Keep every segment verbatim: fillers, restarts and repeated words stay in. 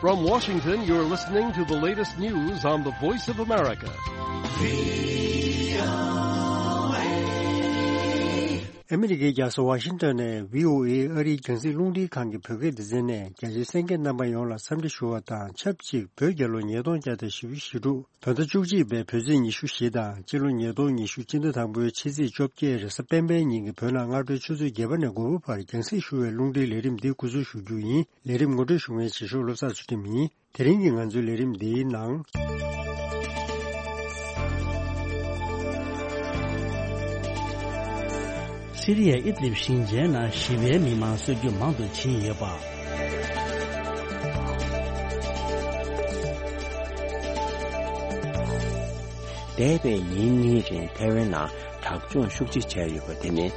From Washington, you're listening to the latest news on the Voice of America. ཨ་མི་རི་ཀའི་རྒྱལ་ས་ཝ་ཤིང་ཏོན་ནས་བྷི་ཨོ་ཨེ་ཨ་རིའི་རྒྱང་སྲིང་རླུང་འཕྲིན་ཁང་གི་བོད་སྐད་སྡེ་ཚན་ནས་རྒྱ་ཆེའི་གསན་མཁན་རྣམ་པ་ཡོངས་ལ་འཚམས་འདྲི་ཞུ་བ་དང་ཆབས་ཅིག་བོད་རྒྱལ་ལོ་ཉིས་སྟོང་བརྒྱ་དང་བཞི་བཅུ་ཞེ་དྲུག་བོད་ཟླ་བཅུ་གཅིག་པའི་བོད་ཚེས་ཉི་ཤུ་བཞི་དང་སྤྱི་ལོ་ཉིས་སྟོང་ཉི་ཤུ་སྤྱི་ཟླ་དང་པོའི་ཕྱི་ཚེས་བཅོ་བརྒྱད་རེས་གཟའ་སྤེན་པའི་ཉིན་གྱི་བོད་ནང་སྔ་དྲོའི་ཆུ་ཚོད་བརྒྱད་པ་ནས་དགུ་པ་བར་རྒྱང་སྲིང་ཞུ་བའི་རླུང་འཕྲིན་ལས་རིམ་འདི་འགོ་འཛུགས་ཞུ་རྒྱུ་ཡིན། ལས་རིམ་ངོ་སྤྲོད་ཞུ་མཁན་བྱེད་ཤོག་བློ་བཟང་ཚུལ་ཁྲིམས་ཡིན། དེ་རིང་གི་ང་ཚོའི་ལས་རིམ་འདིའི་ནང་། སི་རི་ཡའི་ཨིད་ལིབ་ཞིང་ཆེན་ནང་ཞི་བའི་མི་མང་གསོད་རྒྱུ་མང་དུ་ཕྱིན་ཡོད་པ། འདས་པའི་ཉིན་གཉིས་རིང་ཐའེ་ཝན་ནང་དྲག་སྦྱོང་ཤུགས་ཆེ་བྱས་ཡོད་པ་དེ་ནི།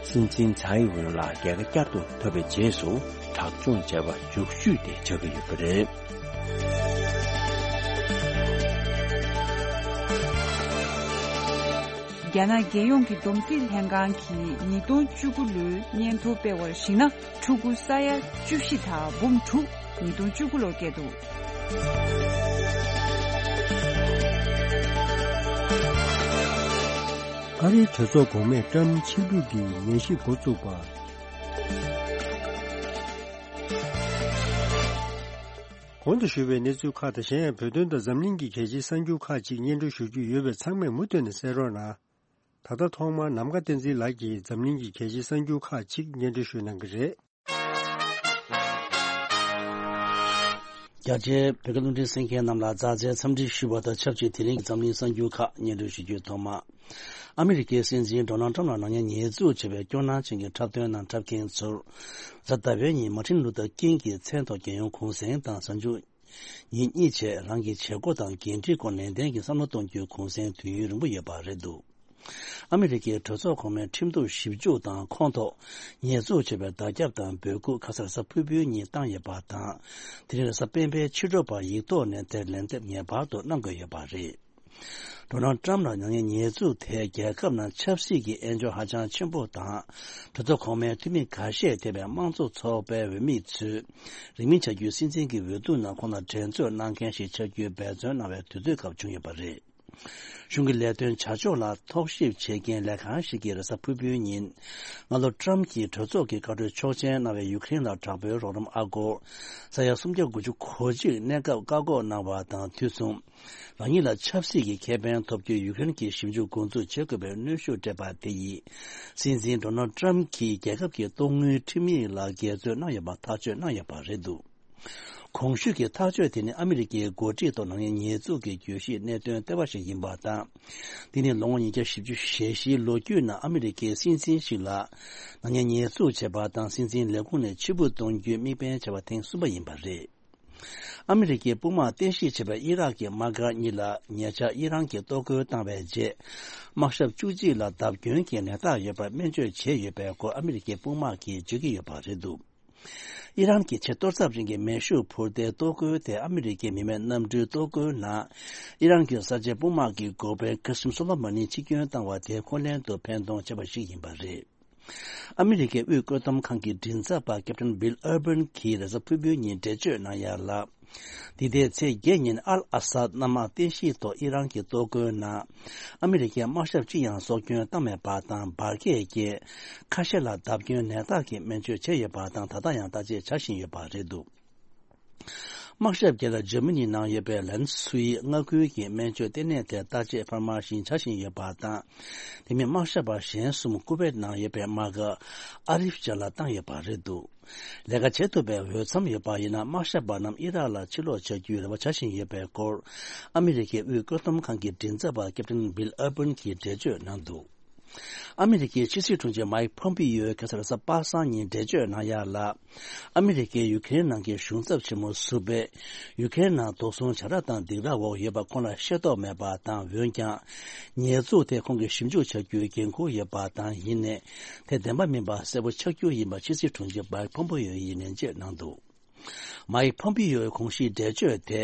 སྲིད་འཛིན་ཚའེ་ཝེན་ལགས་རྒྱལ་ཁ་བསྐྱར་དུ་ཐོབ་པའི་རྗེས་སུ་དྲག་སྦྱོང་བྱས་པ་མཇུག་ཤོས་དེ་ཆགས་ཀྱི་ཡོད་པ་རེད། རྒྱ་ནག་རྒྱལ་ཡོངས་ཀྱི་བསྡོམས་རྩིས་ལྷན་ཁང་གིས་ཉིས་སྟོང་བཅུ་དགུ་ལོའི་སྙན་ཐོ་སྤེལ་བར་གཞིགས་ན། ཕྲུ་གུ་ས་ཡ་བཅུ་བཞི་དང་འབུམ་དྲུག་ཉིས་སྟོང་བཅུ་དགུ་ལོར་སྐྱེས་འདུག་ཨ་རིའི་གྲོས་ཚོགས་གོང་མས་ཀྲམ་ཕྱིར་འབུད་ཀྱི་ཉན་ཞིབ་འགོ་བཙུགས་པ། གོང་དུ་ཞུས་པའི་གནས་ཚུལ་ཁག་དང་གཞན་ཡང་བོད་དོན་དང་འཛམ་གླིང་གི་གལ་ཆེའི་གསར་འགྱུར་ཁག་ཅིག་སྙན་སྒྲོན་ཞུ་རྒྱུ་ཡོད་པས་ཚང་མས་མུ་མཐུད་ནས་གསན་རོགས་གནང་། ད་ལྟ་ཐོག་མར་ནམ་མཁའ་བསྟན་འཛིན་ལགས་ཀྱིས་འཛམ་གླིང་གི་གལ་ཆེའི་གསར་འགྱུར་ཁག་ཅིག་སྙན་སྒྲོན་ཞུ་གནང་གི་རེད། རྒྱ་ཆེའི་བོད་སྐད་རླུང་འཕྲིན་གསན་མཁན་རྣམས་ལ་མཛའ་བརྩེའི་འཚམས་འདྲི་ཞུ་བ་དང་ཆབས་ཅིག་དེ་རིང་གི་འཛམ་གླིང་གསར་འགྱུར་ཁག་སྙན་སྒྲོན་ཞུ་རྒྱུའི་ཐོག་མ། ཨ་མི་རི་ཀའི་སྲིད་འཛིན་ཌོ་ནལ་ཊམ་ལ་ནག་ཉེས་ཉེས་འཛུགས་བྱས་པའི་སྐྱོ་སྣང་ཅན་གྱི་འཁྲབ་སྟོན་ནང་འཁྲབ་མཁན་ཚོར། གཟའ་ཟླ་བའི་ཉིན་མར་ཊིན་ལུ་ཐར་ཀིང་གི་མཚན་ཐོག་རྒྱལ་ཡོངས་གུང་གསེང་དང་གཟའ་མཇུག་ཉིན་གཉིས་བྱས་རང་གི་བྱེད་སྒོ་དང་འགན་འཁྲིའི་སྐོར་ནན་ཏན་གྱིས་བསམ་བློ་གཏོང་རྒྱུའི་གུང་གསེང་དུས་ཡུན་རིང་པོ་ཡོད་པ་རེད་འདུག་ཨ་མི་རི་ཀའི་གྲོས་ཚོགས་གོང་མའི་ཁྲིམས་གཏུག་ཞིབ་འཇུག་དང་ཁོངས་གཏོགས་ཉེས་འཛུགས་བྱས་པའི་བརྡ་ཁྱབ་དང་འབོད་སྐུལ་ཁ་སང་རེས་གཟའ་ཕུར་བུའི་ཉིན་བཏང་ཡོད་པ་དང་། དེ་རིང་རེས་གཟའ་སྤེན་པའི་ཕྱི་དྲོ་བར་ཡིག་ཐོག་ནས་དེར་ལན་འདེབས་ངེས་པར་དུ་གནང་དགོས་ཡོད་པ་རེད། ཌོ་ནལ་ཊམ་ལ་ནག་ཉེས་ཉེས་འཛུགས་དེས་རྒྱལ་ཁབ་ནང་ཆབ་སྲིད་ཀྱི་དབྱེན་སྦྱོར་ཧ་ཅང་ཆེན་པོ་དང་། གྲོས་ཚོགས་གོང་མའི་འཐུས་མི་འགའ་ཤས་ཐེ་བའི་དམངས་གཙོ་ཚོགས་པའི་འོས་མི་ཚོས་རིང་མིན་བྱ་རྒྱུའི་སྲིད་འཛིན་གྱི་འོས་བསྡུ་ནང་ཁོང་ལ་འགྲན་རྩོད་གནང་མཁན་ཞིག་ཆགས་རྒྱུའི་འབད་བརྩོན་གནང་བའི་དུས་ཚོད་སྐབས་བྱུང་ཡོད་པ་རེད། གཞུང་གི་ལས་དོན་བྱ་ཕྱོགས་ལ་རྟོག་ཞིབ་བྱེད་མཁན་ལས་ཁང་ཞིག་གིས་རེས་གཟའ་ཕུར་བུའི་ཉིན། སྔ་ལོ་ཊམ་གྱིས་གྲོས་ཚོགས་ཀྱི་བཀའ་འཁྲོལ་ཆོག་མཆན་གནང་བའི་ཡུ་ཀེ་རེན་ལ་དྲག་པོའི་རོགས་རམ་ཨ་སྒོར་ས་ཡ་སུམ་བརྒྱ་དགུ་བཅུ་གོ་གཅིག་གནས་སྐབས་བཀག་འགོག་གནང་བ་དང་དུས་མཚུངས། རང་ཉིད་ལ་ཆབ་སྲིད་ཀྱི་ཁེ་ཕན་ཐོབ་རྒྱུའི་ཡུ་ཀེ་རེན་གྱི་ཞིབ་འཇུག་འགོ་འཛུགས་བྱེད་དགོས་པའི་གནོན་ཤུགས་སྤྲད་པ་དེ་ཡིས། སྲིད་འཛིན་ཌོ་ནལ་ཊམ་གྱིས་རྒྱལ་ཁབ་ཀྱི་གཏོང་དངུལ་ཁྲིམས་ཡིག་ལ་འགལ་འཛོལ་གནང་ཡོད་པ་ཐག་གཅོད་གནང་ཡོད་པ་རེད་འདུག་གོང་ཞུས་ཀྱི་ཐག་གཅོད་དེ་ནི་ཨ་མི་རི་ཀའི་འགོ་ཁྲིད་ཐོག་ནག་ཉེས་ཉེས་འཛུགས་ཀྱི་གྱོད་གཞིའི་གནད་དོན་ལྟེ་བ་ཞིག་ཡིན་པ་དང་། འདི་ནི་ལོ་ངོ་ཉིས་བརྒྱ་བཞི་བཅུ་ཞེ་བཞིའི་ལོ་རྒྱུས་ནང་ཨ་མི་རི་ཀའི་སྲིད་འཛིན་ཞིག་ལ་ནག་ཉེས་ཉེས་འཛུགས་བྱས་པ་དང་སྲིད་འཛིན་ལས་ཁུངས་ནས་ཕྱིར་འབུད་གཏོང་རྒྱུའི་དམིགས་འབེན་བྱས་པ་ཐེངས་གསུམ་པ་ཡིན་པ་རེད། ཨ་མི་རི་ཀའི་དཔུང་དམག་རྟེན་གཞི་བྱས་པའི་ཨི་རག་གི་དམག་སྒར་གཉིས་ལ་ཉེ་ཆར་ཨི་རན་གྱིས་གཏོར་རྒོལ་བཏང་བའི་རྗེས། དམག་ཞབས་བཅུ་གཅིག་ལ་བརྡབ་སྐྱོན་གྱི་ནད་རྟགས་ཡོད་པར་སྨན་བཅོས་བྱས་ཡོད་པའི་སྐོར་ཨ་མི་རི་ཀའི་དཔུང་དམག་གིས་བརྗོད་ཀྱི་ཡོད་པ་རེད་འདུག་ཨི་རན་གྱིས་ཆེས་གཏོར་ཚབས་རིང་གི་མེ་ཤུགས་འཕུར་མདེལ་གཏོར་རྒོལ་དེ་ཨ་མི་རི་ཀའི་མི་མེད་གནམ་གྲུའི་གཏོར་རྒོལ་ནང་ཨི་རན་གྱི་གསར་བརྗེ་དཔུང་དམག་གི་འགོ་དཔོན་ཀ་སིམ་སོ་ལོ་མ་ནི་འཆི་སྐྱོན་བཏང་བ་དེ་ཁོ་ལན་དུ་ཕན་གཏོང་བྱས་པ་ཞིག་ཡིན་པ་རེད། ཨ་མི་རི་ཀའི་དབུས་བཀོད་འདོམས་ཁང་གི་མགྲིན་ཚབ་པ་ཀེབ་ཏན་བྷིལ་ཨར་བན་གྱིས་རེས་གཟའ་ཕུར་བུའི་ཉིན་འགྲེལ་བརྗོད་གནང་ཡ་ལ། འདི་ཟླའི་ཚེས་བརྒྱད་ཉིན་ཨལ་ཨ་སད་གནམ་དམག་རྟེན་གཞིའི་ཐོག་ཨི་རན་གྱི་གཏོར་རྒོལ་ནང་ཨ་མི་རི་ཀའི་དམག་ཞབས་གཅིག་ཡང་སྲོག་སྐྱོན་བཏང་མེད་པ་དང་འབར་གས་ཀྱིས་ཁ་ཤས་ལ་བརྡབ་སྐྱོན་ནད་རྟགས་ཀྱི་སྨན་བཅོས་བྱས་ཡོད་པ་དང་ད་ལྟ་ཡང་བརྟག་དཔྱད་བྱ་བཞིན་ཡོད་པ་རེད་འདུག་དམག་ཞབས་བརྒྱད་ལ་འཇར་མ་ནི་ནང་ཡོད་པའི་ལན་སུའི་མངའ་ཁུལ་གྱི་སྨན་བཅོས་ལྟེ་གནས་དེར་བརྟག་དཔྱད་འཕར་མ་བཞིན་བྱ་བཞིན་ཡོད་པ་དང་། དེ་མིན་དམག་ཞབས་པ་གཞན་གསུམ་ཀུ་ཝེད་ནང་ཡོད་པའི་དམག་སྒར་ཨ་རིབ་ཅན་ལ་བཏང་ཡོད་པ་རེད་འདུག་ལས་ཀ་བྱེད་ཐུབ་པའི་འོས་འཚམ་ཡོད་པ་ཡིན་ན་དམག་ཞབས་པ་རྣམས་ཨི་རག་ལ་ཕྱིར་ལོག་བྱ་རྒྱུའི་རེ་བ་བྱ་བཞིན་ཡོད་པའི་སྐོར་ཨ་མི་རི་ཀའི་དབུས་བཀོད་འདོམས་ཁང་གི་མགྲིན་ཚབ་པ་ཀེབ་ཏན་བྷིལ་ཨར་བན་གྱིས་འགྲེལ་བརྗོད་གནང་འདུག་ཨ་མི་རི་ཀའི་ཕྱི་སྲིད་དྲུང་ཆེ་མའིག་ཕོམ་པི་ཡོས་ཁ་སང་རེས་གཟའ་པ་སངས་ཉིན་འགྲེལ་བརྗོད་གནང་ཡ་ལ། ཨ་མི་རི་ཀས་ཡུ་ཀེ་རེན་ནང་གི་གཞུང་ཚབ་ཆེན་མོ་ཟུར་པས་ཡུ་ཀེ་རེན་ནང་དོགས་ཟོན་བྱ་ར་དང་སྡིགས་ར་འོག་ཡོད་པ་ཁོང་ལ་ཤེས་རྟོགས་མེད་པ་དང་འོན་ཀྱང་། ཉེས་འཛུགས་དེ་ཁོང་གིས་ཞིབ་འཇུག་བྱ་རྒྱུའི་འགན་འཁུར་ཡོད་པ་དང་ཡིན་ནའི་དེ་བདེན་པ་མིན་པ་གསལ་པོ་ཆགས་རྒྱུ་ཡིན་པ་ཕྱི་སྲིད་དྲུང་ཆེ་མའིག་ཕོམ་པི་ཡོ་ཡིས་ནན་བརྗོད་གནང་འདུག་མའིག་ཕོམ་པི་ཡོའི་གོང་ཞུས་འགྲེལ་བརྗོད་དེ།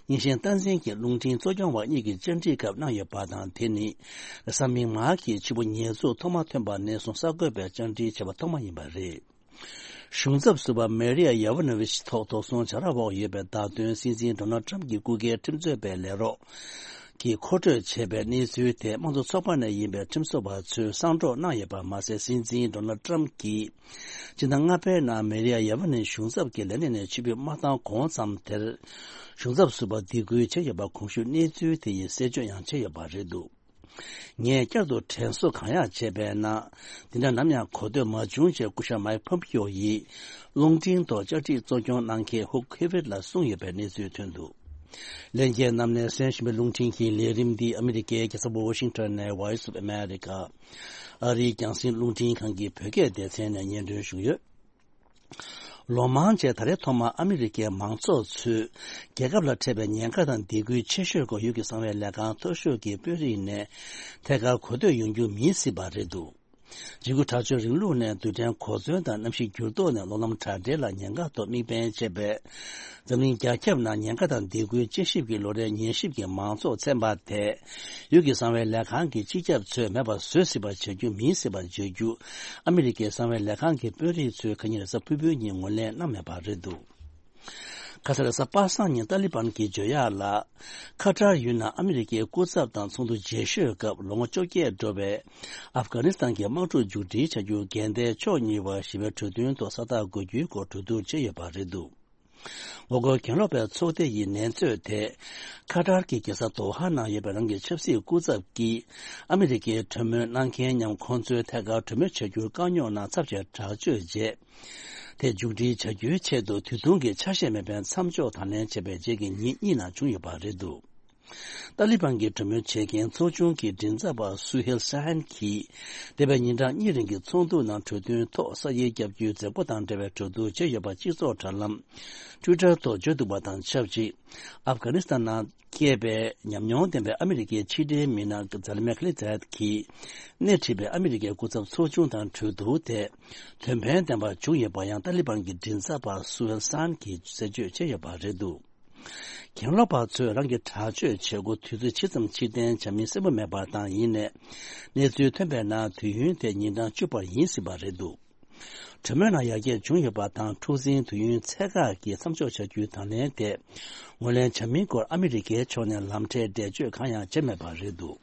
རྙིང་ཞེན་སྟངས་འཛིན་གྱི་རླུང་འཕྲིན་གཙོ་སྐྱོང་བ་གཉིས་ཀྱི་བཅར་འདྲིའི་སྐབས་གནང་ཡོད་པ་དང་དེ་ནི། རེས་གཟའ་མིག་དམར་གྱི་ཕྱི་པོ་ཉེས་འཛུགས་ཐོག་མ་ཐོན་པ་ནས་བཟུང་གསར་འགོད་པས་བཅར་འདྲི་བྱས་པ་ཐོག་མ་ཡིན་པ་རེད། གཞུང་ཚབ་ཟུར་པ་མེ་རི་ཡ་ཡ་ཝ་ནོ་ཝི་ཆི་ཐོག་དོགས་ཟོན་བྱ་ར་འོག་ཡོད་པའི་བརྡ་དོན་སྲིད་འཛིན་ཌོ་ནལ་ཊམ་གྱི་སྐུ་སྒེར་ཁྲིམས་རྩོད་པའི་ལས་རོགས་ཀྱིས་མཁོ་སྤྲོད་བྱས་པའི་གནས་ཚུལ་དེ་དམངས་གཙོ་ཚོགས་པ་ནས་ཡིན་པའི་ཁྲིམས་བཟོ་བ་ཚོས་གསང་སྒྲོག་གནང་ཡོད་པ་མ་ཟད། སྲིད་འཛིན་ཌོ་ནལ་ཊམ་གྱིས་སྤྱི་ཟླ་ལྔ་པའི་ནང་མེ་རི་ཡ་ཡ་ཝ་ནོ་ཝི་ཆི་གཞུང་ཚབ་ཀྱི་ལས་གནས་ནས་ཕྱིར་འབུད་མ་བཏང་གོང་ཙམ་དེར་གཞུང་ཚབ་ཟུར་པ་སྡིགས་སྐུལ་བྱས་ཡོད་པ་གོང་ཞུས་གནས་ཚུལ་དེ་ཡིས་གསལ་བརྗོད་ཡང་བྱས་ཡོད་པ་རེད་འདུག་ངས་བསྐྱར་དུ་དྲན་གསོ་གང་ཡག་བྱས་པས་ན། འདི་འདྲ་ནམ་ཡང་གོ་ཐོས་མ་བྱུང་ཞེས་སྐུ་ཞབས་མའིག་ཕོམ་པིའོ་ཡིས་རླུང་འཕྲིན་ཐོག་བཅའ་ཁྲིམས་གཙོ་སྐྱོང་གནང་མཁན་ཧུག་ཧེ་ཝེད་ལ་གསུངས་ཡོད་པའི་གནས་ཚུལ་ཐོན་འདུག་ལྷན་རྒྱས་རྣམས་ནས་གསན་བཞིན་པའི་རླུང་འཕྲིན་གྱི་ལས་རིམ་འདི་ཨ་མི་རི་ཀའི་རྒྱལ་ས་ཝ་ཤིང་ཊོན་ནས་Voice of America ཨ་རིའི་རྒྱང་སྲིང་རླུང་འཕྲིན་ཁང་གི་བོད་སྐད་སྡེ་ཚན་ནས་སྙན་སྒྲོན་ཞུས་ཡོད། ལོ་མང་རྗེས་ད་རེས་ཐོག་མར་ཨ་མི་རི་ཀའི་མང་ཚོགས་ཚོས་རྒྱལ་ཁབ་ལ་འཕྲད་པའི་ཉེན་ཁ་དང་སྡིགས་སྐུལ་ཆེ་ཤོས་སྐོར་ཡུལ་གྱི་གསང་བའི་ལས་ཁང་མཐོ་ཤོས་ཀྱི་དཔོན་རིགས་ནས་ཐད་ཀར་གོ་ཐོས་ཡོང་རྒྱུ་མིན་སྲིད་པ་རེད་འདུག་འཇིགས་སྐུལ་དྲག་སྤྱོད་རིང་ལུགས་ནས་རྡུལ་ཕྲན་གོ་མཚོན་དང་གནམ་གཤིས་འགྱུར་ལྡོག་ནས་སློབ་ལམ་དྲ་སྦྲེལ་ལ་ཉེན་ཁ་ཐོག་དམིགས་འབེན་བྱས་པའི་འཛམ་གླིང་རྒྱ་ཁྱབ་ནང་ཉེན་ཁ་དང་སྡིགས་སྐུལ་དཔྱད་ཞིབ་ཀྱི་ལོ་རེའི་ཉན་ཞིབ་ཀྱི་མང་ཚོགས་ཚན་པ་དེ། ཡུལ་གྱི་གསང་བའི་ལས་ཁང་གི་སྤྱི་ཁྱབ་ཚོས་མེད་པར་བཟོ་སྲིད་པ་བྱ་རྒྱུ་མིན་སྲིད་པ་བརྗོད་རྒྱུ། ཨ་མི་རི་ཀའི་གསང་བའི་ལས་ཁང་གི་དཔོན་རིགས་ཚོས་ཁ་ཉིན་རེས་གཟའ་ཕུར་བུའི་ཉིན་ངོས་ལེན་གནང་མེད་པ་རེད་འདུག་ཁ་སང་རེས་གཟའ་པ་སངས་ཉིན་ཏཱ་ལི་བན་གྱིས་བརྗོད་ཡག་ལ། ཁ་ཏར་ཡུལ་ནང་ཨ་མི་རི་ཀའི་སྐུ་ཚབ་དང་ཚོགས་འདུ་རྗེས་ཤོས་སྐབས་ལོ་ངོ་བཅོ་བརྒྱད་འགྲོ་བའི་ཨབ་གྷ་ནི་སི་ཐན་གྱི་དམག་འཁྲུག་མཇུག་སྒྲིལ་བྱ་རྒྱུ་འགལ་ཟླའི་ཕྱོགས་གཉིས་བར་ཞི་བའི་གྲོས་མཐུན་ཐོག་ས་རྟགས་འགོད་རྒྱུའི་སྐོར་གྲོས་བསྡུར་བྱས་ཡོད་པ་རེད་འདུག་ངོ་རྒོལ་གྱེན་ལོག་པའི་ཚོགས་སྡེ་ཡི་ནན་རྩོད་དེ། ཁ་ཏར་གྱི་རྒྱལ་ས་དོ་ཧ་ནང་ཡོད་པའི་རང་གི་ཆབ་སྲིད་སྐུ་ཚབ་ཀྱིས་ཨ་མི་རི་ཀའི་གྲོས་མོལ་གནང་མཁན་མཉམ་ཁོང་ཚོའི་ཐད་ཀར་གྲོས་མོལ་བྱ་རྒྱུར་དཀའ་རྙོག་ནང་ཚབས་ཆེ་དྲག་སྤྱོད་རྗེས། དེ་མཇུག་སྒྲིལ་བྱ་རྒྱུའི་ཆེད་དུ་དུས་ཐུང་གི་ཆ་ཤས་མེད་པའི་མཚམས་འཇོག་དང་ལེན་བྱས་པའི་རྗེས་ཀྱི་ཉིན་གཉིས་ནང་བྱུང་ཡོད་པ་རེད་འདུག་ཏཱ་ལི་བན་གྱི་གྲོས་མོལ་བྱེད་མཁན་ཚོགས་ཆུང་གི་མགྲིན་ཚབ་པ་སུ་ཧེལ་ཤ་ཧན་གྱིས། འདས་པའི་ཉིན་གྲངས་གཉིས་རིང་གི་ཚོགས་འདུ་ནང་གྲོས་མཐུན་ཐོག་ས་ཡིག་བརྒྱབ་རྒྱུའི་མཛད་སྒོ་དང་འབྲེལ་བའི་གྲོས་བསྡུར་བྱས་ཡོད་པ་སྤྱི་ཚོགས་དྲ་ལམ་Twitter་ཐོག་བརྗོད་འདུག་པ་དང་ཆབས་ཅིག་ཨབ་གྷ་ནི་སི་ཐན་ནང་སྐྱེས་པའི་ཉམས་མྱོང་ལྡན་པའི་ཨ་མི་རི་ཀའི་ཕྱི་འབྲེལ་མི་སྣ་ཛ་ལི་མེ་ཁ་ལི་ཛད་ཀྱིས་སྣེ་ཁྲིད་པའི་ཨ་མི་རི་ཀའི་སྐུ་ཚབ་ཚོགས་ཆུང་དང་གྲོས་བསྡུར་དེ་དོན་ཕན་ལྡན་པ་བྱུང་ཡོད་པ་ཡང་ཏཱ་ལི་བན་གྱི་མགྲིན་ཚབ་པ་སུ་ཧེལ་ཤ་ཧན་གྱིས་གསལ་བརྗོད་བྱས་ཡོད་པ་རེད་འདུག་གྱེན་ལོག་པ་ཚོས་རང་གི་དྲག་སྤྱོད་བྱེད་སྒོ་དུས་ཚོད་ཇི་ཙམ་ཕྱིར་འཐེན་བྱ་མིན་གསལ་པོ་མེད་པ་དང་ཡིན་ནའི། གནས་ཚུལ་ཐོན་པའི་ནང་དུས་ཡུན་དེ་ཉིན་གྲངས་བཅུ་བར་ཡིན་སྲིད་པ་རེད་འདུག་གྲོས་མོལ་ནང་ཡར་རྒྱས་བྱུང་ཡོད་པ་དང་འཁྲུག་འཛིང་དུས་ཡུན་ཚད་བཀག་གི་མཚམས་འཇོག་བྱ་རྒྱུའི་དང་ལེན་དེ་ངོས་ལེན་བྱ་མིན་སྐོར་ཨ་མི་རི་ཀའི་ཕྱོགས་ནས་ལམ་ཁྲལ་འགྲེལ་བརྗོད་གང་ཡང་བྱས་མེད་པ་རེད་འདུག་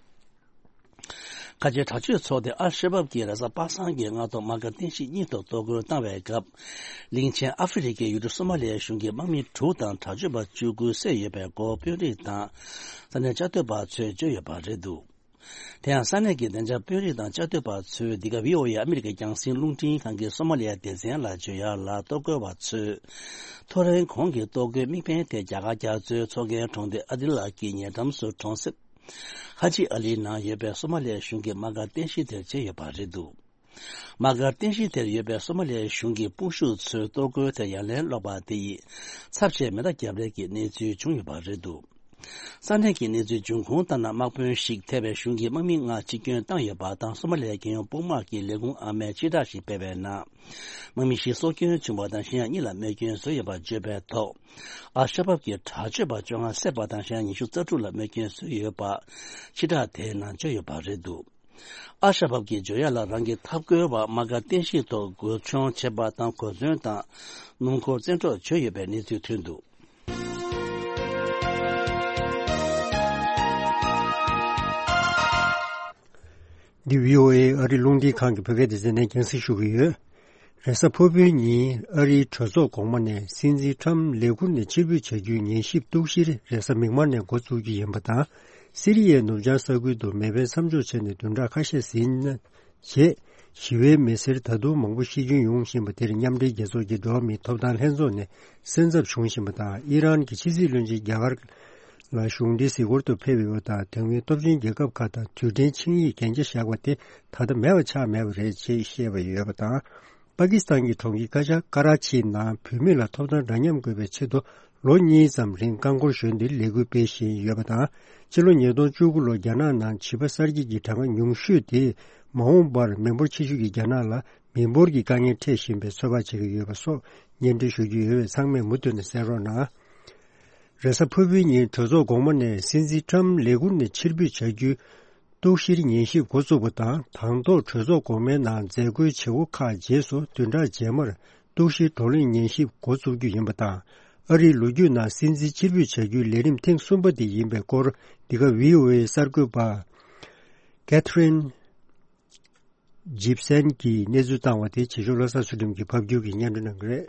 ཁ་ཆེའི་དྲག་སྤྱོད་ཚོགས་སྡེ་ཨལ་ཤ་བབ་ཀྱིས་རེས་གཟའ་པ་སངས་ཀྱི་སྔ་དྲོ་དམག་སྒར་རྟེན་གཞི་གཉིས་ཐོག་གཏོར་རྒོལ་བཏང་བའི་སྐབས། གླིང་ཆེན་ཨ་ཧྥེ་རི་ཁའི་ཡུལ་གྲུ་སོ་མ་ལི་ཡའི་གཞུང་གི་དམག་མི་དྲུག་དང་དྲག་སྤྱོད་པ་བཅུ་དགུ་བསད་ཡོད་པའི་སྐོར་དཔོན་རིགས་དང་ས་གནས་བཅའ་སྡོད་པ་ཚོས་བརྗོད་ཡོད་པ་རེད་འདུག་དེ་ཡང་ས་གནས་ཀྱི་བདེ་འཇགས་དཔོན་རིགས་དང་བཅའ་སྡོད་པ་ཚོས་འདི་ག་བྷི་ཨོ་ཨེ་ཨ་མི་རི་ཀའི་རྒྱང་སྲིང་རླུང་འཕྲིན་ཁང་གི་སོ་མ་ལི་ཡ་སྡེ་ཚན་ལ་བརྗོད་ཡག་ལ། གཏོར་རྒོལ་བ་ཚོས་ཐོ་རེངས་གོང་གི་གཏོར་རྒོལ་དམིགས་འབེན་དེ་རྒྱ་གར་རྒྱ་མཚོའི་མཚོ་ཁའི་གྲོང་སྡེ་ཨ་དི་ལ་གྱི་ཉེ་འགྲམ་སུ་གྲོང་གསེབ་ཧ་ཇི་ཨ་ལི་ནང་ཡོད་པའི་སོ་མ་ལི་ཡའི་གཞུང་གི་དམག་སྒར་རྟེན་གཞི་དེར་བྱས་ཡོད་པ་རེད་འདུག་དམག་སྒར་རྟེན་གཞི་དེར་ཡོད་པའི་སོ་མ་ལི་ཡའི་གཞུང་གི་དཔུང་ཤུགས་ཚོས་གཏོར་རྒོལ་དེར་ཡ་ལན་སློག་པ་དེ་ཡིས་ཚབས་ཆེའི་མེ་མདའ་བརྒྱབ་རེས་ཀྱི་གནས་ཚུལ་བྱུང་ཡོད་པ་རེད་འདུག་ས་གནས་ཀྱི་གནས་ཚུལ་འབྱུང་ཁུངས་ལྟར་ན། དམག་དཔོན་ཞིག་ཐེ་བའི་གཞུང་གི་དམག་མི་ལྔ་འཆི་སྐྱོན་བཏང་ཡོད་པ་དང་། སོ་མ་ལི་ཡའི་རྒྱལ་ཡོངས་དཔུང་དམག་གི་ལས་ཁུངས་ཨ་མས་སྤྱི་བསྒྲགས་ཤིག་སྤེལ་བའི་ནང་། དམག་མི་བཞི་སྲོག་སྐྱོན་བྱུང་བ་དང་། གཞན་ཡང་གཉིས་ལ་རྨས་སྐྱོན་བཟོས་ཡོད་པ་བརྗོད་པའི་ཐོག་ཨལ་ཤ་བབ་ཀྱི་དྲག་སྤྱོད་པ་བཅོ་ལྔ་བསད་པ་དང་། གཞན་ཡང་ཉི་ཤུ་རྩ་དྲུག་ལ་རྨས་སྐྱོན་བཟོས་ཡོད་པ་སྤྱི་བསྒྲགས་དེའི་ནང་བརྗོད་ཡོད་པ་རེད་འདུག་ཨལ་ཤ་བབ་ཀྱིས་བརྗོད་ཡག་ལ། རང་གི་འཐབ་རྒོལ་བ་དམག་སྒར་རྟེན་གཞི་ཐོག་རྒོལ་མཆོང་བྱེད་པ་དང་། གོ་མཚོན་དང་སྣུམ་འཁོར་བཙན་འཕྲོག་བྱས་ཡོད་པའི་གནས་ཚུལ་ཐོན་འདུག་འདི་བྷི་ཨོ་ཨེ་ཨ་རི་རླུང་འཕྲིན་ཁང་གི་བོད་སྐད་སྡེ་ཚན་ནས་རྒྱང་སྲིང་ཞུ་གི་ཡོད། རེས་གཟའ་ཕུར་བུའི་ཉིན་ཨ་རིའི་གྲོས་ཚོགས་གོང་མ་ནས་སྲིད་འཛིན་ཁྲམ་ལས་ཁུར་ནས་ཕྱིར་འབུད་བྱ་རྒྱུའི་ཉན་ཞིབ་གཏུག་བཤེར་རེས་གཟའ་མིག་དམར་ནས་འགོ་བཙུགས་རྒྱུ་ཡིན་པ་དང་། སི་རི་ཡའི་ནུབ་བྱང་ས་ཁུལ་དུ་མེ་འཕེན་མཚམས་འཇོག་བྱས་ནས་བདུན་ཕྲག་ཁ་ཤས་ཟིན་རྗེས། ཞི་བའི་མི་སེར་ད་དུང་མང་པོ་ཤི་སྐྱོན་ཡོང་བཞིན་པ་དེར་མཉམ་འབྲེལ་རྒྱལ་ཚོགས་ཀྱི་འགྲོ་བ་མིའི་ཐོབ་ཐང་ལྷན་ཚོགས་ནས་སེམས་འཚབ་བྱུང་བཞིན་པ་དང་། ཨི་རན་གྱི་ཕྱི་སྲིད་བློན་ཆེན་རྒྱ་གར་ལ་གཞུང་འབྲེལ་གཟིགས་སྐོར་དུ་ཕེབས་ཡོད་པ་དང་། དེ་སྔོན་སྟོབས་ཆེན་རྒྱལ་ཁབ་ཁག་དང་རྡུལ་ཕྲན་ཆིངས་ཡིག་གན་རྒྱ་བཞག་པ་དེ་ད་ལྟ་མེད་པ་ཆགས་མེད་པ་རེད་ཅེས་བཤད་པ་ཡོད་པ་དང་། པ་ཀི་སི་ཐན་གྱི་གྲོང་ཁྱེར་ཀ་ཆ་ཀ་ར་ཆི་ནང་བུད་མེད་ལ་ཐོབ་ཐང་འདྲ་མཉམ་དགོས་པའི་ཆེད་དུ་ལོ་གཉིས་ཙམ་རིང་རྐང་འཁོར་ཞོན་ཏེ་ལས་འགུལ་སྤེལ་བཞིན་ཡོད་པ་དང་། ཕྱི་ལོ་ཉིས་སྟོང་བཅུ་དགུ་ལོར་རྒྱ་ནག་ནང་བྱིས་པ་གསར་སྐྱེས་ཀྱི་གྲངས་ཀ་ཉུང་ཤོས་དེས་མ་འོངས་པར་མི་འབོར་ཆེ་ཤོས་ཀྱི་རྒྱ་ནག་ལ་མི་འབོར་གྱི་དཀའ་ངལ་འཕྲད་བཞིན་པའི་ཚོད་དཔག་བྱེད་ཀྱི་ཡོད་པ་སོགས་སྙན་སྒྲོན་ཞུ་རྒྱུ་ཡོད་པས། ཚང་མས་མུ་མཐུད་ནས་གསན་རོགས་གནང་། རེས་གཟའ་ཕུར་བུའི་ཉིན་གྲོས་ཚོགས་གོང་མ་ནས་སྲིད་འཛིན་ཁྲམ་ལས་ཁུར་ནས་ཕྱིར་འབུད་བྱ་རྒྱུའི་ གཏུག་བཤེར་ཉན་ཞིབ་འགོ་བཙུགས་པ་དང་། དང་ཐོག་གྲོས་ཚོགས་འགོ་མའི་ནང་མཛད་སྒོའི་བྱེད་སྒོ་ཁག་རྗེས་སུ་བདུན་ཕྲག་རྗེས་མར་གཏུག་བཤེར་བགྲོ་གླེང་ཉན་ཞིབ་འགོ་བཙུགས་རྒྱུ་ཡིན་པ་དང་། ཨ་རིའི་ལོ་རྒྱུས་ནང་སྲིད་འཛིན་ཕྱིར་འབུད་བྱ་རྒྱུའི་ལས་རིམ་ཐེངས་གསུམ་པ་དེ་ཡིན་པའི་སྐོར། འདི་ག་བྷི་ཨོ་ཨེ་གསར་འགོད་པ་ཀེ་ཐི་རིན་ཇིབ་སན་གྱིས་གནས་ཚུལ་བཏང་བ་དེ་བྱེད་ཕྱོགས་བློ་བཟང་ཚུལ་ཁྲིམས་ཀྱིས་ཕབ་སྒྱུར་གྱིས་སྙན་སྒྲོན་གནང་གི་རེད།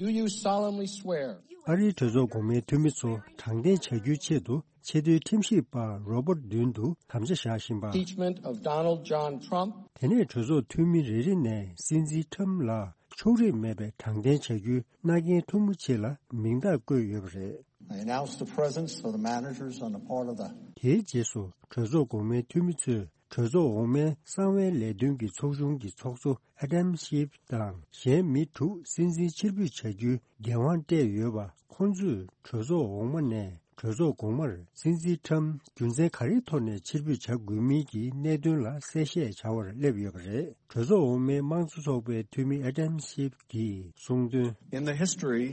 Do you solemnly swear? ཨ་རིའི་གྲོས་ཚོགས་གོང་མའི་འཐུས་མི་ཚོ་དྲང་བདེན་བྱ་རྒྱུའི་ཆེད་དུ་ཆེས་མཐོའི་ཁྲིམས་ཞིབ་པ་རོ་པར་མདུན་དུ་དམ་བཅའ་བཞག་བཞིན་པ། Impeachment of Donald John Trump. དེ་ནས་གྲོས་ཚོགས་འཐུས་མི་རེ་རེ་ནས་སྲིད་འཛིན་ཁྲམ་ལ་ཕྱོགས་རིས་མེད་པའི་དྲང་བདེན་བྱ་རྒྱུའི་མནའ་གན་ཐུང་ངུ་ཆེད་ལ་མིང་རྟགས་བཀོད་ཡོད་པ་རེད། I announce the presence of the managers on the part of the དེའི་རྗེས་སུ་གྲོས་ཚོགས་གོང་མའི་འཐུས་མི་ཚོས་གྲོས་ཚོགས་འོག་མའི་གསང་བའི་ལས་དོན་གྱི་ཚོགས་ཆུང་གི་ཚོགས་གཙོ་ཨ་དམ་ཤིབ་དང་གཞན་མི་དྲུག་སྲིད་འཛིན་ཕྱིར་འབུད་བྱ་རྒྱུའི་འགན་དབང་སྤྲད་ཡོད་པ། ཁོང་ཚོས་གྲོས་ཚོགས་འོག་མ་ནས་གྲོས་ཚོགས་གོང་མར་སྲིད་འཛིན་ཁྲམ་རྒྱུ་མཚན་ག་རེའི་ཐོག་ནས་ཕྱིར་འབུད་བྱ་དགོས་མིན་གྱི་གནད་དོན་ལ་གསལ་བཤད་བྱ་བར་སླེབས་ཡོད་པ་རེད། གྲོས་ཚོགས་འོག་མའི་དམངས་གཙོ་ཚོགས་པའི་འཐུས་མི་ཨ་དམ་ཤིབ་ཀྱིས་གསུངས་དོན། In the history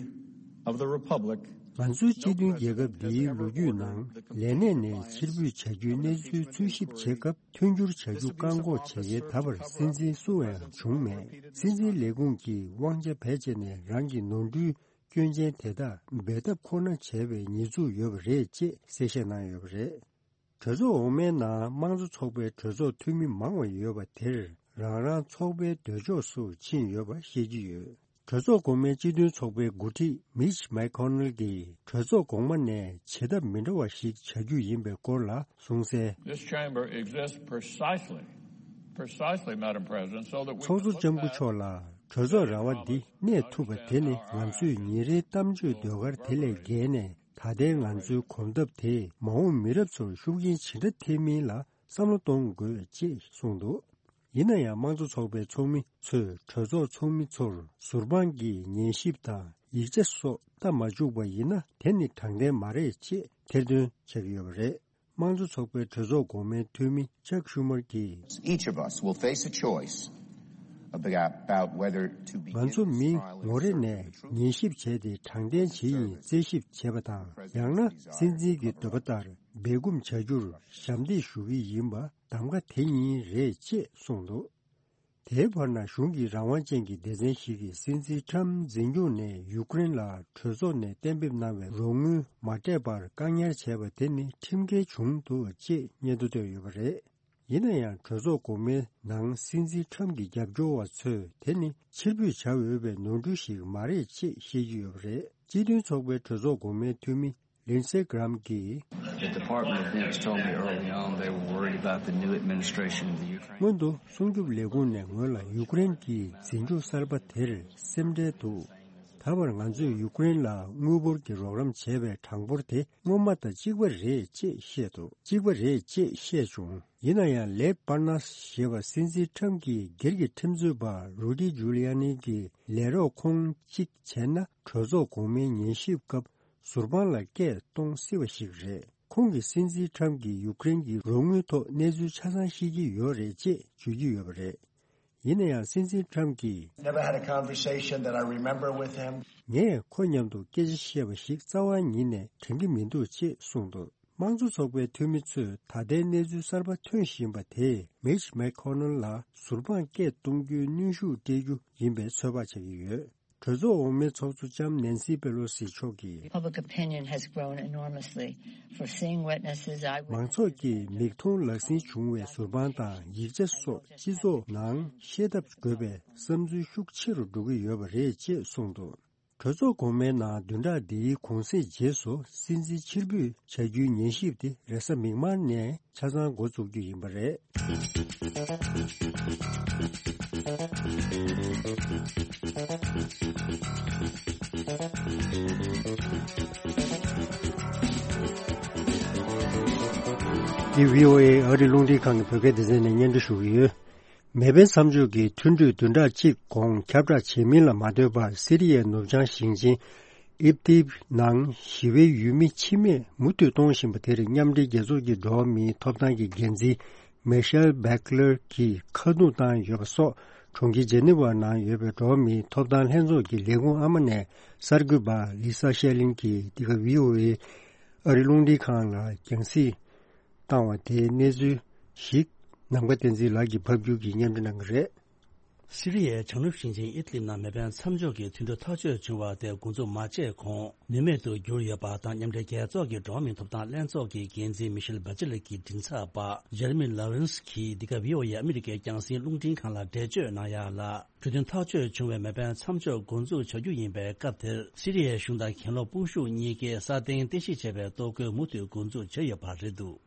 of the Republic, ང་ཚོའི་སྤྱི་མཐུན་རྒྱལ་ཁབ་འདིའི་ལོ་རྒྱུས་ནང་ལས་གནས་ནས་ཕྱིར་འབུད་བྱ་རྒྱུའི་གནས་ཚུལ་འཚོལ་ཞིབ་བྱེད་སྐབས་མཐུན་འགྱུར་བྱ་རྒྱུ་བཀག་འགོག་བྱེད་མཁན་ད་བར་སྲིད་འཛིན་སུ་ཡང་བྱུང་མེད། སྲིད་འཛིན་ལས་ཁུངས་ཀྱིས་དབང་ཆ་བེད་སྤྱད་ནས་རང་གི་ནོར་འཁྲུལ་སྐྱོན་ཅན་དེ་དག་འབེལ་ཐབས་ཁོ་ན་བྱས་པའི་ཉེས་འཛུགས་ཡོད་པ་རེད་ཅེས་གསལ་བཤད་གནང་ཡོད་པ་རེད། གྲོས་ཚོགས་འོག་མའི་ནང་དམངས་གཙོ་ཚོགས་པའི་གྲོས་ཚོགས་འཐུས་མི་མང་བ་ཡོད་པ་དེར་རང་རང་ཚོགས་པའི་འདོད་ཕྱོགས་སུ་ཕྱིན་ཡོད་པ་ཤེས་ཀྱི་ཡོད། གྲོས་ཚོགས་གོང་མའི་སྤྱི་མཐུན་ཚོགས་པའི་འགོ་ཁྲིད་མིཆ་མེག་ཁོ་ནལ་གྱིས་གྲོས་ཚོགས་གོང་མ་ནས་བྱེད་ཐབས་མི་འདྲ་བ་ཞིག་བྱ་རྒྱུ་ཡིན་པའི་སྐོར་ལ་གསུངས་གསལ། This chamber exists precisely, precisely, Madam President, so that we ཚོགས་གཙོ་can look ལྕམ་སྐུ་མཆོག་ལ། གྲོས་ཚོགས་ར་བ་འདི་གནས་ཐུབ་པ་དེ་ནི་ང་ཚོས་ཉིན་རེའི་གཏམ་བརྗོད་ཟློས་གར་དེ་ལས་བརྒལ་ནས། ད་ལྟའི་ང་ཚོའི་གོམ་སྟབས་དེས་མ་འོངས་མི་རབས་ཚོར་ཤུགས་རྐྱེན་ཇི་འདྲ་ཐེབས་མིན་ལ་བསམ་བློ་གཏོང་དགོས་ཅེས་གསུངས་འདུག་ཡིན་ན་ཡང་དམངས་གཙོ་ཚོགས་པའི་ཚོགས་མི་ཚོས་གྲོས་ཚོགས་ཚོགས་མི་ཚོར་ཟུར་དཔང་གིས་ཉན་ཞིབ་དང་ཡིག་ཆ་སོགས་བལྟ་མ་བཅུག་པ་ཡིན་ན་དེ་ནི་དྲང་བདེན་མ་རེད་ཅེས་ཐེར་འདོན་བྱེད་ཀྱི་ཡོད་པ་རེད། དམངས་གཙོ་ཚོགས་པའི་གྲོས་ཚོགས་གོང་མའི་འཐུས་མི་ཅག་ཤུ་མར་གྱིས། Each of us will face a choice about, about whether to begin ང་ཚོ་མི་ངོ་རེ་ནས་ཉན་ཞིབ་བྱས་ཏེ་དྲང་བདེན་ཇི་ཡིན་རྩད་ཞིབ་བྱེད་པ་དང་། ཡང་ན་སྲིད་འཛིན་གྱི་འདོད་པ་ལྟར་སྦས་སྐུང་བྱ་རྒྱུར་ཞབས་འདེགས་ཞུ་གི་ཡིན་པ་གདམ་ག་དེ་ཉིད་རེད་ཅེས་གསུངས་འདུག་དེའི་བར་ན་གཞུང་གི་རང་དབང་ཅན་གྱི་སྡེ་ཚན་ཞིག་གིས་སྲིད་འཛིན་ཁྲམ་འཛིན་སྐྱོང་ནས་ཡུཀ་རེན་ལ་གྲོས་ཚོགས་ནས་གཏན་འབེབས་གནང་བའི་རོགས་དངུལ་མ་སྤྲད་པར་བཀག་ཉར་བྱས་པ་དེ་ནི་ཁྲིམས་འགལ་བྱུང་འདུག་ཅེས་སྙན་ཐོ་བཏོན་ཡོད་པ་རེད། ཡིན་ན་ཡང་གྲོས་ཚོགས་གོང་མའི་ནང་སྲིད་འཛིན་ཁྲམ་གྱི་རྒྱབ་སྐྱོར་བ་ཚོས་དེ་ནི་ཕྱིར་འབུད་བྱ་འོས་པའི་ནོར་འཁྲུལ་ཞིག་མ་རེད་ཅེས་བཤད་ཀྱི་ཡོད་པ་རེད། སྤྱི་མཐུན་ཚོགས་པའི་གྲོས་ཚོགས་གོང་མའི་འཐུས་མི་ལིན་སེ་གྷི་རམ་གྱིས། The Department of Defense told me early on they were worried about the new administration of the Ukraine. སྔོན་དུ་སྲུང་སྐྱོབ་ལས་ཁུངས་ནས་ངོས་ལ་ཡུཀ་རེན་གྱི་འཛིན་སྐྱོང་གསར་པ་དེར་སེམས་ཁྲལ་འདུག་ད་བར་ང་ཚོས་ཡུཀ་རེན་ལ་དངུལ་འབོར་གྱི་རོགས་རམ་བྱས་པའི་གྲངས་འབོར་དེ་སྔོན་མ་དང་གཅིག་པ་རེད་ཅེས་བཤད་འདུག་གཅིག་པ་རེད་ཅེས་བཤད་བྱུང་། ཡིན་ན་ཡང་ལེབ་པར་ནས་ཞེས་པ་སྲིད་འཛིན་ཁྲམ་གྱི་སྒེར་གྱི་ཁྲིམས་རྩོད་པ་རུ་ཌི་ཇུ་ལི་ཡ་ནི་གྱི་ལས་རོགས་ཁོང་གཅིག་བྱས་ན་གྲོས་ཚོགས་གོང་མའི་ཉན་ཞིབ་སྐབས་ཟུར་དཔང་ལ་སྐད་གཏོང་སྲིད་པ་ཞིག་རེད། ཁོང་གིས་སྲིད་འཛིན་ཁྲམ་གྱིས་ཡུཀ་རེན་གྱི་རོགས་དངུལ་ཐོག་གནས་ཚུལ་ཆ་ཚང་ཤེས་ཀྱི་ཡོད་རེད་ཅེས་བརྗོད་ཀྱི་ཡོད་པ་རེད། ཡིན་ན་ཡང་སྲིད་འཛིན་ཁྲམ་གྱིས། Never had a conversation that I remember with him. ངས་ཁོ་མཉམ་དུ་སྐད་ཆ་བཤད་པ་ཞིག་རྩ་བ་ཉིད་ནས་དྲན་གྱི་མི་འདུག་ཅེས་གསུངས་འདུག་དམངས་གཙོ་ཚོགས་པའི་འཐུས་མི་ཚོས་ད་ལྟའི་གནས་ཚུལ་གསར་པ་ཐོན་བཞིན་པ་དེས་མིཆ་མེག་ཁོ་ནལ་ལ་ཟུར་དཔང་སྐད་གཏོང་རྒྱུའི་གནོན་ཤུགས་སྤྲད་རྒྱུ་ཡིན་པའི་ཚོད་དཔག་བྱེད་ཀྱི་ཡོད། གྲོས་ཚོགས་འོག་མའི་ཚོགས་གཙོ་ལྕམ་ནན་སི་པེ་ལོ་སི་མཆོག་གིས། Public opinion has grown enormously for seeing witnesses, eyewitnesses. མང་ཚོགས་ཀྱི་མིག་མཐོང་ལག་ཟིན་བྱུང་བའི་ཟུར་དཔང་དང་ཡིག་ཆ་སོགས་སྤྱི་ཚོགས་ནང་ཤེས་ཐབས་དགོས་པའི་བསམ་ཚུལ་ཤུགས་ཆེ་རུ་འགྲོ་གི་ཡོད་པ་རེད་ཅེས་གསུངས་འདུག་གྲོས་ཚོགས་གོང་མའི་ནང་བདུན་ཕྲག་འདིའི་གུང་གསེང་རྗེས་སུ་སྲིད་འཛིན་ཕྱིར་འབུད་བྱ་རྒྱུའི་ཉན་ཞིབ་དེ་རེས་གཟའ་མིག་དམར་ནས་ཆ་ཚང་འགོ་འཛུགས་རྒྱུ་ཡིན་པ་རེད། འདི་བྷི་ཨོ་ཨེ་ཨ་རི་རླུང་འཕྲིན་ཁང་གི་བོད་སྐད་སྡེ་ཚན་ནས་སྙན་སྒྲོན་ཞུ་གི་ཡོད། མེ་པན་མཚམས་ཆད་ཀྱི་མཐུན་གྲོས་བདུན་ཕྲག་གཅིག་གོང་ཁྱབ་བསྒྲགས་བྱེད་མིན་ལ་མ་ལྟོས་པར་སི་རི་ཡའི་ནུབ་བྱང་ཞིང་ཆེན་ཨིབ་ཏིབ་ནང་ཞི་བའི་ཡུལ་མི་འཆི་རྨས་མུ་མཐུད་གཏོང་བཞིན་པ་དེར་མཉམ་འབྲེལ་རྒྱལ་ཚོགས་ཀྱི་འགྲོ་བ་མིའི་ཐོབ་ཐང་གི་འགན་འཛིན་མེ་ཤེལ་བྷེག་ལར་གྱིས་ཁ་རྡུང་བཏང་ཡོད་པ་སོགས། གྲོང་ཁྱེར་ཇེ་ནི་ཝ་ནང་ཡོད་པའི་འགྲོ་བ་མིའི་ཐོབ་ཐང་ལྷན་ཚོགས་ཀྱི་ལས་ཁུངས་ཨ་མ་ནས་གསར་འགོད་པ་ལི་ས་ཤེ་ལིན་གྱིས་འདི་ག་བྷི་ཨོ་ཨེ་ཨ་རི་རླུང་འཕྲིན་ཁང་ལ་རྒྱང་སྲིང་བཏང་བ་དེའི་གནས་ཚུལ་ ཞིག་ནམ་མཁའ་བསྟན་འཛིན་ལགས་ཀྱིས་ཕབ་སྒྱུར་གྱིས་སྙན་སྒྲོན་གནང་གི་རེད། སི་རི་ཡའི་བྱང་ནུབ་ཞིང་ཆེན་ཨིད་ལིབ་ནང་མེ་འཕེན་མཚམས་འཇོག་གི་མཐུན་གྲོས་ཐག་གཅོད་བྱུང་བ་དེ་འགོ་འཛུགས་མ་བྱས་གོང་ནུས་མེད་དུ་གྱུར་ཡོད་པ་དང་། མཉམ་འབྲེལ་རྒྱལ་ཚོགས་ཀྱི་འགྲོ་བ་མིའི་ཐོབ་ཐང་ལྷན་ཚོགས་ཀྱི་འགན་འཛིན་མི་ཤེལ་བྷ་ཅི་ལེ་ཀྱི་མགྲིན་ཚབ་པ་ཇེ་རེ་མི་ལོ་རེན་སི་གིས་འདི་ག་བྷི་ཨོ་ཨེ་ཨ་མི་རི་ཀའི་རྒྱང་སྲིང་རླུང་འཕྲིན་ཁང་ལ་འགྲེལ་བརྗོད་གནང་ཡག་ལ། གྲོས་མཐུན་ཐག་གཅོད་བྱུང་བའི་མེ་འཕེན་མཚམས་འཇོག་འགོ་འཛུགས་བྱ་རྒྱུ་ཡིན་པའི་སྐབས་དེར། སི་རི་ཡའི་གཞུང་དང་གྱེན་ལོག་དཔུང་ཤུགས་གཉིས་ཀས་སྲ་བརྟན་རྟེན་གཞི་བྱས་པའི་གཏོར་རྒོལ་མུ་མཐུད་འགོ་འཛུགས་བྱས་ཡོད་པ་རེད་འདུག་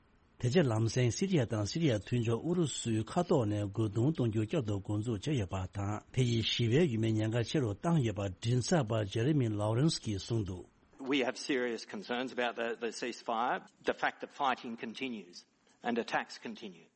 དེ་རྗེས་ལམ་སེང་སི་རི་ཡ་དང་སི་རི་ཡ་མཐུན་ཕྱོགས་ཨུ་རུ་སུའི་མཁའ་ཐོག་ནས་རྒོལ་རྡུང་གཏོང་རྒྱུ་བསྐྱར་དུ་འགོ་འཛུགས་བྱས་ཡོད་པ་དང་། དེ་ཡིས་ཞི་བའི་ཡུལ་མིའི་ཉེན་ཁ་ཆེ་རུ་བཏང་ཡོད་པ་མགྲིན་ཚབ་པ་ཇེ་རེ་མི་ལོ་རེན་སི་གིས་གསུངས་འདུག We have serious concerns about the, the ceasefire, the fact that fighting continues and attacks continue.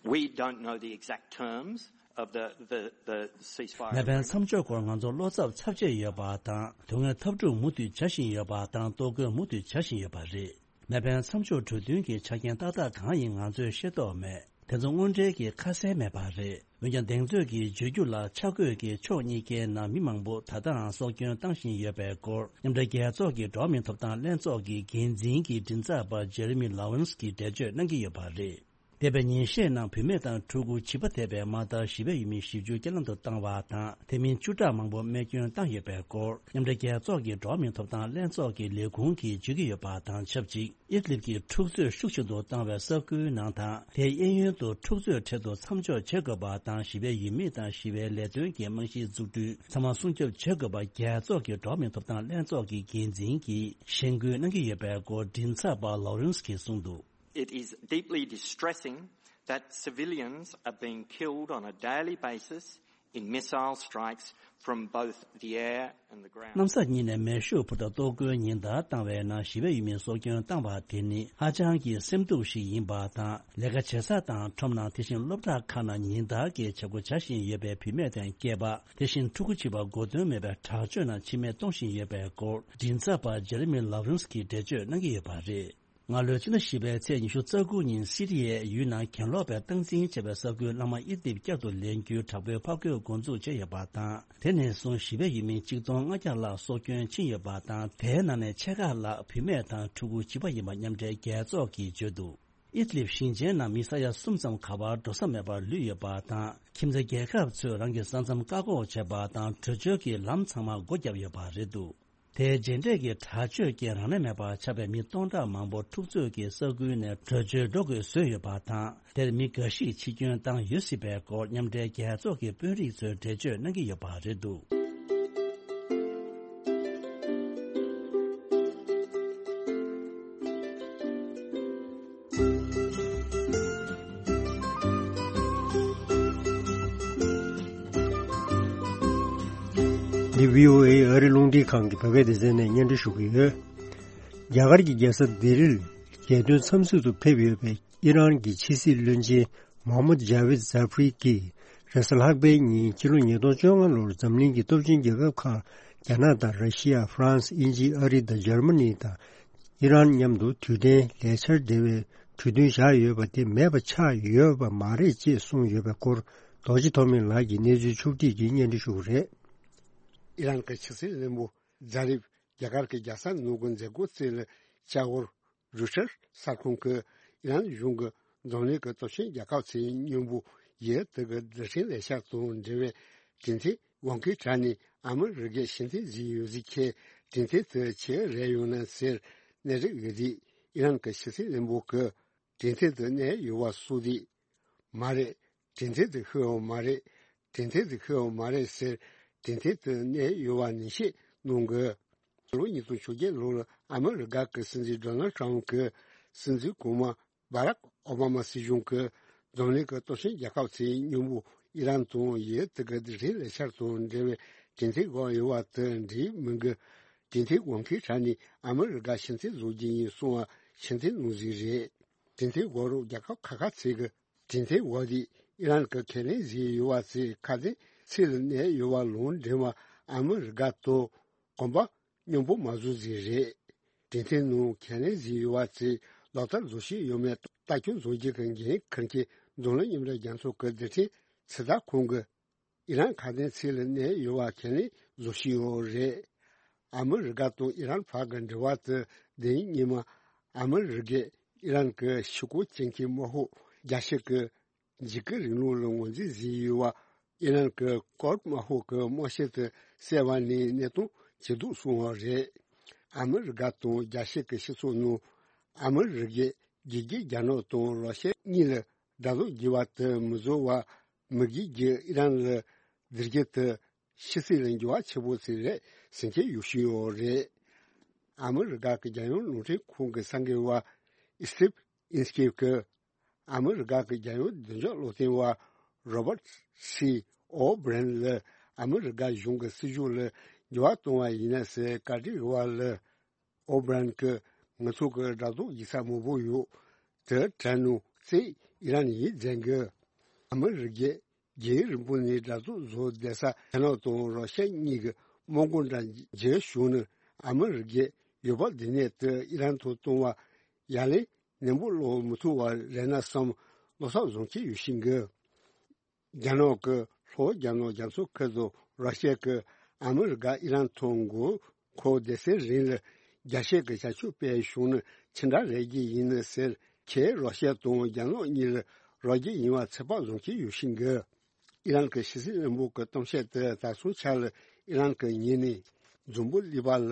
We don't know the exact terms of the, the, the ceasefire. མེ་འཕེན་མཚམས་འཇོག་སྐོར་ང་ཚོར་བློ་འཚབ་ཚབས་ཆེ་ཡོད་པ་དང་། དོན་དངོས་འཐབ་འཁྲུག་མུ་མཐུད་བྱ་བཞིན་ཡོད་པ་དང་། གཏོར་རྒོལ་མུ་མཐུད་བྱ་བཞིན་ཡོད་པ་རེད། མེ་འཕེན་མཚམས་འཇོག་གྲོས་མཐུན་གྱི་ཆ་རྐྱེན་ཏག་ཏག་གང་ཡིན་ང་ཚོས་ཤེས་རྟོགས་མེད། དེ་ཚོ་དངོས་འབྲེལ་གྱི་ཁ་གསལ་མེད་པ་རེད། འོན་ཀྱང་། གདེང་ཚོད་ཀྱིས་བརྗོད་རྒྱུ་ལ། ཆ་བགོས་ཀྱིས་ཕྱོགས་གཉིས་ཀའི་ནང་མི་མང་པོ་ད་ལྟའང་སྲོག་སྐྱོན་བཏང་བཞིན་ཡོད་པའི་སྐོར། མཉམ་འབྲེལ་རྒྱལ་ཚོགས་ཀྱི་འགྲོ་བ་མིའི་ཐོབ་ཐང་ལྷན་ཚོགས་ཀྱི་འགན་འཛིན་གྱི་མགྲིན་ཚབ་པ་ཇེ་རེ་མི་ལོ་རེན་སི་གིས་འགྲེལ་བརྗོད་གནང་གི་ཡོད་པ་རེད། འདས་པའི་ཉིན་ཤས་ནང་བུད་མེད་དང་ཕྲུ་གུ་བྱིས་པ་ཐེ་བའི་མ་མཐའ་ཞི་བའི་ཡུལ་མི་བཞི་བཅུ་རྐྱེན་ལམ་དུ་བཏང་བ་དང་། དེ་མིན་བཅུ་ཕྲག་མང་པོ་རྨས་སྐྱོན་བཏང་ཡོད་པའི་སྐོར། མཉམ་འབྲེལ་རྒྱལ་ཚོགས་ཀྱི་འགྲོ་བ་མིའི་ཐོབ་ཐང་ལྷན་ཚོགས་ཀྱི་ལས་ཁུངས་ཀྱིས་བརྗོད་ཀྱི་ཡོད་པ་དང་ཆབས་ཅིག་ཨིད་ལིབ་ཀྱི་འཁྲུག་རྩོད་ཤུགས་ཆེན་དུ་བཏང་བའི་ས་ཁུལ་ནང་དང་། དེའི་གཡས་གཡོན་དུ་འཁྲུག་རྩོད་འཕྲལ་དུ་མཚམས་འཇོག་བྱེད་དགོས་པ་དང་། ཞི་བའི་ཡུལ་མི་དང་ཞི་བའི་ལས་དོན་གྱི་རྨང་གཞིའི་འཛུགས་སྐྲུན་ཚང་མ་སྲུང་སྐྱོབ་བྱེད་དགོས་པ། རྒྱལ་ཚོགས་ཀྱི་འགྲོ་བ་མིའི་ཐོབ་ཐང་ལྷན་ཚོགས་ཀྱི་འགན་འཛིན་གྱིས་གཞེན་སྐུལ་གནང་གི་ཡོད་པའི་སྐོར། མགྲིན་ཚབ་པ་ལོ་རེན་སི་གིས་གསུངས་འདུག It is deeply distressing that civilians are being killed on a daily basis in missile strikes from both the air and the ground. གནམ་ས་གཉིས་ནས་མེ་ཤུགས་འཕུར་མདའ་གཏོར་རྒོལ་ཉིན་ལྟར་བཏང་བའི་ནང་ཞི་བའི་ཡུལ་མིའི་སྲོག་སྐྱོན་བཏང་བ་དེ་ནི་ཧ་ཅང་གི་སེམས་སྡུག་ཞིག་ཡིན་པ་དང་། ལས་ཀ་བྱེད་ས་དང་ཁྲོམ་ནང་། དེ་བཞིན་སློབ་གྲྭ་ཁག་ནང་ཉིན་ལྟར་གྱི་བྱེད་སྒོ་བྱ་བཞིན་ཡོད་པའི་བུད་མེད་དང་སྐྱེས་པ། དེ་བཞིན་ཕྲུ་གུ་བྱིས་པ་མགོ་ཐོན་མེད་པའི་དྲག་སྤྱོད་ནང་འཆི་རྨས་གཏོང་བཞིན་ཡོད་པའི་སྐོར། མགྲིན་ཚབ་པ་ཇེ་རེ་མི་ལོ་རེན་སི་གིས་འགྲེལ་བརྗོད་གནང་གི་ཡོད་པ་རེད། སྔ་ལོའི་ཕྱི་ཟླ་བཞི་པའི་ཚེས་ཉི་ཤུ་རྩ་དགུ་ཉིན་སི་རི་ཡའི་ཡུལ་ནང་གྱེན་ལོག་པས་སྟངས་འཛིན་བྱས་པའི་ས་ཁུལ་ལྷག་མ་ཨིད་ལིབ་བསྐྱར་དུ་ལེན་རྒྱུའི་དྲག་པོའི་ཕབ་སྒྱུར་འགོ་འཛུགས་བྱས་ཡོད་པ་དང་། དེ་ནས་བཟུང་ཞི་བའི་ཡུལ་མི་ཆིག་སྟོང་ལྔ་བརྒྱ་ལྷག་སྲོག་སྐྱོན་ཕྱིན་ཡོད་པ་དང་། དེའི་ནང་ནས་ཕྱེད་ཀ་ལྷག་བུད་མེད་དང་ཕྲུ་གུ་བྱིས་པ་ཡིན་པ་མཉམ་འབྲེལ་རྒྱལ་ཚོགས་ཀྱིས་བརྗོད་འདུག་ཨིད་ལིབ་ཞིང་ཆེན་ནང་མི་ས་ཡ་གསུམ་ཙམ་ག་པར་འགྲོ་ས་མེད་པར་ལུས་ཡོད་པ་དང་། ཁྱིམ་མཚེས་རྒྱལ་ཁབ་ཚོས་རང་གི་ས་མཚམས་བཀག་འགོག་བྱས་པ་དང་། བྲོས་བྱོལ་གྱི་ལམ་ཚང་མ་སྒོ་བརྒྱབ་ཡོད་པ་རེད་འདུག་དེའི་རྗེས་འབྲས་ཀྱི་དྲག་སྤྱོད་ཀྱིས་རང་ལས་མེད་པར་ཆགས་པའི་མི་སྟོང་ཕྲག་མང་པོ་འཁྲུག་རྩོད་ཀྱི་ས་ཁུལ་ནས་བྲོས་བྱོལ་འགྲོ་དགོས་བཟོས་ཡོད་པ་དང་། དེར་མི་འགའ་ཞིག་འཆི་སྐྱོན་བཏང་ཡོད་སྲིད་པའི་སྐོར། མཉམ་འབྲེལ་རྒྱལ་ཚོགས་ཀྱི་དཔོན་རིགས་ཚོས་འགྲེལ་བརྗོད་གནང་གི་ཡོད་པ་རེད་འདུག་འདི་བྷི་ཨོ་ཨེ་ཨ་རི་རླུང་འཕྲིན་ཁང་གི་བོད་སྐད་སྡེ་ཚན་ནས་སྙན་སྒྲོན་ཞུ་གི་ཡོད། རྒྱ་གར་གྱི་རྒྱལ་ས་ལྡི་ལིར་རྒྱལ་དོན་འཚམས་གཟིགས་སུ་ཕེབས་ཡོད་པའི་ཨི་རན་གྱི་ཕྱི་སྲིད་བློན་ཆེན་མོ་ཧམ་མད་ཇཱ་ཝིད་ཛཱ་ཧྥི་རི་གིས་རེས་གཟའ་ལྷག་པའི་ཉིན་ཕྱི་ལོ་ཉིས་སྟོང་བཅོ་ལྔ་ལོར་འཛམ་གླིང་གི་སྟོབས་ཆེན་རྒྱལ་ཁབ་ཁག་རྒྱ་ནག་དང་། ར་ཤི་ཡ། ཧྥ་རན་སི། དབྱིན་ཇི། ཨ་རི་དང་འཇར་མ་ནི་དང་ཨི་རན་མཉམ་དུ་དུས་དྲན་ལས་འཆར་འབྲེལ་བའི་གྲོས་མཐུན་བཞག་ཡོད་པ་དེ་མེད་པ་ཆགས་ཡོད་པ་མ་རེད་ཅེས་གསུངས་ཡོད་པའི་སྐོར། རྡོ་རྗེ་ཐོགས་མེད་ལགས་ཀྱིས་གནས་ཚུལ་ཕྱོགས་བསྒྲིགས་ཀྱིས་སྙན་སྒྲོན་ཞུ་གི་རེད། ཨི་རན་གྱི་ཕྱི་སྲིད་བློན་པོ་ཛཱ་རིབ་རྒྱ་གར་གྱི་རྒྱལ་ས་ནང་གི་མཛད་སྒོ་རྩེ་ལ་བཅར་བར། རུ་ཊར་གསར་ཁང་གིས་ཨི་རན་གཞུང་གིས་འཛམ་གླིང་གི་སྟོབས་ཆེན་རྒྱལ་ཁབ་ཚོའི་མཉམ་པོ་ཡུལ་དེ་གི་རྡུལ་ཕྲན་ལས་འཆར་དང་འབྲེལ་བའི་གྲོས་མཐུན་དབང་གིས་དྲངས་ནས་ཨ་མི་རི་ཀས་ཕྱིར་འཐེན་བཟོས་ཡོད་ཟེར་མཁན་གྲོས་མཐུན་དེ་ཕྱིར་རེད་ཡོང་ན་ཟེར་གནས་རིགས་ཡོད་དུས། ཨི་རན་གྱི་ཕྱི་སྲིད་བློན་པོ་གིས་གྲོས་མཐུན་དེ་གནས་ཡོད་པ་སོགས་དེ་མ་རེད། གྲོས་མཐུན་དེ་ཤོར་ཡོད་མ་རེད། གྲོས་མཐུན་དེ་ཤོར་ཡོད་མ་རེད་ཟེར། གྲོས་མཐུན་དེ་གནས་ཡོད་པ་ནན་བཤད་གནང་གི། ཕྱི་ལོ་ཉིས་སྟོང་བཅོ་བརྒྱད་ལོར་ཨ་མི་རི་ཀ་གི་སྲིད་འཛིན་ཌོ་ནལ་ཊམ་གྱི་སྲིད་འཛིན་གོང་མ་བྷ་རག་ཨོ་བྷ་མ་སྲིད་གཞུང་གིས་འཛམ་གླིང་གི་སྟོབས་ཆེན་རྒྱལ་ཁབ་ཚོའི་མཉམ་པོ་ཨི་རན་དང་ཡུལ་དེ་གི་རྡུལ་ཕྲན་ལས་འཆར་དང་འབྲེལ་བའི་གྲོས་མཐུན་བཞག་ཡོད་པ་དེ་འགྲིག་མིན་གྱི་གྲོས་མཐུན་དབང་གིས་དྲངས་ནས་ཨ་མི་རི་ཀ་ཕྱིར་འཐེན་བཟོ་རྒྱུ་ཡིན་གསུངས་པ་ཕྱིར་འཐེན་གནང་ཟིག་རེད། གྲོས་མཐུན་འོག་རུ་རྒྱལ་ཁབ་ཁག་ཁག་ཚོས་ཀྱི་གྲོས་མཐུན་འོག་དེ་ཨི་རན་གྱིས་ཁས་ལེན་བཟོས་ཡོད་པ་ཚོའི་ཁ་དན་ཚིག་ལ་གནས་ཡོད་པ་ལུང་འདྲེན་པ་ཨ་མི་རི་ཀ་དང་གོམ་པ་མཉམ་པོ་མ་བཟོ་ཟིག་རེད། གྲོས་མཐུན་ནང་ཁས་ལེན་བཟོས་ཡོད་པ་ཚོས་ལག་བསྟར་བཟོ་བཞིན་ཡོད་མེད་ལྟ་སྐྱོང་བཟོ་རྒྱུ་གི་འགན་འཁུར་མཁན་འཛམ་གླིང་མཉམ་འབྲེལ་རྒྱལ་ཚོགས་ཀྱི་རྡུལ་ཕྲན་ཚོད་ལྟ་ཁང་གིས། ཨི་རན་ཁ་དན་ཚིག་ལ་གནས་ཡོད་པ་ཁས་ལེན་བཟོ་བཞིན་ཡོད་རེད། ཨ་མི་རི་ཀ་དང་ཨི་རན་བར་གྱི་འབྲེལ་བ་དེ་ལྡན་ཉི་མ་ཨ་མི་རི་ཀས་ཨི་རན་གྱི་ཕྱི་སྐོར་སྐྱོང་མཁན་དམག་དཔུང་ རྒྱལ་སྤྱི་གི་འཇིགས་སྐུལ་རིང་ལུགས་ལ་ངོས་འཛིན་བཟོས་ཡོད་པ་ཨི་རན་གྱི་ཀོར་ཏ་དམར་ཤོག་གི་དམར་ཤོག་ཏུ་གསལ་བ་ནས་གནས་སྟངས་ཇེ་སྡུག་སོང་བ་རེད། ཨ་མི་རི་ཀ་དང་རྒྱལ་སྤྱི་གི་སྤྱི་ཚོགས་ནང་ཨ་མི་རི་ཀས་རྒྱལ་རྒྱུ་རྒྱ་ནག་དང་རོ་ཤི་ཡ་གཉིས་ལ་དགྲ་ལོག་བགྱི་བ་དེ་མི་བཟོ་བར་མི་རྒྱུད་ཀྱིས་ཨི་རན་ལ་བདེ་སྐྱིད་དུ་ཕྱི་སྲིད་ལ་འགྱུར་བ་ཆེན་པོ་ཞིག་རེད་ཟེར་མཁན་ཡོད་བཞིན་ཡོད་རེད། ཨ་མི་རི་ཀ་གི་རྒྱལ་ཡོངས་རླུང་འཕྲིན་ཁང་གི་གསར་འགོད་པ་ཨི་སི་ཏིབ་ཨིན་སི་ཀིབ་ཀྱིས་ཨ་མི་རི་ཀ་གི་རྒྱལ་ཡོངས་བདེ་འཇགས་བློ་མཐུན་པ་རོ་བར་སི་ཨོ་བྷི་རན་ལ་ཨ་མི་རི་ཀ་གཞུང་གི་སྲིད་ཇུས་ལ་འགྱུར་བ་གཏོང་བ་ཡིན་ན་ཟེར་བཀའ་འདྲི་ཞུས་པ་ལ། ཨོ་བྷི་རན་གྱིས་ང་ཚོ་གི་དགྲ་ལོག་བགྱིས་ས་མང་པོ་ཡོད། དེ་དྲན་ནོ་ཙིག་ཨི་རན་ཡིད་འཛིན་གི། ཨ་མི་རི་ཀས་རྒྱལ་རིང་པོ་ནས་དགྲ་ལོག་བཟོ་བསྡད་ས་རྒྱ་ནག་དང་རོ་ཤ་གཉིས་ཀྱི་དམག་དཔུང་འདྲ་བརྗེ་བྱུང་ནས་ཨ་མི་རི་ཀས་ཡུལ་བབ་འདི་ནས་དེ་ཨི་རན་དུ་གཏོང་བ་ཡ་ལན་ནན་པོ་སློག་མི་ཐུབ་པ་རེད་ན་བསམ་བློ་བསམ་བཟང་གི་ཡོད་བཞིན་གི། རྒྱ་ནག་གི་ལྷོ་རྒྱ་ནག་རྒྱ་མཚོ་ཁུལ་དུ་ར་ཤི་ཡ་གིས་ཨ་མི་རི་ཀ་ཨི་རན་ཐོག་མགོ་འཁོར་སྡེ་ཚན་རིང་ལ་རྒྱ་ཤེད་ཀྱི་བྱ་སྤྱོད་སྤེལ་བྱུང་ནི་ཅི་འདྲ་རེད་ཀྱི་ཡིན་ནི་ཟེར་ཁྱེད་ར་ཤི་ཡ་དང་རྒྱ་ནག་གཉིས་ལ་རོགས་རྒྱུ་ཡིན་པ་ཚོད་དཔག་བཟང་གི་ཡོད་བཞིན་གི། ཨི་རན་གྱི་ཕྱི་སྲིད་བློན་པོ་གི་གཏམ་བཤད་དེ་ད་སོང་ཆ་ལ་ཨི་རན་གྱི་ཉེ་གནས་འཛམ་བུ་གླིང་པ་ལ་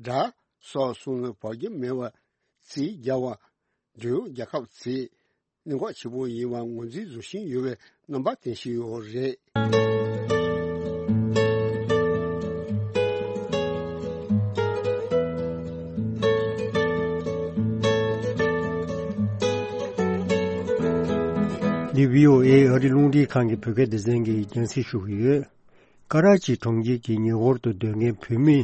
དགྲ་སོགས་གསུམ་ལ་བབ་རྒྱུ་མེད་པ་རྩིས་རྒྱག་པ་འབྲེལ་ཡོད་རྒྱལ་ཁབ་ཚོས་གནད་འགག་ཆེན་པོ་ཡིན་པ་ངོས་འཛིན་བཟོ་བཞིན་ཡོད་པའི་རྣམ་པ་བསྟན་བཞིན་ཡོད་རེད། འདི་བྷི་ཨོ་ཨེ་ཨ་རི་རླུང་འཕྲིན་ཁང་གི་བོད་སྐད་སྡེ་ཚན་གྱི་རྒྱང་སྲིང་ཞུ་གི་ཡོད། ཀ་ར་ཅི་གྲོང་ཁྱེར་གྱི་ཉེ་འཁོར་དུ་སྡོད་མཁན་བོད་མི་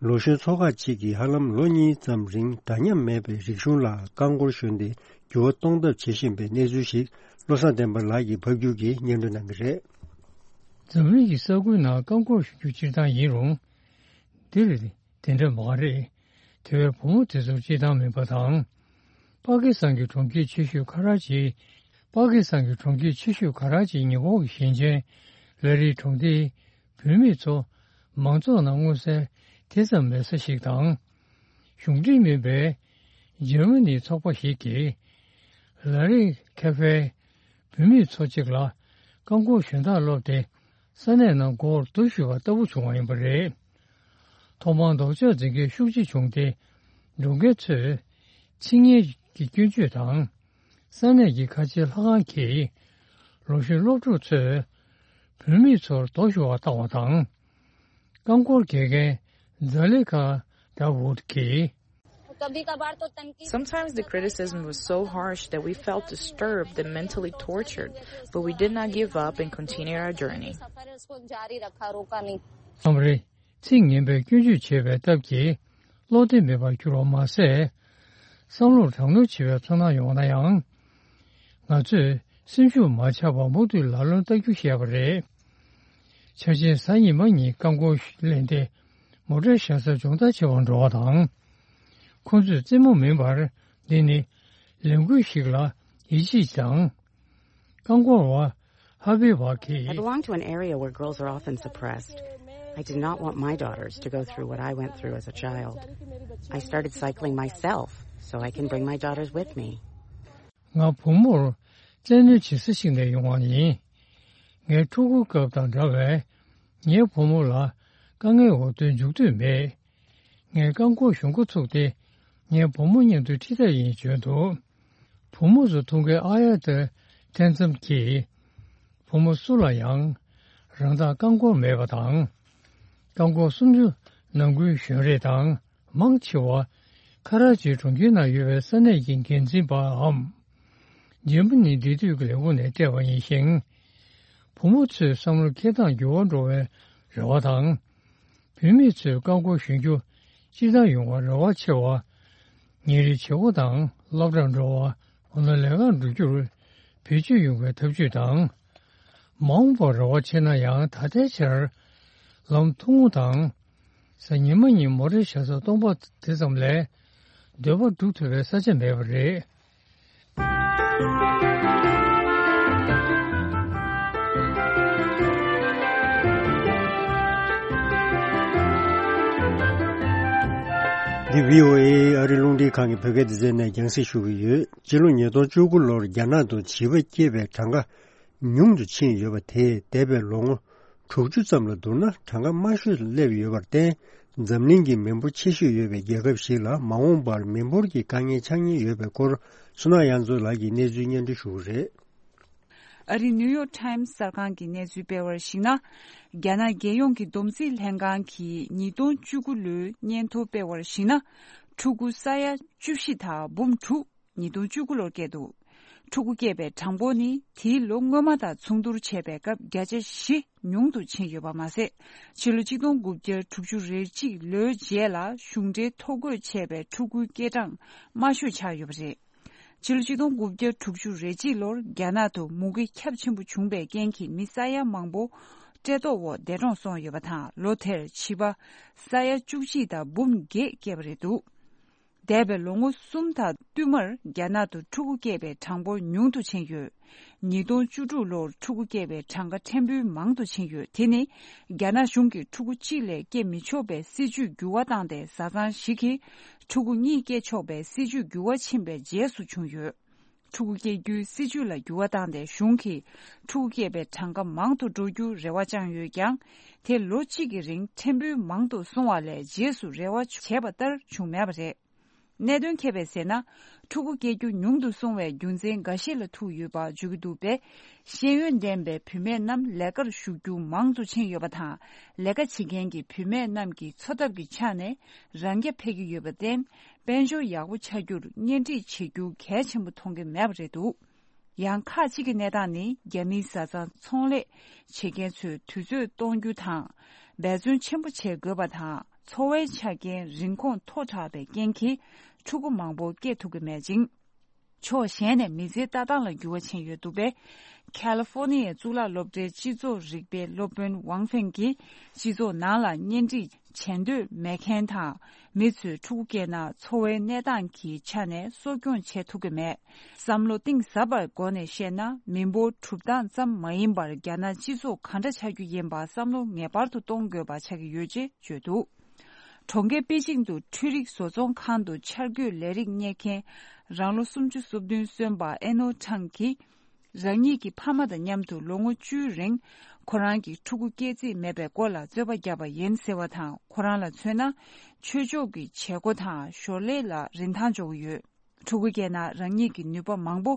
ལོ་གཞོན་ཚོགས་ཁག་ཅིག་གིས་ཧ་ལམ་ལོ་གཉིས་ཙམ་རིང་འདྲ་མཉམ་མེད་པའི་རིག་གཞུང་ལ་རྐང་འཁོར་ཞོན་ཏེ་འགྱུར་བ་གཏོང་ཐབས་བྱེད་བཞིན་པའི་གནས་ཚུལ་ཞིག་བློ་བཟང་བསྟན་པ་ལགས་ཀྱིས་ཕབ་སྒྱུར་གྱིས་སྙན་སྒྲོན་གནང་གི་རེད། འཛམ་གླིང་གི་ས་ཁུལ་ནང་རྐང་འཁོར་ཞོན་རྒྱུ་སྤྱིར་བཏང་ཡིན་རུང་། འདིར་དེ་འདྲ་མ་རེད། དེ་བས་བུ་མོ་དེ་ཚོར་སྤྱིར་བཏང་མིན་པ་དང་། པ་ཀི་སི་ཐན་གྱི་གྲོང་ཁྱེར་ཆེ་ཤོས་ཁ་ར་ཅི། པ་ཀི་སི་ཐན་གྱི་གྲོང་ཁྱེར་ཆེ་ཤོས་ཁ་ར་ཅིའི་ཉེ་འཁོར་གྱི་ཞིང་ཆེན་ལ་རིའི་གྲོང་སྡེའི་བུད་མེད་ཚོ་མང་ཚོགས་ནང་མངོན་གསལ་དེ་ཙམ་མེད་ས་ཞིག་དང་། གཞུང་འབྲེལ་མིན་པའི་འཇར་མ་ནིའི་ཚོགས་པ་ཞིག་གིས་ལ་རི་ཁེ་ཧྥེའི་བུད་མེད་ཚོ་གཅིག་ལ་རྐང་འཁོར་ཞོན་སྟངས་སློབ་སྟེ་ས་གནས་ནང་སྒོར་རྡོ་གཞུས་པ་ལྟ་བུ་བྱུང་བ་ཡིན་པ་རེད། ཐོག་མར་ལྡོག་ཕྱོགས་འཛིན་མཁན་ཤུགས་ཆེ་བྱུང་སྟེ་འགྲོ་མཁན་ཚོས་ཚིག་ངན་གྱི་སྐྱོན་བརྗོད་དང་། ས་གནས་ཀྱི་ཁ་ཆེའི་ལྷ་ཁང་གིས་ལོ་གཞོན་སློབ་ཕྲུག་ཚོས་བུད་མེད་ཚོར་རྡོ་གཞུ་བ་བཏང་བ་དང་། རྐང་འཁོར་འགེལ་མཁན་ཛ་ལི་ཁ་ཌ་ཝུཌ་གྱིས། Sometimes the criticism was so harsh that we felt disturbed and mentally tortured, but we did not give up and continued our journey. མཚམས་རེ་ཚིག་ངན་པའི་སྐྱོན་བརྗོད་བྱས་པའི་སྟབས་ཀྱིས་བློ་བདེ་མེད་པར་གྱུར་བ་མ་ཟད། བསམ་བློར་དྲག་གནོན་བྱེད་པའི་ཚོར་སྣང་ཡོང་ན་ཡང་། ང་ཚོས་སེམས་ཤུགས་མ་ཆག་པར་མུ་མཐུད་ལམ་སྟོན་ལྟ་རྒྱུ་བཤད་པ་རེད། འཆར་ཅན་གཟའ་ཉི་མ་ཉིན་རྐང་འཁོར་ལེན་ཏེ་མོ་ཊའི་ཞབས་སར་སྦྱོང་བརྡར་བྱེད་པར་འགྲོ་བ་དང་། ཁོང་ཚོས་རྩེད་མོ་མིན་པར་འདི་ནི་ལས་འགུལ་ཞིག་ལ་ཡིད་ཆེས་དང་། རྐང་འཁོར་བ་ཧ་བི་བ་གིས། I belong to an area where girls are often suppressed. I did not want my daughters to go through what I went through as a child. I started cycling myself so I can bring my daughters with me. ང་བུ་མོར་བཙན་གནོན་བྱེད་ས་ཞིག་ནས་ཡོང་བ་ཡིན། ངའི་ཕྲུ་གུའི་སྐབས་དང་འདྲ་བའི་ངའི་བུ་མོ་ལ་དཀའ་ངལ་འོག་ཏུ་འཇུག་འདོད་མེད། ངས་རྐང་འཁོར་གཞུང་འགོ་ཚུགས་ཏེ་ངའི་བུ་མོ་མཉམ་དུ་ཁྲིད་འདོད་ཡིན་བརྗོད་འདུག་བུ་མོ་ཚོ་ཐུག་མཁན་ཨ་ཡ་ཏི་ཐེན་ཙམ་གྱིས། བུ་མོ་སུ་ལ་ཡང་རང་བདག་རྐང་འཁོར་མེད་པ་དང་། རྐང་འཁོར་སུམ་ཅུ་ནང་ཁུལ་གཞོན་རེས་དང་མང་ཆེ་བ་ཁ་ར་ཅི་གྲོང་ཁྱེར་ནང་ཡོད་པའི་ས་གནས་ཀྱི་འགན་འཛིན་པའམ། འཇར་མ་ནིའི་འབྲེལ་མཐུད་ཀྱི་ལས་ཁུངས་ནས་སྤྲད་པ་ཡིན་ཞིང་། བུ་མོ་ཚོའི་བསམ་བློ་འཁྱེར་སྟངས་འགྱུར་བ་འགྲོ་བའི་རེ་བ་དང་། བུད་མེད་ཚོས་རྐང་འཁོར་གཞོན་རྒྱུ་སྤྱིར་བཏང་ཡོང་བར་རེ་བ་ཆེ་བ། ཉིན་རེའི་བྱེད་སྒོ་དང་སློབ་གྲྭར་འགྲོ་བ། འོ་ན་ལས་ཀར་འགྲོ་རྒྱུར་བེད་སྤྱོད་ཡོང་བའི་ཐབས་ཇུས་དང་། མ་འོངས་པར་རེ་བ་ཆེ་ན་ཡང་ད་ལྟའི་ཆར་ལམ་ཐུང་ངུ་དང་། གཟའ་ཉི་མ་ཉིན་མོ་ཊའི་ཞབས་སར་སྟོང་པ་དེ་ཙམ་ལས་འདོད་པ་སྒྲུབ་ཐུབ་པའི་ས་ཆ་མེད་པ་རེད། འདི་བྷི་ཨོ་ཨེ་ཨ་རི་རླུང་འཕྲིན་ཁང་གི་བོད་སྐད་སྡེ་ཚན་ནས་རྒྱང་སྲིང་ཞུ་གི་ཡོད། སྤྱི་ལོ་ཉིས་སྟོང་བཅུ་དགུ་ལོར་རྒྱ་ནག་ཏུ་བྱིས་པ་སྐྱེས་པའི་གྲངས་ཀ་ཉུང་དུ་ཕྱིན་ཡོད་པ་དེས་འདས་པའི་ལོ་ངོ་དྲུག་ཅུ་ཙམ་ལ་བསྡུར་ན་གྲངས་ཀ་དམའ་ཤོས་སུ་སླེབས་ཡོད་པར་བརྟེན། འཛམ་གླིང་གི་མི་འབོར་ཆེ་ཤོས་ཡོད་པའི་རྒྱལ་ཁབ་ཞིག་ལ་མ་འོངས་པར་མི་འབོར་གྱི་དཀའ་ངལ་འཆར་ཉེན་ཡོད་པའི་སྐོར། བསོད་ནམས་དབྱངས་མཚོ་ལགས་ཀྱིས་གནས་ཚུལ་སྙན་སྒྲོན་ཞུ་གི་རེད། ཨ་རིའི་ནིའུ་ཡོག་ཊའིམ་གསར་ཁང་གིས་གནས་ཚུལ་སྤེལ་བར་གཞིགས་ན། རྒྱ་ནག་རྒྱལ་ཡོངས་ཀྱི་བསྡོམས་རྩིས་ལྷན་ཁང་གིས་ཉིས་སྟོང་བཅུ་དགུ་ལོའི་སྙན་ཐོ་སྤེལ་བར་གཞིགས་ན། ཕྲུ་གུ་ས་ཡ་བཅུ་བཞི་དང་འབུམ་དྲུག་ཉིས་སྟོང་བཅུ་དགུ་ལོར་སྐྱེས་འདུག་ཕྲུ་གུ་སྐྱེས་པའི་གྲངས་འབོར་ནི་དེའི་ལོ་སྔོན་མ་དང་མཚུངས་བསྡུར་བྱས་པའི་སྐབས་བརྒྱ་ཆ་བཞི་ཉུང་དུ་ཕྱིན་ཡོད་པ་མ་ཟད། ཕྱི་ལོ་ཆིག་སྟོང་དགུ་བརྒྱ་དྲུག་ཅུ་རེ་གཅིག་ལོའི་རྗེས་ལ་གཞུང་འབྲེལ་ཐོ་འགོད་བྱས་པའི་ཕྲུ་གུའི་སྐྱེས་གྲངས་དམའ་ཤོས་ཆགས་ཡོད་པ་རེད། ཕྱི་ལོ་ཆིག་སྟོང་དགུ་བརྒྱ་དྲུག་ཅུ་རེ་གཅིག་ལོར་རྒྱ་ནག་ཏུ་མུ་གེ་ཁྱབ་ཆེན་པོ་བྱུང་བའི་རྐྱེན་གྱིས་མི་ས་ཡ་མང་པོ་བཀྲེས་ལྟོགས་འོག་འདས་གྲོངས་སོང་ཡོད་པ་དང་། ལོ་དེར་བྱིས་པ་ས་ཡ་བཅུ་གཅིག་དང་འབུམ་བརྒྱད་སྐྱེས་པ་རེད་འདུག་འདས་པའི་ལོ་ངོ་གསུམ་དང་བསྟུད་མར་རྒྱ་ནག་ཏུ་ཕྲུ་གུ་སྐྱེས་པའི་གྲངས་འབོར་ཉུང་དུ་ཕྱིན་ཡོད། ཉིས་སྟོང་བཅུ་དྲུག་ལོར་ཕྲུ་གུ་སྐྱེས་པའི་གྲངས་ཀ་ཕྲན་བུ་མང་དུ་ཕྱིན་ཡོད། དེ་ནི་རྒྱ་ནག་གཞུང་གིས་ཕྲུ་གུ་གཅིག་ལས་སྐྱེ་མི་ཆོག་པའི་སྲིད་ཇུས་འགྱུར་བ་བཏང་སྟེ། བཟའ་ཚང་ཞིག་གིས་ཕྲུ་གུ་གཉིས་སྐྱེ་ཆོག་པའི་སྲིད་ཇུས་འགྱུར་བ་ཕྱིན་པའི་རྗེས་སུ་བྱུང་ཡོད། ཕྲུ་གུ་སྐྱེ་རྒྱུའི་སྲིད་ཇུས་ལ་འགྱུར་བ་བཏང་སྟེ། གཞུང་གིས་ཕྲུ་གུ་སྐྱེས་པའི་གྲངས་ཀ་མང་དུ་འགྲོ་རྒྱུར་རེ་བ་བཅངས་ཡོད་ཀྱང་། དེ་ལོ་གཅིག་གི་རིང་ཕྲན་བུ་མང་དུ་སོང་བ་ལས་རྗེས་སུ་རེ་བ་བྱས་པ་ལྟར་བྱུང་མེད་པ་རེད། གནད་དོན་ཁྱད་པར་ཟེར་ན། ཕྲུ་གུ་སྐྱེ་རྒྱུ་ཉུང་དུ་སོང་བའི་རྒྱུ་མཚན་འགའ་ཤས་ལ་ཐུག་ཡོད་པ་བརྗོད་ཀྱི་འདུག་པས། ཤེས་ཡོན་ལྡན་པའི་བུད་མེད་རྣམས་ལས་ཀར་ཞུགས་རྒྱུ་མང་དུ་ཕྱིན་ཡོད་པ་དང་། ལས་ཀ་བྱེད་མཁན་གྱི་བུད་མེད་རྣམས་ཀྱི་འཚོ་ཐབས་ཀྱི་ཆ་ནས་རང་རྐྱ་འཕེར་གྱི་ཡོད་པར་བརྟེན། དཔལ་འབྱོར་ཡག་པོ་ཆགས་རྒྱུར་གཉེན་སྒྲིག་བྱེད་རྒྱུ་གལ་ཆེན་པོ་མཐོང་གི་མེད་པ་རེད་འདུག་ཡང་ཁག་ཅིག་གི་གནས་སྟངས་ནི། རྒྱ་མིའི་བཟའ་ཚང་ཚོང་ལས་བྱེད་མཁན་ཚོས་དུས་ཚོད་གཏོང་རྒྱུ་དང་། འབད་བརྩོན་ཆེན་པོ་བྱེད་དགོས་པ་དང་། འཚོ་བའི་ཆ་རྐྱེན་རིན་གོང་མཐོ་དྲགས་པའི་རྐྱེན་གྱིས། ཕྲུ་གུ་མང་པོ་སྐྱེ་ཐུབ་ཀྱི་མེད་ཅིང་། ཕྱོགས་གཞན་ནས་མི་ཚེའི་ལྟ་སྟངས་ལ་འགྱུར་བ་ཕྱིན་ཡོད་འདུག་པས། ཁ་ལི་ཧྥོ་ནི་ཡའི་གཙུག་ལག་སློབ་གྲྭའི་སྤྱི་ཚོགས་རིག་པའི་སློབ་དཔོན་ཝང་ཧྥེང་གིས། སྤྱི་ཚོགས་ནང་ལ་གཉེན་སྒྲིག་བྱེད་འདོད་མེད་མཁན་དང་། མི་ཚོས་ཕྲུ་གུ་སྐྱེས་ན་འཚོ་བའི་གནས་སྟངས་ཀྱི་ཆ་ནས་གསོ་སྐྱོང་བྱེད་ཐུབ་ཀྱི་མེད། བསམ་བློ་གཏིང་ཟབ་པའི་སྒོ་ནས་བཤད་ན། མི་འབོར་གྲུབ་སྟངས་ཙམ་མ་ཡིན་པར། རྒྱ་ནག་སྤྱི་ཚོགས་ག་འདྲ་ཆགས་རྒྱུ་ཡིན་པ་བསམ་བློ་ངེས་པར་དུ་གཏོང་དགོས་པ་ཆགས་ཀྱི་ཡོད་ཅེས་བརྗོད་འདུག་གྲོང་ཁྱེར་པེ་ཅིང་དུ་འཕྲུལ་རིག་བཟོ་ཚོང་ཁང་དུ་འཆར་འགོད་ལས་རིགས་གཉེར་མཁན་རང་ལོ་སུམ་ཅུ་སོ་བདུན་སོན་པ་ཨེ་ནོ་ཁྲང་གིས། རང་ཉིད་ཀྱི་ཕ་མ་དང་མཉམ་དུ་ལོ་ངོ་བཅུའི་རིང་ཁོ་རང་གི་ཕྲུ་གུ་སྐྱེ་རྩིས་མེད་པའི་སྐོར་ལ་རྩོད་པ་བརྒྱབ་པ་ཡིན་ཟེར་བ་དང་། ཁོ་རང་ལ་མཚོན་ན། ཆོས་ཕྱོགས་ཀྱི་བྱེད་སྒོ་དང་ཞོར་ལས་ལ་རིན་ཐང་འཇོག་གི་ཡོད། ཕྲུ་གུ་སྐྱེས་ན་རང་ཉིད་ཀྱི་ནུས་པ་མང་པོ་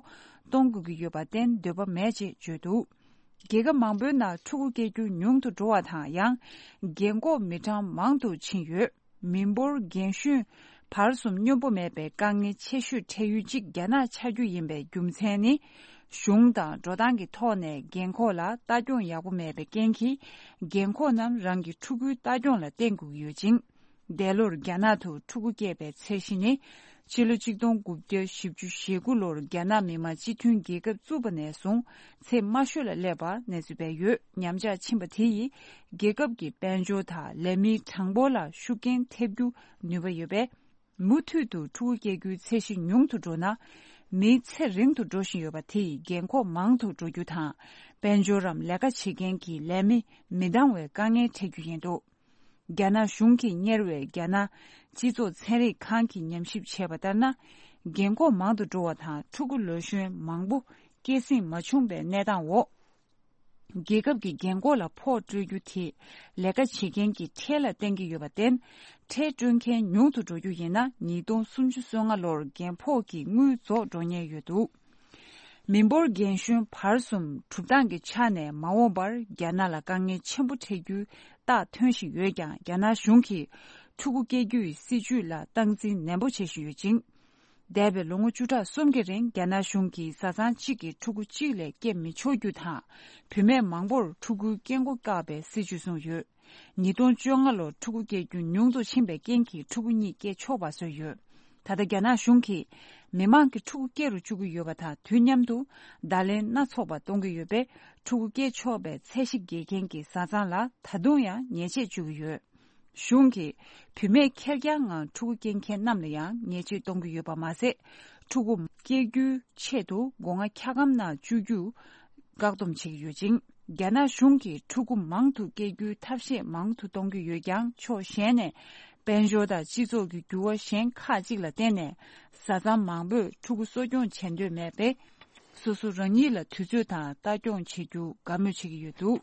གཏོང་དགོས་ཀྱི་ཡོད་པར་བརྟེན་འདོད་པ་མེད་ཅེས་བརྗོད་འདུག་རྒྱལ་ཁབ་མང་པོའི་ནང་ཕྲུ་གུ་སྐྱེ་རྒྱུ་ཉུང་དུ་འགྲོ་བ་དང་། ཡང་རྒན་འཁོགས་མི་གྲངས་མང་དུ་ཕྱིན་ཡོད། མི་འབོར་རྒན་གཞོན་བར་གསུམ་སྙོམས་པོ་མེད་པའི་དཀའ་ངལ་ཆེ་ཤོས་འཕྲད་ཡུལ་གཅིག་རྒྱ་ནག་ཆགས་རྒྱུ་ཡིན་པའི་རྒྱུ་མཚན་ནི། གཞུང་དང་འགྲོ་སྟངས་ཀྱི་ཐོག་ནས་རྒན་འཁོགས་ལ་ལྟ་སྐྱོང་ཡག་པོ་མེད་པའི་རྐྱེན་གྱིས། རྒན་འཁོགས་རྣམས་རང་གི་ཕྲུ་གུའི་ལྟ་སྐྱོང་ལ་བརྟེན་དགོས་ཀྱི་ཡོད་ཅིང་། འདས་ལོར་རྒྱ་ནག་ཏུ་ཕྲུ་གུ་སྐྱེས་པའི་ཚད་གཞི་ནི། ཕྱི་ལོ་ཆིག་སྟོང་དགུ་བརྒྱ་བཞི་བཅུ་ཞེ་དགུ་ལོར་རྒྱ་ནག་མི་དམངས་སྤྱི་མཐུན་རྒྱལ་ཁབ་བཙུགས་པ་ནས་བཟུང་ཚད་དམའ་ཤོས་ལ་སླེབས་པར་གནས་ཚུལ་སྤེལ་ཡོད། ཉམས་ཆག་ཕྱིན་པ་དེ་ཡིས་རྒྱལ་ཁབ་ཀྱི་དཔལ་འབྱོར་དང་ལས་མིའི་གྲངས་འབོར་ལ་ཤུགས་རྐྱེན་ཐེབས་རྒྱུ་ནུས་པ་ཡོད་པས། མུ་མཐུད་དུ་ཕྲུ་གུ་སྐྱེ་རྒྱུའི་ཚད་གཞི་ཉུང་དུ་འགྲོ་ན། མིའི་ཚེ་རིང་དུ་འགྲོ་བཞིན་ཡོད་པ་དེ་ཡིས་རྒན་འཁོགས་མང་དུ་འགྲོ་རྒྱུ་དང་། དཔལ་འབྱོར་རམ་ལས་ཀ་བྱེད་མཁན་གྱི་ལས་མི་མི་འདང་བའི་དཀའ་ངལ་འཕྲད་རྒྱུ་ཡིན་འདུག་རྒྱ་ནག་གཞུང་གིས་གཉེར་བའི་རྒྱ་ནག་སྤྱི་ཚོགས་ཚན་རིག་ཁང་གིས་ཉམས་ཞིབ་བྱས་པ་ལྟར་ན། རྒན་འཁོགས་མང་དུ་འགྲོ་བ་དང་ཕྲུ་གུ་ལོ་གཞོན་མང་པོ་སྐྱེད་སྲིང་མ་བྱུང་བའི་གནས་སྟངས་འོག་རྒྱལ་ཁབ་ཀྱི་རྒན་འཁོགས་ལ་ཕོགས་སྤྲོད་རྒྱུ་དེ་ལས་ཀ་བྱེད་མཁན་གྱི་ཁྲལ་ལ་བརྟེན་གྱི་ཡོད་པར་བརྟེན། ཁྲལ་སྤྲོད་མཁན་ཉུང་དུ་འགྲོ་རྒྱུ་ཡིན་ན། ཉིས་སྟོང་སུམ་ཅུ་སོ་ལྔ་ལོར་རྒན་ཕོགས་ཀྱི་དངུལ་རྫོགས་འགྲོ་ཉེན་ཡོད་འདུག་མི་འབོར་རྒན་གཞོན་བར་གསུམ་གྲུབ་སྟངས་ཀྱི་ཆ་ནས་མ་འོངས་པར་རྒྱ་ནག་ལ་དཀའ་ངལ་ཆེན་པོ་འཕྲད་རྒྱུའི་རྟགས་ཐོན་བཞིན་ཡོད་ཀྱང་། རྒྱ་ནག་གཞུང་གིས་ཕྲུ་གུ་སྐྱེ་རྒྱུའི་སྲིད་ཇུས་ལ་སྟངས་འཛིན་ནན་པོ་བྱེད་བཞིན་ཡོད་ཅིང་། འདས་པའི་ལོ་ངོ་བཅུ་ཕྲག་གསུམ་གྱི་རིང་རྒྱ་ནག་གཞུང་གིས་བཟའ་ཚང་གཅིག་གིས་ཕྲུ་གུ་གཅིག་ལས་སྐྱེ་མི་ཆོག་རྒྱུ་དང་། བུད་མེད་མང་པོར་ཕྲུ་གུའི་སྐྱེ་འགོ་བཀག་པའི་སྲིད་ཇུས་བཟུང་ཡོད། ཉིས་སྟོང་བཅོ་ལྔ་ལོར་ཕྲུ་གུ་སྐྱེ་རྒྱུ་ཉུང་དུ་ཕྱིན་པའི་རྐྱེན་གྱིས་ཕྲུ་གུ་གཉིས་སྐྱེ་ཆོག་པ་བཟོས་ཡོད། ད་ལྟ་རྒྱ་ནག་གཞུང་གིས་མི་མང་གི་ཕྲུ་གུ་སྐྱེ་རུ་བཅུག་གི་ཡོད་པ་དང་། དུས་མཉམ་དུ་བརྡ་ལན་སྣ་ཚོགས་པ་གཏོང་གི་ཡོད་པས། ཕྲུ་གུ་སྐྱེ་ཆོག་པའི་ཚད་གཞི་འགེལ་མཁན་གྱི་བཟའ་ཚང་ལ་ད་དུང་ཡང་ཉེས་ཆད་གཅོད་ཀྱི་ཡོད། གཞུང་གིས་བུད་མེད་ཁེར་རྐྱང་ངང་ཕྲུ་གུ་སྐྱེ་མཁན་རྣམས་ལ་ཡང་ཉེས་ཆད་གཏོང་གི་ཡོད་པ་མ་ཟད། ཕྲུ་གུ་སྐྱེ་རྒྱུའི་ཆེད་དུ་སྒོ་ང་འཁྱག་སྒམ་ནང་བཅུག་རྒྱུ་བཀག་སྡོམ་བྱེད་ཀྱི་ཡོད་ཅིང་། རྒྱ་ནག་གཞུང་གིས་ཕྲུ་གུ་མང་དུ་སྐྱེ་རྒྱུའི་ཐབས་ཤེས་མང་དུ་གཏོང་གི་ཡོད་ཀྱང་། ཕྱོགས་གཞན་ནས་ དཔལ་འབྱོར་དང་སྤྱི་ཚོགས་ཀྱི་འགྱུར་བ་གཞན་ཁག་ཅིག་ལ་བརྟེན་ནས། བཟའ་ཚང་མང་པོས་ཕྲུ་གུ་གསོ་སྐྱོང་བྱེད་འདོད་མེད་པས། སོ་སོ་རང་ཉིད་ལ་དུས་ཚོད་དང་ལྟ་སྐྱོང་བྱེད་རྒྱུ་དགའ་མོས་བྱེད་ཀྱི་ཡོད་འདུག།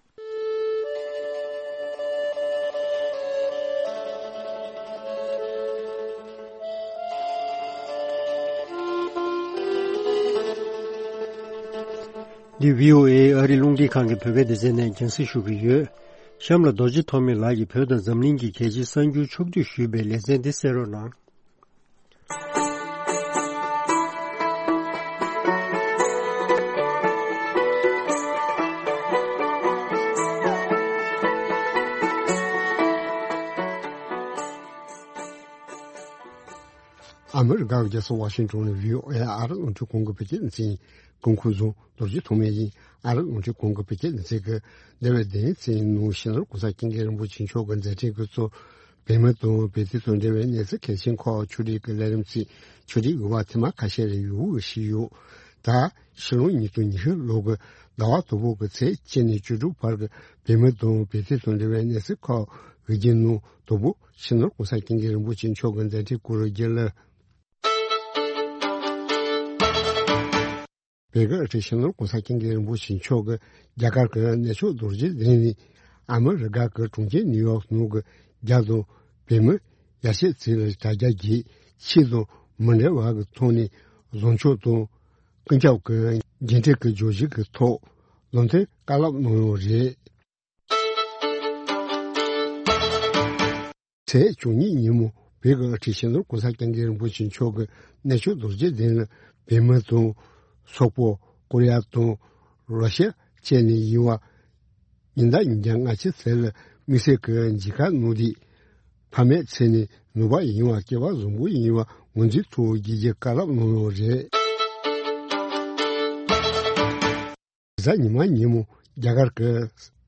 འདི་བྷི་ཨོ་ཨེ་ཨ་རི་རླུང་འཕྲིན་ཁང་གི་བོད་སྐད་སྡེ་ཚན་ནས་རྒྱང་སྲིང་ཞུ་གི་ཡོད། གཤམ་ལ་རྡོ་རྗེ་ཐོགས་མེད་ལགས་ཀྱིས་བོད་དང་འཛམ་གླིང་གི་གལ་ཆེའི་གསར་འགྱུར་ཕྱོགས་བསྡུས་ཞུས་པའི་ལེ་ཚན་འདི་གསན་རོགས་གནང་། ཨ་མི་རི་ཀའི་རྒྱལ་ས་ཝ་ཤིང་ཏོན་ནས་བྷི་ཨོ་ཨེ་ཨ་རི་རླུང་འཕྲིན་ཁང་གི་བོད་སྐད་སྡེ་ཚན། སྐུ་ཁམས་བཟང་། རྡོ་རྗེ་ཐོགས་མེད་ཡིན། ཨ་རི་རླུང་འཕྲིན་ཁང་གི་བོད་སྐད་སྡེ་ཚན་གྱི་འདས་པའི་བདུན་ཚན་ནང་སྤྱི་ནོར་༸གོང་ས་༸སྐྱབས་མགོན་རིན་པོ་ཆེ་མཆོག་གི་མཛད་འཕྲིན་གྱི་ཚོགས། བོད་མི་དང་བོད་དོན་དང་འབྲེལ་བའི་གནས་ཚུལ་གལ་ཆེན་ཁག་ཕྱོགས་སྒྲིག་གི་ལས་རིམ་ཚིག་ཕྱོགས་སྒྲིག་དབུ་བ་ཐེངས་མ་ཁ་ཤས་རེ་ཡོད་ཞུས་ཡོད། ད་ཕྱི་ལོ་ཉིས་སྟོང་ཉི་ཤུ་ལོ་གི་ཟླ་བ་དང་པོ་གི་ཚེས་གཅིག་ནས་བཅུ་དྲུག་བར་གྱི་བོད་མི་དང་བོད་དོན་དང་འབྲེལ་བའི་གནས་ཚུལ་ཁག་གི་རྒྱུན་ནང་དང་པོ་སྤྱི་ནོར་༸གོང་ས་༸སྐྱབས་མགོན་རིན་པོ་ཆེ་མཆོག་གི་མཛད་འཕྲིན་སྐོར་རྒྱུན་ལ། བོད་ཀྱི་དབུ་ཁྲིད་སྤྱི་ནོར་༸གོང་ས་༸སྐྱབས་མགོན་རིན་པོ་ཆེ་མཆོག་གིས་རྒྱ་གར་གྱི་གནས་མཆོག་རྡོ་རྗེ་གདན་ནས་ཨ་མི་རི་ཀ་གི་གྲོང་ཁྱེར་ནིའུ་ཡོག་ནང་གི་རྒྱ་དང་བོད་མི་ཡར་ཞེ་ཚིག་ལ་དྲ་རྒྱ་བརྒྱུད་ཆོས་དང་མི་འབྲལ་བ་གི་ཐོག་ནས་བཟང་ཕྱོགས་དང་ཀུན་ཁྱབ་ཀྱི་འགན་འཁྲི་གི་བརྗོད་གཞི་གི་ཐོག་ལམ་སྟོན་བཀའ་སློབ་གནང་ཡོད་རེད། ཚེས་བཅུ་གཉིས་ཉིན་མོ་བོད་ཀྱི་དབུ་ཁྲིད་སྤྱི་ནོར་༸གོང་ས་༸སྐྱབས་མགོན་རིན་པོ་ཆེ་མཆོག་གིས་གནས་མཆོག་རྡོ་རྗེ་གདན་ལ་བོད་མི་དང་སོག་པོ་ཀོ་རི་ཡ་དང་རོ་ཤི་ཡ་བཅས་ནས་ཡིན་བ་ཉིན་ལྟར་ཉིན་གྱ་ལྔ་བཅུ་ཙམ་ལ་དམིགས་བསལ་གྱི་མཇལ་ཁ་གནང་སྟེ། ཕ་མའི་མཚན་ནས་ནུས་པ་ཡིན་བ་སྐལ་བ་བཟང་པོ་ཡིན་བ་ངོས་འཛིན་ཐུབ་རྒྱུའི་བཀའ་སློབ་གནང་ཡོད་རེད། གཟའ་ཉི་མ་ཉིན་མོ་རྒྱ་གར་གྱི་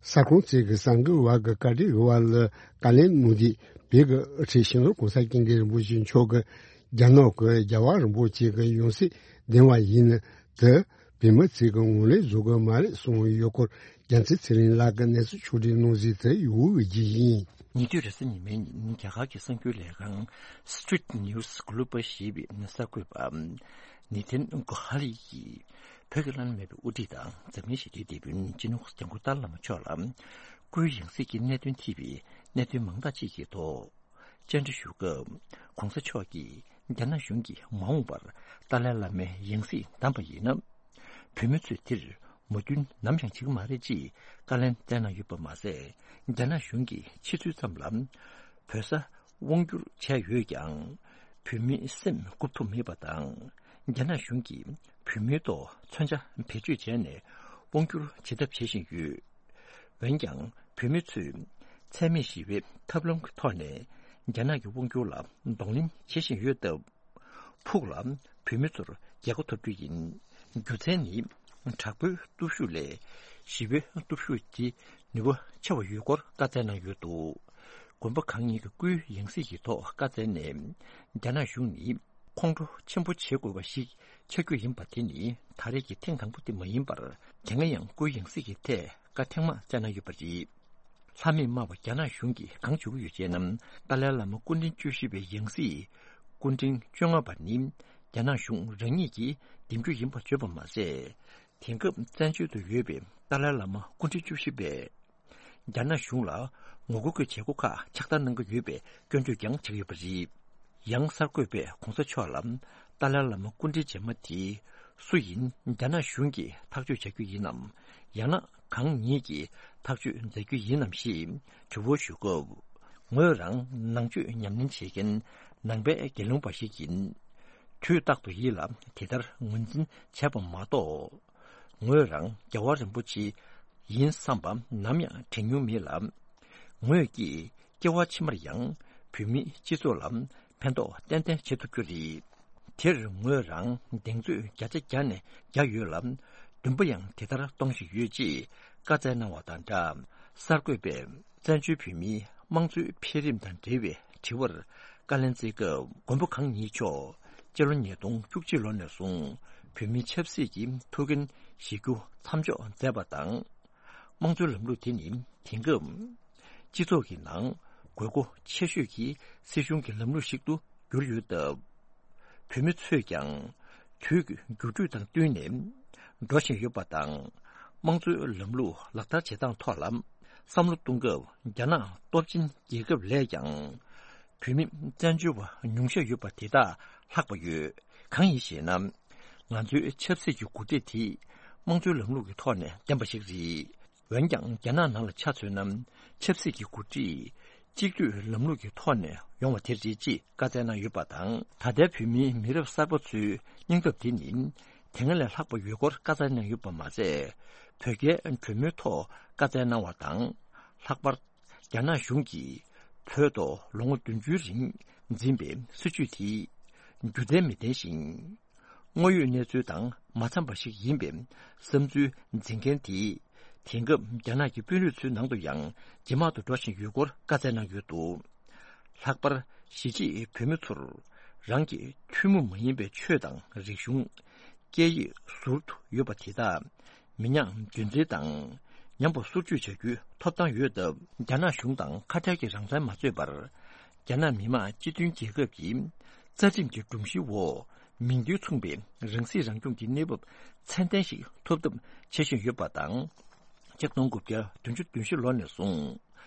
གསར་ཁང་བཅས་ཀྱི་གསར་འགོད་པ་གི་བཀའ་འདྲི་ཞུ་བ་ལ་བཀའ་ལན་གནང་དུས། བོད་ཀྱི་དབུ་ཁྲིད་སྤྱི་ནོར་༸གོང་ས་༸སྐྱབས་མགོན་རིན་པོ་ཆེ་མཆོག་གིས་རྒྱ་ནག་གི་རྒྱལ་བ་རིན་པོ་ཆེ་གི་ཡང་སྲིད་འདེམས་པ་ཡིན་ན་དེ་བོད་མི་ཚོས་ཀྱི་ངོས་ལེན་བཟོ་གི་མ་རེད་གསུངས་ཡོད་སྐོར། རྒྱལ་མཚན་ཚེ་རིང་ལགས་ཀྱིས་གནས་ཚུལ་ཕྱོགས་སྒྲིག་གནང་གཟིགས་དེ་ཡོད་ཀྱི་ཡིན། ཉེ་དུས་རེས་གཟའ་ཉི་མའི་ཉིན་རྒྱ་གར་གྱི་གསར་འགྱུར་ལས་ཁང་Street News Global ཞེས་པའི་གསར་འགོད་པ་ནི་ཐན་གོ་ཧ་ལི་ཡིས། བོད་ཀྱི་བླ་ན་མེད་པའི་དབུ་ཁྲིད་དང་འཛམ་གླིང་ཞི་བདེའི་དེད་དཔོན་སྤྱི་ནོར་༸སྐྱབས་མགོན་ཏཱ་ལའི་བླ་མ་མཆོག་ལ་སྐུའི་ཡང་སྲིད་ཀྱི་གནད་དོན་འཐུས་པའི་གནད་དོན་མང་དག་ཅིག་གི་ཐོག་བཅར་འདྲི་ཞུ་སྐབས། ༸གོང་ས་མཆོག་གིས་རྒྱ་ནག་གཞུང་གིས་མ་འོངས་པར་ཏཱ་ལའི་བླ་མའི་ཡང་སྲིད་བདམས་པ་ཡིན་ན། བོད་མི་ཚོས་དེར་མོས་མཐུན་ནམ་ཡང་བྱེད་ཀྱི་མ་རེད་ཅེས་བཀའ་ལན་བསྩལ་གནང་ཡོད་པ་མ་ཟད། རྒྱ་ནག་གཞུང་གིས་ཕྱི་ཚུལ་ཙམ་ལ་བོད་ས་དབང་བསྒྱུར་བྱས་ཡོད་ཀྱང་། བོད་མིའི་སེམས་འགུག་ཐུབ་མེད་པ་དང་། རྒྱ་ནག་གཞུང་གིས་བོད་མིའི་ཐོག་མཚོན་ཆ་བེད་སྤྱོད་བྱས་ནས་དབང་བསྒྱུར་བྱེད་ཐབས་བྱེད་བཞིན་ཡོད། འོན་ཀྱང་། བོད་མི་ཚོས་འཚེ་མེད་ཞི་བའི་ཐབས་ལམ་གྱི་ཐོག་ནས་རྒྱ་ནག་གི་དབང་བསྒྱུར་ལ་གདོང་ལེན་བྱེད་བཞིན་ཡོད་སྟབས། ཕུགས་ལ་བོད་མི་ཚོར་རྒྱལ་ཁ་ཐོབ་རྒྱུ་ཡིན། རྒྱུ་མཚན་ནི། དྲག་པོའི་སྟོབས་ཤུགས་ལས་ཞི་བའི་སྟོབས་ཤུགས་ཀྱི་ནུས་པ་ཆེ་བ་ཡོད་སྐོར་བཀའ་སྩལ་གནང་ཡོད་འདུག། དགོན་པ་གང་ཉིད་ཀྱི་སྐུའི་ཡང་སྲིད་ཀྱི་ཐོག་བཀའ་སྩལ་ནས། རྒྱ་ནག་གཞུང་ནི་ཁོང་ཁྲོ་ཆེན་པོ་བྱེད་དགོས་པ་ཞིག་ཆགས་རྒྱུ་ཡིན་པ་དེ་ནི་ད་རེས་ཀྱི་ཐེངས་དང་པོ་དེ་མ་ཡིན་པར། དེ་སྔ་ཡང་སྐུའི་ཡང་སྲིད་ཀྱི་ཐད་བཀའ་ཐེངས་མང་བསྩལ་གནང་ཡོད་པ་རེད། ལྷ་མིས་སྨྲ་བ་རྒྱ་ནག་གཞུང་གིས་གང་བྱེད་ཀྱི་ཡོད་ཅེ་ན། ཏཱ་ལའི་བླ་མ་སྐུ་ཕྲེང་བཅུ་བཞི་པའི་ཡང་སྲིད་སྐུ་ཕྲེང་བཅོ་ལྔ་པ་ནི་རྒྱ་ནག་གཞུང་རང་ཉིད་ཀྱིས་འདེམས་རྒྱུ་ཡིན་པར་བརྗོད་པ་མ་ཟད། དེང་སྐབས་བཙན་བྱོལ་དུ་ཡོད་པའི་ཏཱ་ལའི་བླ་མ་སྐུ་ཕྲེང་བཅུ་བཞི་པས་རྒྱ་ནག་གཞུང་ལ་ངོ་རྒོལ་གྱི་བྱེད་སྒོ་ཁག་ཕྱག་བསྟར་གནང་གི་ཡོད་པའི་སྐྱོན་བརྗོད་ཀྱང་བྱས་ཡོད་པ་རེད། ཡང་གསར་འགོད་པས་གོང་ས་མཆོག་ལ་ཏཱ་ལའི་བླ་མ་སྐུ་ཕྲེང་རྗེས་མ་དེ་སུ་ཡིན། རྒྱ་ནག་གཞུང་གིས་ཐག་གཅོད་བྱ་རྒྱུ་ཡིན་ནམ། ཡང་ན་གང་ཉིད་ཀྱིས་ཐག་གཅོད་མཛད་རྒྱུ་ཡིན་ནམ་ཞེས་དྲི་བ་ཞུ་སྐབས། ངོས་རང་ནང་ཆོས་ཉམས་ལེན་བྱེད་མཁན་ནང་པའི་དགེ་སློང་པ་ཞིག་ཡིན། དུས་རྟག་ཏུ་ཡིད་ལ་དེ་ལྟར་ངོས་འཛིན་བྱས་པ་མ་གཏོགས། ངོས་རང་རྒྱལ་བ་རིན་པོ་ཆེ་ཡིན་བསམ་པ་ནམ་ཡང་དྲན་མྱོང་མེད་ལ། ངོས་ཀྱིས་སྐྱེ་བ་ཕྱི་མར་ཡང་བོད་མིའི་སྤྱི་ཚོགས་ལ་ཕན་ཐོགས་ཏན་ཏན་བྱེད་ཐུབ་རྒྱུ་རེད། དེར་ངོས་རང་གདེང་ཚོད་བརྒྱ་ཆ་བརྒྱ་ནས་བརྒྱ་ཡོད་ལ། འདུན་པ་ཡང་དེ་ལྟར་གཏོང་བཞིན་ཡོད་ཅེས་བཀའ་སྩལ་གནང་བ་དང་སྦྲགས། གསར་འགོད་པས་བཙན་བྱོལ་བོད་མིའི་དམངས་གཙོའི་འཕེལ་རིམ་དང་འབྲེལ་བའི་དྲི་བར་བཀའ་ལན་སྩལ་སྐབས། མགོན་པོ་གང་ཉིད་མཆོག་སྤྱི་ལོ་ཉིས་སྟོང་བཅུ་གཅིག་ལོ་ནས་བཟུང་བོད་མིའི་ཆབ་སྲིད་ཀྱི་ཐུགས་འགན་བཞེས་རྒྱུ་མཚམས་འཇོག་མཛད་པ་དང་། དམངས་གཙོའི་ལམ་ལུགས་དེ་ནི་དེང་སྐབས་སྤྱི་ཚོགས་ཀྱི་ནང་ དགོས་མཁོ་ཆེ་ཤོས་ཀྱི་སྲིད་གཞུང་གི་ལམ་ལུགས་ཤིག་ཏུ་གྱུར་ཡོད་སྟབས། བོད་མི་ཚོས་ཀྱང་དུས་ཀྱི་འགྱུར་འགྲོས་དང་བསྟུན་ནས་འགྲོ་བཞིན་ཡོད་པ་དང་། དམངས་གཙོའི་ལམ་ལུགས་ལག་བསྟར་བྱེད་སྟངས་ཐོག་ལ་བསམ་བློ་གཏོང་སྐབས། རྒྱ་ནག་སྟོབས་ཆེན་རྒྱལ་ཁབ་ལས་ཀྱང་བོད་མི་བཙན་བྱོལ་བ་ཉུང་ཤས་ཡོད་པ་དེ་དག་ལྷག་པ་ཡོད། གང་ཡིན་ཞེ་ན། ང་ཚོའི་ཆབ་སྲིད་ཀྱི་འགོ་ཁྲིད་དེ་དམངས་གཙོའི་ལམ་ལུགས་ཀྱི་ཐོག་ནས་བསྟན་པ་ཞིག་རེད། འོན་ཀྱང་རྒྱ་ནག་ནང་ལ་ཆ་མཚོན་ན། ཆབ་སྲིད་ཀྱི་འགོ་ཁྲིད་གཅིག་སྡུད་ལམ་ལུགས་ཀྱི་ཐོག་ནས་ཡོང་བ་དེ་རེད་ཅེས་བཀའ་སྩལ་གནང་ཡོད་པ་དང་། ད་ལྟའི་བོད་མིའི་མི་རབས་གསར་པ་ཚོའི་སྙིང་སྟོབས་དེ་ནི་དེ་སྔ་ལས་ལྷག་པ་ཡོད་སྐོར་བཀའ་སྩལ་གནང་ཡོད་པ་མ་ཟད། བོད་རྒྱའི་གྲོས་མོལ་ཐོག་བཀའ་སྩལ་གནང་བ་དང་། ལྷག་པར་རྒྱ་ནག་གཞུང་གིས་བོད་ཐོག་ལོ་ངོ་བདུན་ཅུའི་རིང་འཛིན་པའི་སྲིད་བྱུས་དེ་རྒྱུ་མཚན་མི་ལྡན་ཞིང་། དངོས་ཡོད་གནས་ཚུལ་དང་མ་འཚམས་པ་ཞིག་ཡིན་པའི་བསམ་ཚུལ་འཛིན་མཁན་དེས། དེང་སྐབས་རྒྱ་ནག་གི་དཔོན་རིགས་ཚོའི་ནང་དུ་ཡང་ཇེ་མང་དུ་འགྲོ་བཞིན་ཡོད་སྐོར་བཀའ་སྩལ་གནང་ཡོད་འདུག་ལྷག་པར་གཞིས་བྱེས་བོད་མི་ཚོར་རང་གི་ཐུན་མོང་མ་ཡིན་པའི་ཆོས་དང་རིག་གཞུང་། སྐད་ཡིག་ཟུར་དུ་ཡོད་པ་དེ་དག་མི་ཉམས་རྒྱུན་འཛིན་དང་ཉམས་པ་སོར་ཆུད་བྱ་རྒྱུའི་ཐོབ་ཐང་ཡོད་སྟབས། རྒྱ་ནག་གཞུང་དང་ཁ་བྲལ་གྱི་རང་བཙན་མ་རྩོད་པར། རྒྱ་ནག་མི་དམངས་སྤྱི་མཐུན་རྒྱལ་ཁབ་ཀྱི་རྩ་ཁྲིམས་ཀྱི་སྒྲོམ་གཞིའི་འོག་མིང་དོན་མཚུངས་པའི་རང་སྲིད་རང་སྐྱོང་གི་གནས་བབ་ཚད་ལྡན་ཞིག་ཐོབ་ཐབས་བྱེད་བཞིན་ཡོད་པ་དང་། ཆིག་སྟོང་དགུ་བརྒྱ་བདུན་ཅུ་དོན་བཞི་ལོ་ནས་བཟུང་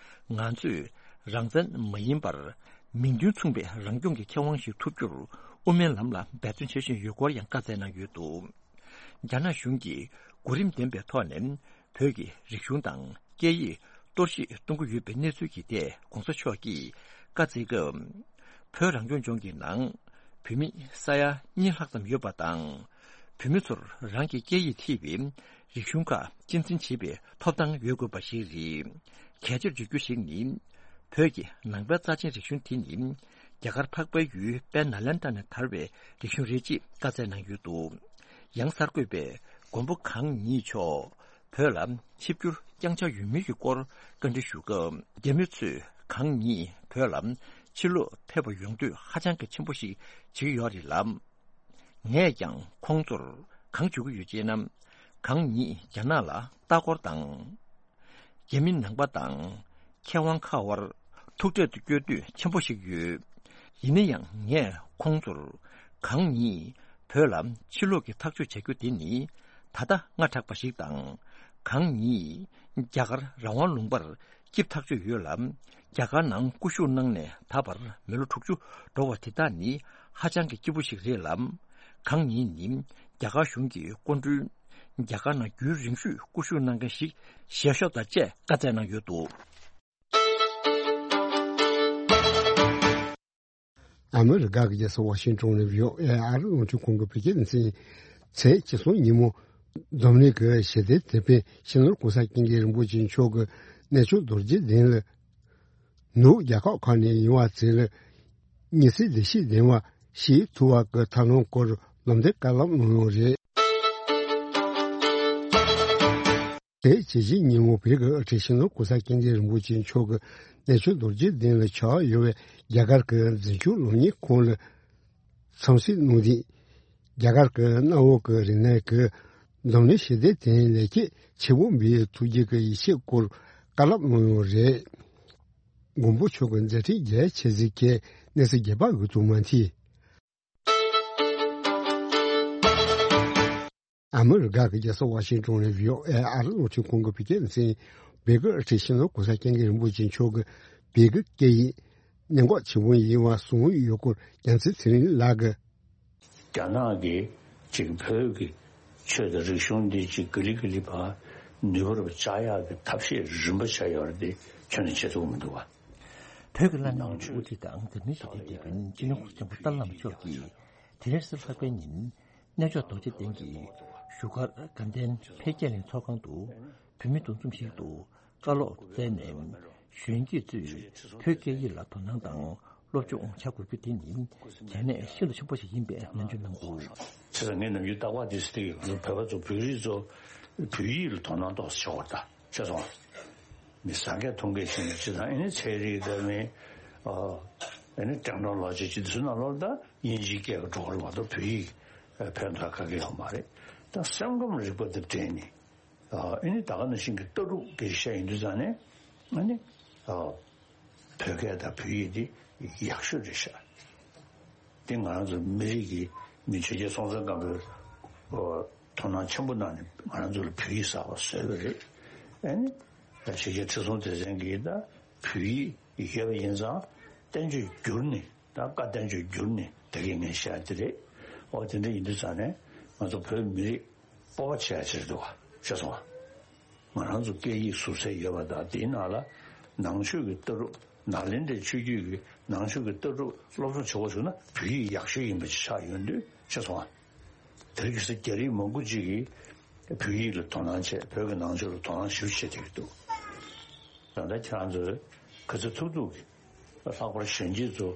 ང་ཚོས་རང་བཙན་མ་ཡིན་པར་མིང་དོན་མཚུངས་པའི་རང་སྐྱོང་གི་ཁེ་དབང་ཞིག་ཐོབ་རྒྱུར་དབུ་མའི་ལམ་ལ་འབད་བརྩོན་བྱེད་བཞིན་ཡོད་སྐོར་ཡང་བཀའ་སྩལ་གནང་ཡོད་འདུག་རྒྱ་ནག་གཞུང་གིས་གོ་རིམ་ལྡན་པའི་ཐོག་ནས་བོད་ཀྱི་རིག་གཞུང་དང་སྐད་ཡིག་གཏོར་བཤིག་གཏོང་གི་ཡོད་པའི་གནས་ཚུལ་གྱི་ཐད་༧གོང་ས་མཆོག་གིས་བཀའ་སྩལ་སྐབས། བོད་རང་སྐྱོང་ལྗོངས་ཀྱི་ནང་བོད་མི་ས་ཡ་གཉིས་ལྷག་ཙམ་ཡོད་པ་དང་། བོད་མི་ཚོར་རང་གི་སྐད་ཡིག་ཐེ་བའི་རིག་གཞུང་ཁག་གཅེས་འཛིན་བྱེད་པའི་ཐོབ་ཐང་ཡོད་དགོས་པ་ཞིག་རེད། གལ་ཆེར་བརྗོད་རྒྱུ་ཞིག་ནི། བོད་ཀྱི་ནང་པའི་རྩ་ཆེན་རིག་གཞུང་དེ་ནི། རྒྱ་གར་འཕགས་པའི་ཡུལ་དཔལ་ནཱ་ལེནྡྲ་ནས་དར་བའི་རིག་གཞུང་རེད་ཅེས་བཀའ་སྩལ་གནང་ཡོད་འདུག་ཡང་གསར་འགོད་པས་མགོན་པོ་གང་ཉིད་མཆོག་བོད་ལ་ཆིབས་བསྒྱུར་བསྐྱངས་འཆར་ཡོད་མིན་གྱི་སྐོར་བཀའ་འདྲི་ཞུ་སྐབས། རྒྱ་མི་ཚོས་གང་ཉིད་བོད་ལ་ཕྱིར་ལོག་ཕེབས་པར་ཡོང་འདོད་ཧ་ཅང་གི་ཆེན་པོ་ཞིག་བྱེད་ཀྱི་ཡོད་རེད་ལ། ངས་ཀྱང་ཁོང་ཚོར་གང་ཞུ་གི་ཡོད་ཅེ་ན། གང་ཉིད་རྒྱ་ནག་ལ་ལྟ་སྐོར་དང་། རྒྱ་མི་ནང་པ་དང་མཁས་དབང་ཁག་དབར་ཐུག་འཕྲད་དུ་བསྐྱོད་འདོད་ཆེན་པོ་ཞིག་ཡོད། ཡིན་ན་ཡང་ངས་ཁོང་ཚོར་གང་ཉིད་བོད་ལ་ཕྱིར་ལོག་གི་ཐག་གཅོད་བྱ་རྒྱུ་དེ་ནི་ད་ལྟ་སྔ་དྲགས་པ་ཞིག་དང་། གང་ཉིད་རྒྱ་གར་རང་དབང་ལུང་པར་སྐྱིབས་ཐག་ཆོད་ཡོད་ལ། རྒྱ་གར་ནང་སྐུ་བཞུགས་གནང་ནས་ད་བར་མི་ལོ་དྲུག་ཅུ་འགྲོ་བ་དེ་དག་ནི་ཧ་ཅང་གི་སྐྱིད་པོ་ཞིག་རེད་ལ། གང་ཉིད་ནི་རྒྱ་གར་གཞུང་གི་སྐུ་མགྲོན། རྒྱ་གར་ནང་རྒྱུན་རིང་ཤོས་སྐུ་བཞུགས་གནང་མཁན་ཞིག་ཞལ་ཤོག་དང་བཅས་བཀའ་སྩལ་གནང་ཡོད་འདུག་ཨ་མི་རི་ཀ་གི་རྒྱལ་ས་ཝ་ཤིང་ཏོན་ནས་བྷི་ཨོ་ཨེ་ཨ་རི་རླུང་འཕྲིན་ཁང་གི་བོད་སྐད་སྡེ་ཚན། ཚེས་བཅུ་གསུམ་ཉིན་མོ། འཛམ་གླིང་གི་ཞི་བདེའི་དེད་དཔོན་སྤྱི་ནོར་གོང་ས་སྐྱབས་མགོན་རིན་པོ་ཆེ་མཆོག་གི་གནས་མཆོག་རྡོ་རྗེ་གདན་ལ། ནུབ་རྒྱ་ཁག་ཁག་ནས་ཡོང་བ་ཚོ་ལ་ཉི་ཚེ་བདེ་སྐྱིད་ལྡན་པ་ཞིག་ཐུབ་པ་གི་ཐབས་ལམ་སྐོར་ལམ་སྟོན་བཀའ་སློབ་གནང་ཡོད་རེད། དེ་བྱས་ཉིན་མོ་བོད་ཀྱི་དབུ་ཁྲིད་སྤྱི་ནོར་གོང་ས་སྐྱབས་མགོན་རིན་པོ་ཆེ་མཆོག་གིས་གནས་མཆོག་རྡོ་རྗེ་གདན་ལ་ཆགས་ཡོད་པའི་རྒྱ་གར་གྱི་འཛིན་སྐྱོང་སློབ་གཉེར་ཁང་ལ་འཚམས་གཟིགས་གནང་སྟེ། རྒྱ་གར་གྱི་གནམ་འོག་གི་རིག་གནས་ཀྱི་འཛམ་གླིང་ཞི་བདེ་དེང་ལེགས་སྐྱེས་ཆེན་པོ་འབུལ་བའི་ཐུགས་བསྐྱེད་ཀྱི་ཡིད་ཆེས་སྐོར་བཀའ་སློབ་གནང་ཡོད་རེད། མགོན་པོ་མཆོག་གི་མཛད་འཕྲིན་རྒྱ་ཆེ་གཟིགས་མཁན་གནས་ཚུལ་རྒྱས་པ་འོད་དུ་མ་མཐིལ། ཨ་མི་རི་ཀ་གི་རྒྱལ་ས་ཝ་ཤིང་ཏོན་ནས་བྷི་ཨོ་ཨེ་ཨ་རི་རླུང་འཕྲིན་ཁང་གི་བོད་སྐད་སྡེ་ཚན། བོད་ཀྱི་དབུ་ཁྲིད་སྤྱི་ནོར་གོང་ས་སྐྱབས་མགོན་རིན་པོ་ཆེ་མཆོག་གིས་བོད་ཀྱི་སྐད་ཡིག་གནད་འགག་ཆེན་པོ་ཡིན་པ་གསུངས་ཡོད་སྐོར། རྒྱལ་མཚན་ཚེ་རིང་ལགས་ཀྱིས། རྒྱ་ནག་གིས་ཅིག་བོད་ཀྱི་ཆོས་དང་རིག་གཞུང་འདི་ཅིག་ག་ལེ་ག་ལེ་བར་ནུས་པ་རུ་བཅག་ཡག་གི་ཐབས་ཤེས་རིམ་པ་བྱས་ཡོད་རེད་དེ། ཁྱོན་ནས་བྱེད་ཐུབ་མི་འདུག་བ། བོད་ཀྱི་བླ་ན་མེད་པའི་དབུ་ཁྲིད་དང་འཛམ་གླིང་ཞི་བདེའི་དེད་དཔོན་སྤྱི་ནོར་གོང་ས་སྐྱབས་མགོན་ཏཱ་ལའི་བླ་མ་མཆོག་གིས་དེ་རིང་གཟའ་ལྷག་པའི་ཉིན་གནས་མཆོག་རྡོ་རྗེ་གདན་གྱི་བཞུགས་སྒར་དགའ་ལྡན་འཕེལ་རྒྱས་གླིང་ཚོགས་ཁང་དུ་བོད་མི་འདུ་འཛོམས་ཤིག་ཏུ་བཀའ་སློབ་སྩལ་ནས། གཞོན་སྐྱེས་ཚོས་བོད་སྐད་ཡིག་ལ་དོ་སྣང་དང་སློབ་སྦྱོང་བྱ་དགོས་རྒྱུ་དེ་ནི་གལ་གནད་ཤིན་ཏུ་ཆེན་པོ་ཞིག་ཡིན་པའི་ནན་བརྗོད་གནང་འདུག། བྱས་ཙང་ངས་ནམ་རྒྱུན་རྟག་པར་དེ་ཟེར་གྱི་ཡོད། བོད་པ་ཚོ་བོད་རིགས་ཚོ་བོད་ཡིག་ལ་དོ་སྣང་ཏོག་ཙམ་བྱེད་དགོས་རེད་ད། ཤེས་སོང་། མི་ཟ་མཁན་འཐུང་མཁན་ཞིག་ནས་སྤྱི་དང་ཨེ་ནི་ཚན་རིག་དང་མི། ཨ་ནི་ཀྲང་ཀྲང་ལོ་ཅིག་ཅིག་དེ་ཚོ་ནང་ལོགས་ལ་ད་དབྱིན་ཇིའི་སྐད་ཀྱི་འགྲོ་གི་རེད་མ་གཏོགས་བོད་ཡིག་ཕན་ཐོགས་ག་གེ་ཡོད་མ་རེད། ད་སེམས་ཁམས་རིག་པ་དང་འབྲེལ་ནས། ཨ་ནི་ད་ག་ནང་བཞིན་གྱི་ལྟ་གྲུབ་སྐད་ཆ་ཡིན་དུས་ཙང་ནས། ཨ་ནི། ཨ། བོད་སྐད་དང་བོད་ཡིག་འདི་ཡག་ཤོས་རེད་ཤག་དེ་ང་རང་ཚོ་མི་རིགས་ཀྱི་མི་ཆོས་རྒྱལ་སྲོང་བཙན་སྒམ་པོས་ཨོ་དོ་སྣང་ཆེན་པོ་གནང་ནས་ང་རང་ཚོ་ལ་བོད་ཡིག་གསར་པ་བཟོས་པ་རེད། ཨ་ནི་ཆོས་རྒྱལ་ཁྲི་སྲོང་ལྡེ་བཙན་གྱིས་ད་བོད་ཡིག་ཡོད་པ་ཡིན་ཙང་བསྟན་བཅོས་བསྒྱུར་ནས་ད་བཀའ་བསྟན་བཅོས་བསྒྱུར་ནས་ད་གིན་ངས་བཤད་དེ་རེད། ཨོ་དེ་འདྲ་ཡིན་དུས་ཙང་ནས་ང་ཚོ་བོད་མི་རིགས་སྤོབས་པ་བྱེད་ཡ་ཅིག་འདུག་བ་ཤེས་སོང་ང་། ང་རང་ཚོ་སྐད་ཡིག་ཟུར་ཚད་ཡོད་པ་དང་དེའི་ནང་ལ་ནང་ཆོས་ཀྱི་ལྟ་གྲུབ་ནཱ་ལེནྡྲའི་ཆོས་བརྒྱུད་ཀྱི་ནང་ཆོས་ཀྱི་ལྟ་གྲུབ་སློབ་སྦྱོང་བྱེད་དགོས་བྱུང་ན་བོད་ཡིག་ཡག་ཤོས་ཡིན་པ་ཅིག་ཆགས་ཡོང་དུས་ཤེས་སོང་ང་། དེ་རིང་ཁ་སང་རྒྱ་རིགས་མང་པོ་ཅིག་གིས་བོད་ཡིག་ལ་དོ་སྣང་བྱས་བོད་ཀྱི་ནང་ཆོས་ལ་དོ་སྣང་ཞེ་པོ་བྱེད་བསྡད་ཀྱི་འདུག་ད་ལྟ་ཁྱེད་རང་ཚོས་ག་ཚོད་ཐུབ་ཐུབ་ཀྱིས་ལྷག་པར་གཞོན་སྐྱེས་ཚོ་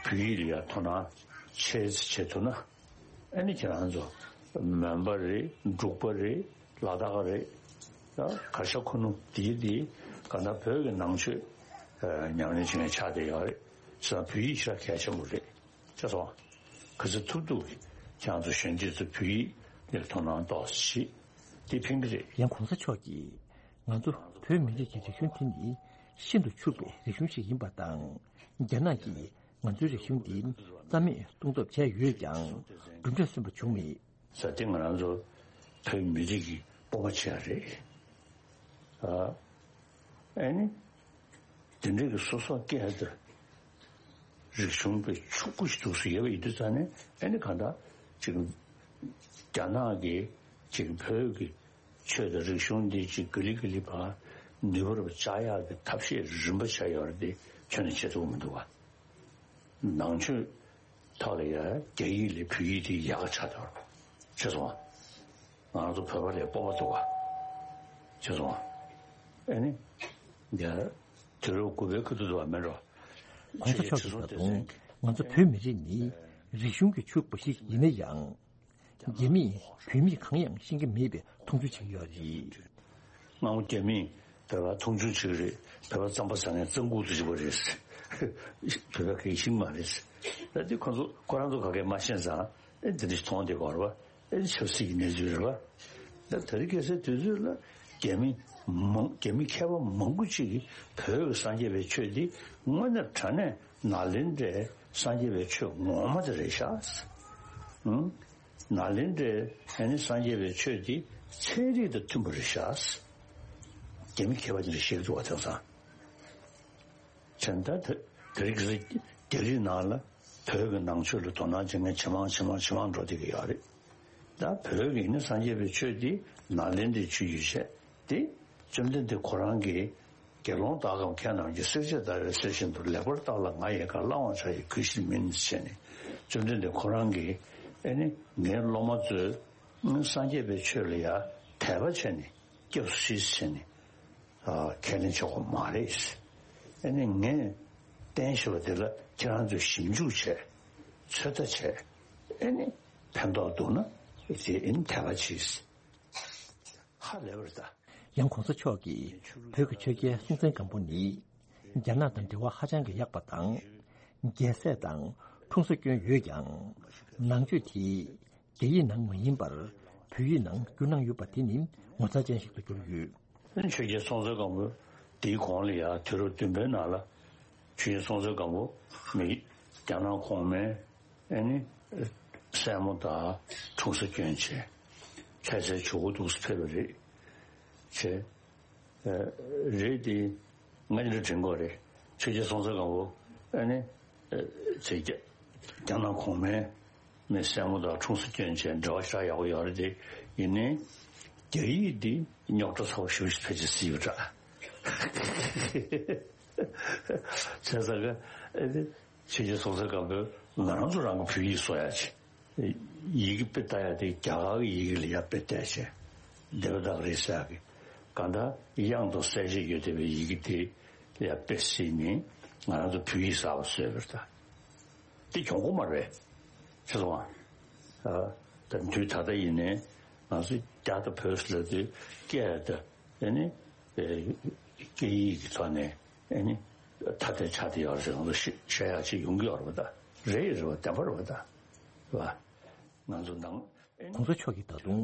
བོད་ཡིག་ལ་ཡང་དོ་སྣང་ཆེ་ཙམ་བྱེད་ཐུབ་ན། ཨ་ནི་ཁྱེད་རང་ཚོ་མོན་པ་རེད། འབྲུག་པ་རེད། ལ་དྭགས་རེད། ད་གར་ཤ་ཁུ་ནུ་དེའི་དེའི་ག་ན་བོད་ཀྱི་ནང་ཆོས་ཉམས་ལེན་བྱེད་མཁན་ཆགས་བསྡད་ཡོད་རེད། བྱས་ཙང་བོད་ཡིག་ཞེ་དྲག་གལ་ཆེན་པོ་རེད། ཤེས་སོང་། ག་ཚོད་ཐུབ་ཐུབ་ཀྱིས་ཁྱེད་རང་ཚོ་གཞོན་སྐྱེས་ཚོ་བོད་ཡིག་ལ་དོ་སྣང་ཏོག་ཙམ་བྱེད། དེ་ཕན་གྱི་རེད། ཡང་གོང་ས་མཆོག་གིས་ང་ཚོ་བོད་མི་རིགས་ཀྱི་རིག་གཞུང་དེ་ནི་ཤིན་ཏུ་ཕྱུག་པའི་རིག་གཞུང་ཞིག་ཡིན་པ་དང་། རྒྱ་ནག་གིས་ང་ཚོའི་རིག་གཞུང་འདི་རྩ་མེད་གཏོང་ཐབས་བྱས་ཡོད་ཀྱང་གྲུབ་འབྲས་སོན་པ་བྱུང་མེད། ཟེར་དེ་ང་རང་ཚོ་བོད་མི་རིགས་ཀྱི་སྤོབས་པ་ཆེ་བ་རེད། ཨ་ཨ་ནི་དེ་འདྲ་གི་སོ་སོ་སྐད་དང་རིག་གཞུང་དཔེ་ཕྱུག་པོ་ཞིག་འདུག་སེ་ཡོད་པ་ཡིན་དུས་ཙང་ནས་ཨ་ནི་གང་ལྟར་ཅིག་རྒྱ་ནག་གིས་ཅིག་བོད་ཀྱི་ཆོས་དང་རིག་གཞུང་འདི་ཅིག་ག་ལེ་ག་ལེ་བ་ནུས་པ་རུ་བཅག་ཡག་གི་ཐབས་ཤེས་རིམ་པ་བྱས་ཡོད་རེད་དེ་ཁྱོན་ནས་བྱེད་ཐུབ་ཀྱི་མི་འདུག་བ། ནང་ཆོས་ཐོག་ལ་ཡང་རྒྱ་ཡིག་ལས་བོད་ཡིག་དེ་ཡག་ག་ཆགས་འདུག་བ། ཤེས་སོང་ང་། ང་རང་ཚོ་བོད་པ་ལས་སྤོབས་པ་འདུག་བ། ཤེས་སོང་ང་། ཨ་ནི། འདི་དུས་རབས་དགུ་པའི་ཁ་ཐུག་ཏུ་བ་མེད་འགྲོ། གོང་ས་མཆོག་གིས་ད་དུང་ང་ཚོ་བོད་མི་རིགས་ནི་རིག་གཞུང་གིས་ཕྱུག་པ་ཞིག་ཡིན་ན་ཡང་། རྒྱ་མིས་བོད་མིས་གང་ཡང་ཤེས་ཀྱི་མེད་པའི་མཐོང་ཆུང་བྱེད་ཀྱི་ཡོད་རེད། སྔ་མོ་རྒྱ་མིས་བོད་པ་མཐོང་ཆུང་བྱེད་ཀྱི་རེད། བོད་པ་རྩམ་པ་ཟ་མཁན་རྩམ་ཁུག་ཏུ་བཞག་པ་རེད། བོད་པ་གི་ཤིང་མ་རེད། ད་དེ་ཁོ་ཚོ་ཁོ་རང་ཚོ་ག་གེ་མ་ཤེས་ཙང་ཨེ་འདི་འདྲ་མཐོང་བསྡད་ཀྱི་ཡོད་རེད་པ། ཨེ་ཆབ་སྲིད་ཀྱི་གནས་ཚུལ་རེད་པ། ད་དེ་རིང་ཁ་སང་དུས་ཚོད་ལ་རྒྱ་མི་མང་རྒྱ་མི་མཁས་པ་མང་པོ་ཅིག་གིས་བོད་ཀྱི་སངས་རྒྱས་པའི་ཆོས་འདི་དངོས་གནས་དྲང་གནས་ནཱ་ལེནྡྲའི་སངས་རྒྱས་པའི་ཆོས་ངོ་མ་དེ་རེད་ཤག་ཨང་། ནཱ་ལེནྡྲའི་ཨ་ནི་སངས་རྒྱས་པའི་ཆོས་འདི་ཚན་རིག་དང་མཐུན་པ་རེད་ཤག་རྒྱ་མི་མཁས་པ་དེ་འདྲ་བཤད་ཀྱི་འདུག་བ། དེང་སང་། བྱས་ཙང་ད་དེ་རིང་ཁ་སང་རྒྱ་རིགས་ནང་ལ་བོད་ཀྱི་ནང་ཆོས་ལ་དོ་སྣང་བྱེད་མཁན་ཇེ་མང་ཇེ་མང་ཇེ་མང་འགྲོ་བསྡད་ཀྱི་ཡོད་རེད། ད་བོད་ཀྱི་ནི་སངས་རྒྱས་པའི་ཆོས་འདི་ནཱ་ལེནྡྲའི་ཆོས་ཡིན་ཞེས་ཏེ། བཅོམ་ལྡན་འདས་ཁོ་རང་གིས་དགེ་སློང་དག་གམ་མཁས་རྣམས་ཀྱིས། བསྲེག་བཅད་བརྡར་བའི་གསེར་བཞིན་དུ། ལེགས་པར་བརྟགས་ལ་ང་ཡི་བཀའ། བླང་བར་བྱ་ཡི་གུས་ཕྱིར་མིན། ཞེས་ནས་བཅོམ་ལྡན་འདས་ཁོ་རང་གིས་ཨེ་ནི་ངའི་སློབ་མ་ཚོས་སངས་རྒྱས་པའི་ཆོས་ལ་ཡང་དད་པ་བྱས་ནས་སྐྱབས་སུ་མཆི་ཟེར་ནས་ཨ་ཁས་ལེན་བྱེད་དགོས་མ་རེད། ཨེ་ནི་ངས་བསྟན་བཞིན་པ་དེ་ལ་ཁྱེད་རང་ཚོས་ཞིབ་འཇུག་བྱས། ཚོད་ལྟ་བྱས། ཨེ་ནི་ཕན་ཐོགས་འདུག་ན་དེ་ཨེ་ནི་དད་པ་གྱིས། ཧ་ལས་པ་རེད་ད། ཡང་གོང་ས་མཆོག་གིས་བོད་ཀྱི་ཆོས་རྒྱལ་སྲོང་བཙན་སྒམ་པོ་ནི་རྒྱ་ནག་དང་འབྲེལ་བ་ཧ་ཅང་གི་ཡག་པ་དང་། རྒྱལ་སྲས་དང་འཁྲུངས་ས་སྐྱོན་ཡོད་ཀྱང་། ནང་ཆོས་དེ་རྒྱ་ཡིག་ནང་མ་ཡིན་པར་བོད་ཡིག་ནང་བསྒྱུར་གནང་ཡོད་པ་དེ་ནི་ངོ་མཚར་ཅན་ཞིག་ཏུ་གྱུར་ཡོད། ཆོས་རྒྱལ་སྲོང་བཙན་སྒམ་པོ་དེའི་གོང་ལ་ཡང་དུས་རབས་བདུན་པའི་ནང་ལ་ཆོས་རྒྱལ་སྲོང་བཙན་སྒམ་པོ་མི་རྒྱ་ནག་གོང་མའི་ཨེ་ནི་སྲས་མོ་དང་འཁྲུངས་ས་སྐྱོན་བྱས། ལྷ་སའི་ཇོ་བོ་འདུག་སེ་ཕེབས་པ་རེད། བྱས། ཨ་རེད་དེ། ང་འདི་འདྲ་དྲན་གྱི་ཡོད་རེད། ཆོས་རྒྱལ་སྲོང་བཙན་སྒམ་པོ་ཨ་ནི་ཨ་ཚེ་རྒྱ་རྒྱ་ནག་གོང་མའི་མི་སྲས་མོ་དང་འཁྲུངས་ས་སྐྱོན་བྱས་འབྲེལ་བ་ཞེ་དྲག་ཡག་པོ་ཡོད་རེད་དེ། ཡིན་ནའི་རྒྱ་ཡིག་འདི་རྙོག་དྲ་ཚ་པོ་ཞེ་པོ་ཞིག་ཕལ་ཆེར་བཟོས་ཡོད་འདྲ། བྱས་ཙང་ག་ཨ་ནི་ཆོས་རྒྱལ་སྲོང་བཙན་སྒམ་པོས་ང་རང་ཚོ་རང་གི་བོད་ཡིག་བཟོ་ཡག་བྱས། ཡི་གེ་དཔེ་ལྟ་ཡག་དེ་རྒྱ་གར་གྱི་ཡི་གེ་ལ་ཡར་དཔེ་བལྟས་བྱས། བདེ་བ་དག་རེད་ཟེར་ཡག་གི་གང་ལྟར་དབྱངས་དང་གསལ་བྱེད་ཡོད་བསྡད་པའི་ཡི་གེ་དེ་ལ་ཡར་དཔེ་གཟིགས་ནས་ང་རང་ཚོ་བོད་ཡིག་གསར་པ་བཟོས་པ་རེད་ད། དེ་གྱོང་པོ་མ་རེད། ཤེས་སོང་ང་། ཨ་ད་དུས་ད་ལྟ་ཡིན་ནའི་ང་ཚོ་རྒྱ་དང་བོད་ཟེར་ལབ་དུས་སྐད་དང་ཨ་ནི་ཨེ་སྐད་ཡིག་གི་ཐོག་ནས་ཨ་ནི་ཐ་དད་ཆགས་བསྡད་ཡོད་རེད་ཟེར་ང་ཚོ་བཤད་བཤད་ཡག་ཅིག་ཡོང་གི་ཡོད་རེད་པ་ད། རེད་རེད་པ། བདེན་པ་རེད་པ་ད། རེད་པ། ང་ཚོ་ནང་། གོང་ས་མཆོག་གིས་ད་དུང་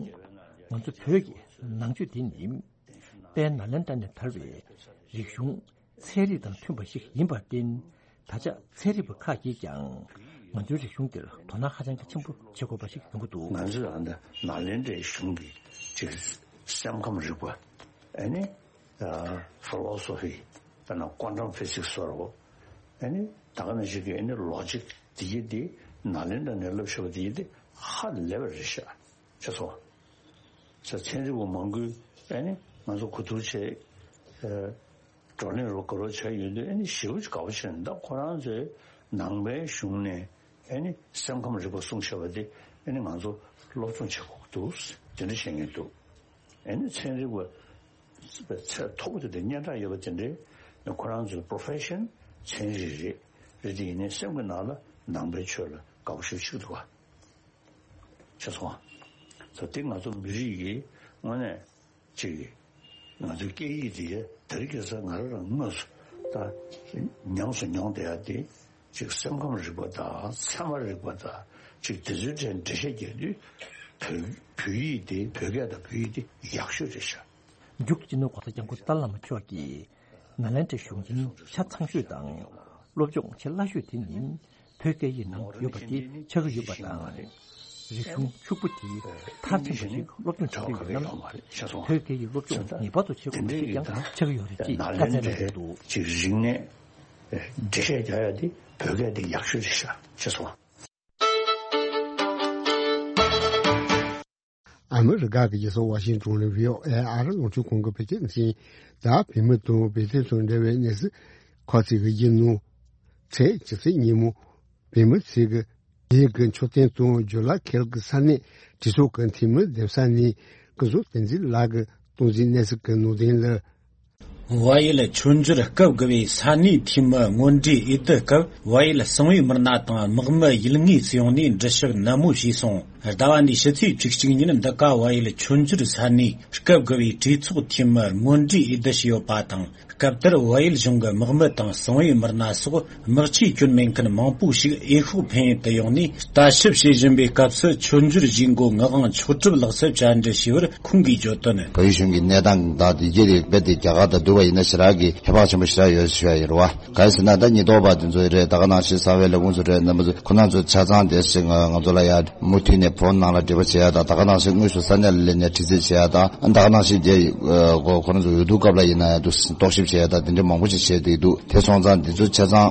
ང་ཚོ་བོད་ཀྱི་ནང་ཆོས་འདི་ནི་དཔལ་ནཱ་ལེནྡྲ་ནས་དར་བའི་རིག་གཞུང་ ཚན་རིག་དང་མཐུན་པ་ཞིག་ཡིན་པར་བརྟེན། ད་ཆ་ཚན་རིག་པ་ཁག་གིས་ཀྱང་ང་ཚོའི་རིག་གཞུང་འདིར་དོ་སྣང་ཧ་ཅང་གི་ཆེན་པོ་བྱེད་དགོས་པ་ཞིག་ཡོང་གི་འདུག་ང་ཚོས་ཨ་ནི་ནཱ་ལེནྡྲའི་གཞུང་གི་ཅིག་སེམས་ཁམས་རིག་པ། ཨ་ནི་ཕི་ལོ་སོ་ཕི། དཔེར་ན་ཀོན་ཊམ་ཕི་སིག་སི་ཟེར་བ། ཨ་ནི་ད་ག་ནང་བཞིན་གྱི་ཨ་ནི་ལོ་ཇིག་དེ་ཡི་དེ་ནཱ་ལེནྡྲ་ནས་བསླབ་ཤེས་པ་དེ་ཡི་དེ་ཧ་ལས་པ་རེད་ཤག་ཤེས་སོང་། ཚན་རིག་པ་མང་པོས་ཨ་ནི་ང་ཚོ་གོ་བསྡུར་བྱས། བགྲོ་གླེང་རོགས་ག་རོགས་བྱས་ཡོད་དུས། ཨ་ནི་ཞེ་པོ་ཅིག་དགའ་པོ་བྱས་ནས། ད་ཁོ་རང་ཚོའི་ནང་པའི་གཞུང་ནས་ཨ་ནི་སེམས་ཁམས་རིག་པ་གསུངས་བཞག་པ་དེ་ཨ་ནི་ང་ཚོ་སློབ་སྦྱོང་བྱེད་དགོས་ཀྱི་འདུག་དེ་འདྲ་བཤད་མཁན་འདུག་ཨ་ནི་ཚན་རིག་པ་ཚད་མཐོ་པོ་དེ་འདྲ་སྙན་གྲགས་ཡོད་པ་དེ་འདྲའི་ཁོ་རང་ཚོའི་པོ་རོ་ཕེ་ཤན་ཚན་རིག་རེད། རེད་དེ་ཡིན་ནའི་སེམས་ཀྱི་ནང་ལ་ནང་པའི་ཆོས་ལ་དགའ་པོ་ཞེ་པོ་ཅིག་འདུག་ག་ཤེས་སོང་ཨ། ད་དེ་ང་ཚོ་མི་རིགས་ཀྱི་དངོས་གནས་ཅིག་ང་ཚོའི་སྐད་ཡིག་དེ་དེ་རིང་ཁ་སང་ང་རང་རང་དངོས་སུ་ད་ཉམས་སུ་མྱོང་བསྡད་ཡ་དེ། ཅིག་སེམས་ཁམས་རིག་པ་དང་ཚད་མ་རིག་པ་དང་ཅིག་དེ་ཚོའི་གྲས་འགྲེལ་བཤད་རྒྱག་དུས། བོད་བོད་ཡིག་དེ་བོད་སྐད་དང་བོད་ཡིག་དེ་ཡག་ཤོས་རེད་ཤག་མཇུག་སྤྱི་ནོར་༸གོང་ས་༸སྐྱབས་མགོན་ཏཱ་ལའི་བླ་མ་མཆོག་གིས་ནཱ་ལེནྡྲའི་གཞུང་ཆེན་ཆ་ཚང་ཤོས་དང་སློབ་སྦྱོང་བྱེད་སླ་ཤོས་དེ་ནི་བོད་སྐད་ཡིག་ནང་ཡོད་པ་དེ་ཆགས་ཀྱི་ཡོད་པ་དང་། རིག་གཞུང་ཕྱུག་པོ་དེ་མཐར་ཕྱིན་པ་ཞིག་སློབ་སྦྱོང་བྱེད་ཀྱི་ཡོད་ན། བོད་སྐད་ཡིག་སློབ་སྦྱོང་ངེས་པར་དུ་བྱེད་དགོས་པ་ཞིག་ཀྱང་ཆགས་ཀྱི་ཡོད་རེད་ཅེས་བཀའ་སྩལ་གནང་གི་འདུག་ཅིག་རིག་གནས་འགྲེལ་བཤད་རྒྱག་ཡ་དེ་བོད་སྐད་དེ་ཡག་ཤོས་རེད་ཤག་ཤེས་སོང་། ཨ་མི་རི་ཀ་གི་རྒྱལ་ས་ཝ་ཤིང་ཏོན་ལ་ཝི་ཨོ་ཨེ་ཨ་རི་རླུང་འཕྲིན་ཁང་གི་བོད་སྐད་སྡེ་ཚན། ད་བོད་མི་དང་བོད་དོན་དང་འབྲེལ་བའི་གནས་ཚུལ་ཁག་ཅིག་གི་རྒྱུན་ནང་། ཚེས་བཅུ་གཅིག་ཉིན་མོ་བོད་མི་ཚོས་ཀྱི་རྒྱའི་གི་མཆོད་རྟེན་དང་ཇོ་ལ་ཁེལ་གྱི་ས་གནས་གྲོས་ཚོགས་ཀྱི་འཐུས་མི་འདེམས་ས་ནས་སྐུ་ཞབས་བསྟན་འཛིན་ལགས་ཀྱིས་གཏོང་རྩིས་གནས་ཚུལ་གྱི་ནང་དོན་ལ། ཝ་ཡུལ་མཆོད་འཇོར་སྐབས་དགུ་པའི་ས་གནས་འཐུས་མི་དངོས་གྲུས་འོས་བསྡུ་སྐབས། ཝ་ཡུལ་གསང་བའི་མི་སྣ་དང་དམག་མི་ཡུལ་དངོས་སུ་ཡོང་ནས་འགྲུལ་ཞུགས་ནན་མོ་བྱས་སོང་། ཟླ་བ་འདིའི་ཕྱི་ཚེས་བཅུ་གཅིག་ཉིན་འདི་ག་ཝ་ཡུལ་མཆོད་འཇོར་ས་གནས་སྐབས་དགུ་པའི་གྲོས་ཚོགས་འཐུས་མི་དངོས་གྲུས་འོས་བསྡུ་བྱས་ཡོད་པ་དང་། སྐབས་དེར་ཝ་ཡུལ་གཞུང་གི་དམག་མི་དང་གསང་བའི་མི་སྣ་སོགས་དམག་ཆས་གྱོན་མེད་མཁན་མང་པོ་ཞིག་འོས་ཤོག་འཕེན་ཡུལ་དུ་ཡོང་ནས་ལྟ་ཞིབ་བྱེད་བཞིན་པའི་སྐབས་སུ། མཆོད་འཇོར་གཞིས་འགོ་ངག་དབང་མཆོག་གྲུབ་ལགས་སུ་བཅར་འདྲི་ཞུས་པར་ཁོང་གིས་བརྗོད་དོན། བལ་ཡུལ་གཞུང་གི་གནས་སྟངས་དང་དེ་གའི་རིགས་རྦད་དེ་རྒྱ་གར་དང་བསྡུར་བ་ཡིན་ན་ཞེ་དྲག་གི་ཧེ་བག་ཆེན་པོ་ཞེ་དྲག་ཡོད་ཞུ་ཡ་ཡིན་རེད་བ། གང་ཡིན་ཟེར་ན། ད་ཉེན་རྟོག་པ་དེ་ཚོ་རེད། ད་ག་ནང་བཞིན་གསང་བའི་ལས་ཁུངས་ཚོ་རེད། རྣམ་པ་ཚོ་ཁོ་རང་ཚོ་ཆ་ཚང་དེ་ཞིག་ང་ང་ཚོ་ལ་ཡ་མུ་མཐུད་ནས་ཕོན་ནང་ལ་འབྲེལ་བ་བྱེད་ཡ་དང་། ད་ག་ནང་བཞིན་དངོས་སུ་ས་གནས་ལ་སླེབས་ནས་དྲི་རྩད་བྱེད་ཡ་དང་། ད་ག་ནང་བཞིན་དེ་ཁོ་ཁོ་རང་ཚོ་འོས་བསྡུ་སྐབས་ལ་ཡིན་ན་ཡང་དུ་རྟོག་ཞིབ་བྱེད་ཡ་དང་། དེ་འདྲ་མང་པོ་ཞིག་བྱས་བསྡད་འདུག་དེ་སོང་ཙང་དེ་ཚོ་ཆ་ཚང་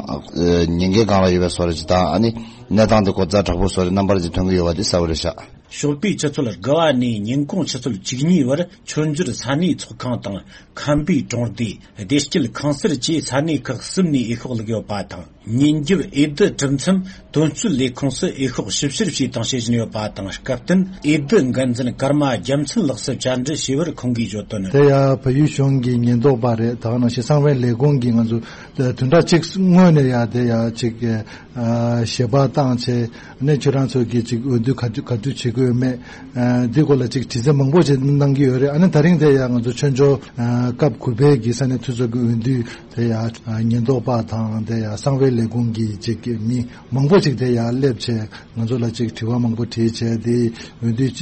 ཉེན་ཁའི་སྒང་ལ་ཡོད་པའི་བཟོ་འདྲ་ཞིག་དང་། ཨ་ནི་གནས་སྟངས་དེ་གོ་རྩ་དྲག་པོ་བཟོ་འདྲ་རྣམ་པར་ཅིག་ཐོན་གྱི་ཡོད་པ་དེ་གསལ་པོ་རེད་ཤག་ཞོགས་པའི་ཆུ་ཚོད་དགུ་པ་ནས་ཉིན་གུང་ཆུ་ཚོད་བཅུ་གཉིས་བར་མཆོད་འཇོར་ས་གནས་ཚོགས་ཁང་དང་། ཁམས་པའི་གྲོང་སྡེ། བདེ་སྐྱིད་ཁང་གསར་བཅས་ས་གནས་ཁག་གསུམ་ནས་འོས་ཤོག་བླུགས་ཡོད་པ་དང་། ཉིན་རྒྱབ་འོས་བསྡུ་གྲུབ་མཚམས་དོན་གཅོད་ལས་ཁུངས་སུ་འོས་ཤོག་ཞིབ་བཤེར་བྱས་དང་བྱེད་བཞིན་ཡོད་པ་དང་། སྐབས་བསྟུན་འོས་བསྡུ་འགན་འཛིན་ཀརྨ་རྒྱལ་མཚན་ལགས་སུ་བཅར་འདྲི་ཞུས་པར་ཁོང་གིས་བརྗོད་དོན། དེ་ཡང་བལ་ཡུལ་གཞུང་གི་ཉེན་རྟོག་པ་རེད། ད་ག་ནང་བཞིན་གསང་བའི་ལས་ཁུངས་ཀྱིས་ང་ཚོ་བདུན་ཕྲག་གཅིག་སྔོན་ནས་ཡང་དེ་ཡང་ཅིག་ཞལ་པར་བཏང་བྱས། ཨ་ནི་ཁྱོད་རང་ཚོ་གིས་ཅིག་འོས་བསྡུ་ག་དུས་ག་དུས་བྱེད་ཀྱི་ཡོད་མེད། ཨ་འདི་སྐོར་ལ་ཅིག་དྲི་རྩད་མང་པོ་ཅིག་གནང་གི་ཡོད་རེད། ཨ་ནི་ད་རིང་དེ་ཡང་ང་ཚོ་མཆོད་འཇོར་ཨ་སྐབས་དགུ་པའི་གི་ས་གནས་འཐུས་ཚོགས་ཀྱི་འོས་བསྡུ་དེ་ཡང་ཨ་ཉེན་རྟོག་པ་དང་། དེ་ཡང་གསང་བའི་ལས་ཁུངས་ཀྱི་ཅིག་མི་མང་པོ་ཅིག་དེ་ཡང་སླེབས་བྱས། ང་ཚོ་ལ་ཅིག་དྲི་བ་མང་པོ་དྲིས་བྱས་ཏེ། འོས་བསྡུ་བྱས་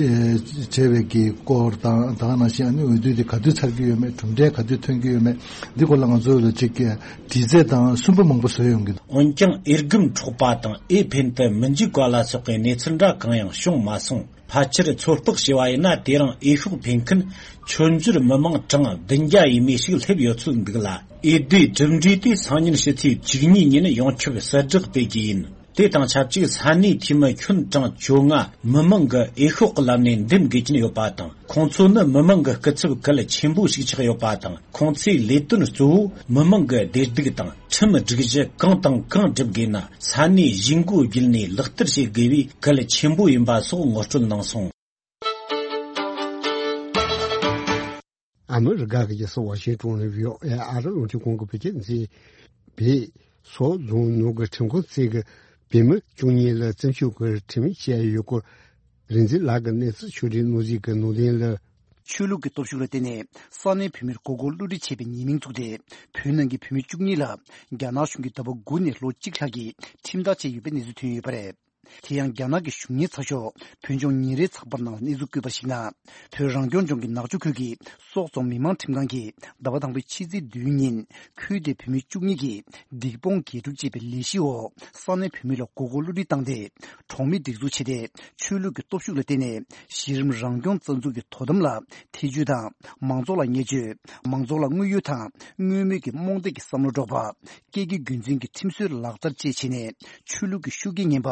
བྱས་པའི་གི་སྐོར་དང་། ད་ག་ནང་བཞིན་ཨ་ནི་འོས་བསྡུ་དེ་ག་དུས་ཚར་གྱི་ཡོད་མེད། གྲུབ་འབྲས་ག་དུས་ཐོན་གྱི་ཡོད་མེད། འདི་སྐོར་ལ་ང་ཚོ་ལ་ཅིག་དྲི་རྩད་དང་སུན་པོ་མང་པོ་བཟོས་ཡོང་གི་འདུག་འོན་ཀྱང་འོས་སྒམ་འཕྲོག་པ་དང་འོས་འཕེན་དུ་མི་འཇུག་པ་ལ་སོགས་པའི་གནས་ཚུལ་འདྲ་གང་ཡང་བྱུང་མ་སོང་། ཕལ་ཆེར་ཚོད་དཔག་བྱས་པ་ཡིན་ན། དེ་རིང་འོས་ཤོག་འཕེན་མཁན་མཆོད་འཇོར་མི་མང་གྲངས་བདུན་བརྒྱ་ཡས་མས་ཤིག་སླེབས་ཡོད་ཚོད་འདུག་ལ། འོས་བསྡུའི་གྲུབ་འབྲས་དེ་སང་ཉིན་ཕྱི་ཚེས་བཅུ་གཉིས་ཉིན་ཡོངས་ཁྱབ་གསལ་བསྒྲགས་སྤེལ་རྒྱུ་ཡིན། དེ་དང་ཆབས་ཅིག་ས་གནས་འཐུས་མི་ཁྱོན་གྲངས་བཅོ་ལྔ་མི་མང་གི་འོས་ཤོག་གི་ལམ་ནས་འདེམས་དགོས་ཀྱིན་ཡོད་པ་དང་། ཁོང་ཚོ་ནི་མི་མང་གི་སྐུ་ཚབ་གལ་ཆེན་པོ་ཞིག་ཆགས་ཡོད་པ་དང་། ཁོང་ཚོའི་ལས་དོན་གཙོ་བོ་མི་མང་གི་བདེ་སྡུག་དང་ཁྲིམས་སྒྲིག་གཞི་གང་དང་གང་སྒྲུབ་དགོས་ན། ས་གནས་གཞིས་འགོ་བརྒྱུད་ནས་ལག་བསྟར་བྱེད་དགོས་པའི་གལ་ཆེན་པོ་ཡིན་པ་སོགས་ངོ་སྤྲོད་གནང་སོང་། ཨ་མི་རི་ཀ་གི་རྒྱལ་ས་ཝ་ཤིང་ཏོན་ནས་ཝི་ཨོ་ཨེ་ཨ་རི་རླུང་འཕྲིན་ཁང་གི་བོད་སྐད་སྡེ་ཚན། བོད་སོག་རྫོང་ནང་གི་ཁྲིམས་ཁང་རྩིས་ཀྱི་བོད་མི་བཅུ་གཉིས་ལ་བཙུན་ཆུང་གི་ཁྲིམས་ཡིག་བཅད་ཡོད་སྐོར། རིག་འཛིན་ལགས་ཀྱི་གནས་ཚུལ་ཕྱོགས་སྒྲིག་གནང་གཟིགས་ཀྱི་ནང་དོན་ལ། ཆོས་ལུགས་ཀྱི་སྟོབས་ཤུགས་ལ་བརྟེན་ནས་ས་གནས་བོད་མིར་མགོ་སྐོར་བསླུ་བྲིད་བྱས་པའི་ཉེས་མིང་བཙུགས་ཏེ། བོད་ནང་གི་བོད་མི་བཅུ་གཉིས་ལ་རྒྱ་ནག་གཞུང་གིས་ཟླ་བ་དགུ་ནས་ལོ་གཅིག་ལྷག་གི་ཁྲིམས་ཐག་བཅད་ཡོད་པའི་གནས་ཚུལ་ཐོན་ཡོད་པ་རེད། དེ་ཡང་རྒྱ་ནག་གི་གཞུང་གཉེར་ཚགས་ཤོག་བོད་ལྗོངས་ཉིན་རེའི་ཚགས་པར་ནང་ལ་གནས་ཚུལ་བཀོད་པར་གཞིགས་ན། བོད་རང་སྐྱོང་ལྗོངས་ཀྱི་ནག་ཆུ་ཁུལ་གྱི་སོག་རྫོང་མི་དམངས་ཁྲིམས་ཁང་གིས་ཟླ་བ་དང་པོའི་ཕྱི་ཚེས་བདུན་ཉིན། ཁུལ་དེའི་བུད་མེད་བཅུ་གཉིས་ཀྱིས་སྡིག་སྤོང་དགེ་སྒྲུབ་ཅེས་པའི་ལས་གཞིའི་འོག་ས་གནས་བུད་མེད་ལ་མགོ་སྐོར་བསླུ་བྲིད་བཏང་སྟེ། གྲོང་མི་སྒྲིག་འཛུགས་བྱས་ཏེ། ཆོས་ལུགས་ཀྱི་སྟོབས་ཤུགས་ལ་བརྟེན་ནས་གཞི་རིམ་རང་སྐྱོང་རྩ་འཛུགས་ཀྱི་དོ་དམ་ལ་ཐེ་བྱུས་དང་། མང་ཚོགས་ལ་བརྙས་བཅོས། མང་ཚོགས་ལ་དངོས་ཡོད་དང་དངོས་མེད་ཀྱི་རྨོངས་དད་ཀྱི་བསམ་བློ་སྒྲོག་པ། སྐད་ཀྱི་རྒྱུན་འཛིན་གྱི་ཁྲིམས་སྲོལ་ལག་བསྟར་བཅས་བྱས་ནས། ཆོས་ལུགས་ཀྱི་ཤུགས་རྐྱེན་ངན་པ་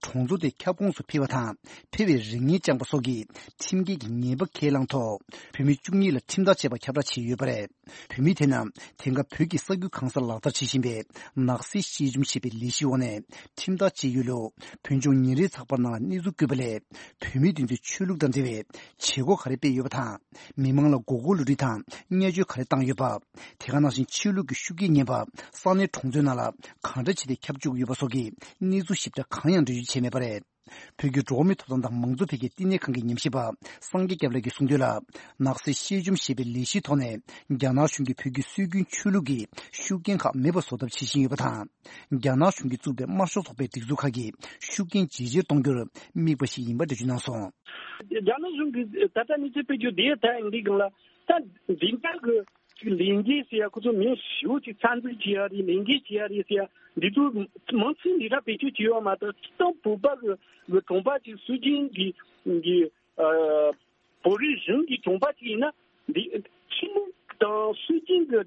གྲོང་ཚོ་དེའི་ཁྱབ་ཁོངས་སུ་འཕེལ་བ་དང་། འཕེལ་བའི་རེ་ངན་བཅངས་པ་སོགས་ཀྱི་ཁྲིམས་འགལ་གྱི་ཉེས་པ་ཁས་བླངས་ཐོག་བུད་མེད་བཅུ་གཉིས་ལ་ཁྲིམས་ཐག་བཅད་པ་ཁྱབ་བསྒྲགས་བྱས་ཡོད་པ་རེད། བུད་མེད་དེ་རྣམས་དེང་སྐབས་བོད་ཀྱི་ས་ཁུལ་གང་སར་ལག་བསྟར་བྱེད་བཞིན་པའི་ནག་སེལ་ཤེས་བྱུང་ཞེས་པའི་ལས་གཞིའི་འོག་ནས་ཁྲིམས་ཐག་བཅད་ཡོད་ལུགས་བོད་ལྗོངས་ཉིན་རེའི་ཚགས་པར་ནང་ལ་གནས་ཚུལ་བཀོད་པ་ལས། བུད་མེད་དེ་ཚོས་ཆོས་ལུགས་དང་འབྲེལ་བའི་བྱེད་སྒོ་ག་རེ་སྤེལ་ཡོད་པ་དང་། མི་མང་ལ་མགོ་སྐོར་བསླུ་བྲིད་དང་བརྙས་བཅོས་ག་རེ་བཏང་ཡོད་པ། དེ་ག་ནང་བཞིན་ཆོས་ལུགས་ཀྱི་ཤུགས་རྐྱེན་ངན་པ་ས་གནས་གྲོང་ཚོའི་ནང་ལ་གང་འདྲ་བྱས་ཏེ་ཁྱབ་བཅུག་ཡོད་པ་སོགས་ཀྱི་གནས་ཚུལ་ཞིབ་ཕྲ་གང་ཡང་འགྲེལ་བརྗོད་བྱས་མེད་པ་རེད། བོད་ཀྱི་འགྲོ་བ་མིའི་ཐོབ་ཐང་དང་མང་གཙོ་འཕེལ་རྒྱས་བསྟི་གནས་ཁང་གི་ཉམས་ཞིབ་པ་སངས་རྒྱས་སྐྱབས་ལགས་ཀྱིས་གསུངས་དོན་ལ། ནག་སེལ་ཤེས་བྱུང་ཞེས་པའི་ལས་གཞིའི་ཐོག་ནས་རྒྱ་ནག་གཞུང་གིས་བོད་ཀྱི་སྲོལ་རྒྱུན་ཆོས་ལུགས་ཀྱི་ཤུགས་རྐྱེན་ཁག་མེད་པ་བཟོ་ཐབས་བྱེད་བཞིན་ཡོད་པ་དང་། རྒྱ་ནག་གཞུང་གིས་བཙུགས་པའི་དམར་ཤོག་ཚོགས་པའི་སྒྲིག་འཛུགས་ཁག་གི་ཤུགས་རྐྱེན་ཇེ་ཆེར་གཏོང་རྒྱུར་དམིགས་པ་ཞིག་ཡིན་པ་འགྲེལ་བརྗོད་གནང་སོང་། རྒྱ་ནག་གཞུང་གིས་ད་ལྟ་གནས་ཚུལ་སྤེལ་རྒྱུ་དེ་ད་ཡང་འདི་སྒང་ལ་ད་འདི་འདྲ་གི་ཅིག་ལས་འགུལ་ཟེར་ཡ། ཁོ་ཚོ་མི་ཞེ་པོ་ཅིག་རྩ་འཛུགས་བྱེད་ཡ་རེད། ལས་འགུལ་བྱེད་ཡ་རེད་ཟེར་ཡ། འདི་ཚོ་མང་ཚིག་འདི་འདྲ་བེད་སྤྱོད་བྱེད་ཡོད་མ་གཏོགས། སྤྱིར་བཏང་བོད་པ་གི་གི་གྲོང་པ་ཅིག་སྲོལ་རྒྱུན་གྱི་གི་ཨ་བོད་རིགས་གཞུང་གི་གྲོང་པ་ཅིག་ཡིན་ན། འདི་ཆོས་ལུགས་དང་སྲོལ་རྒྱུན་གི་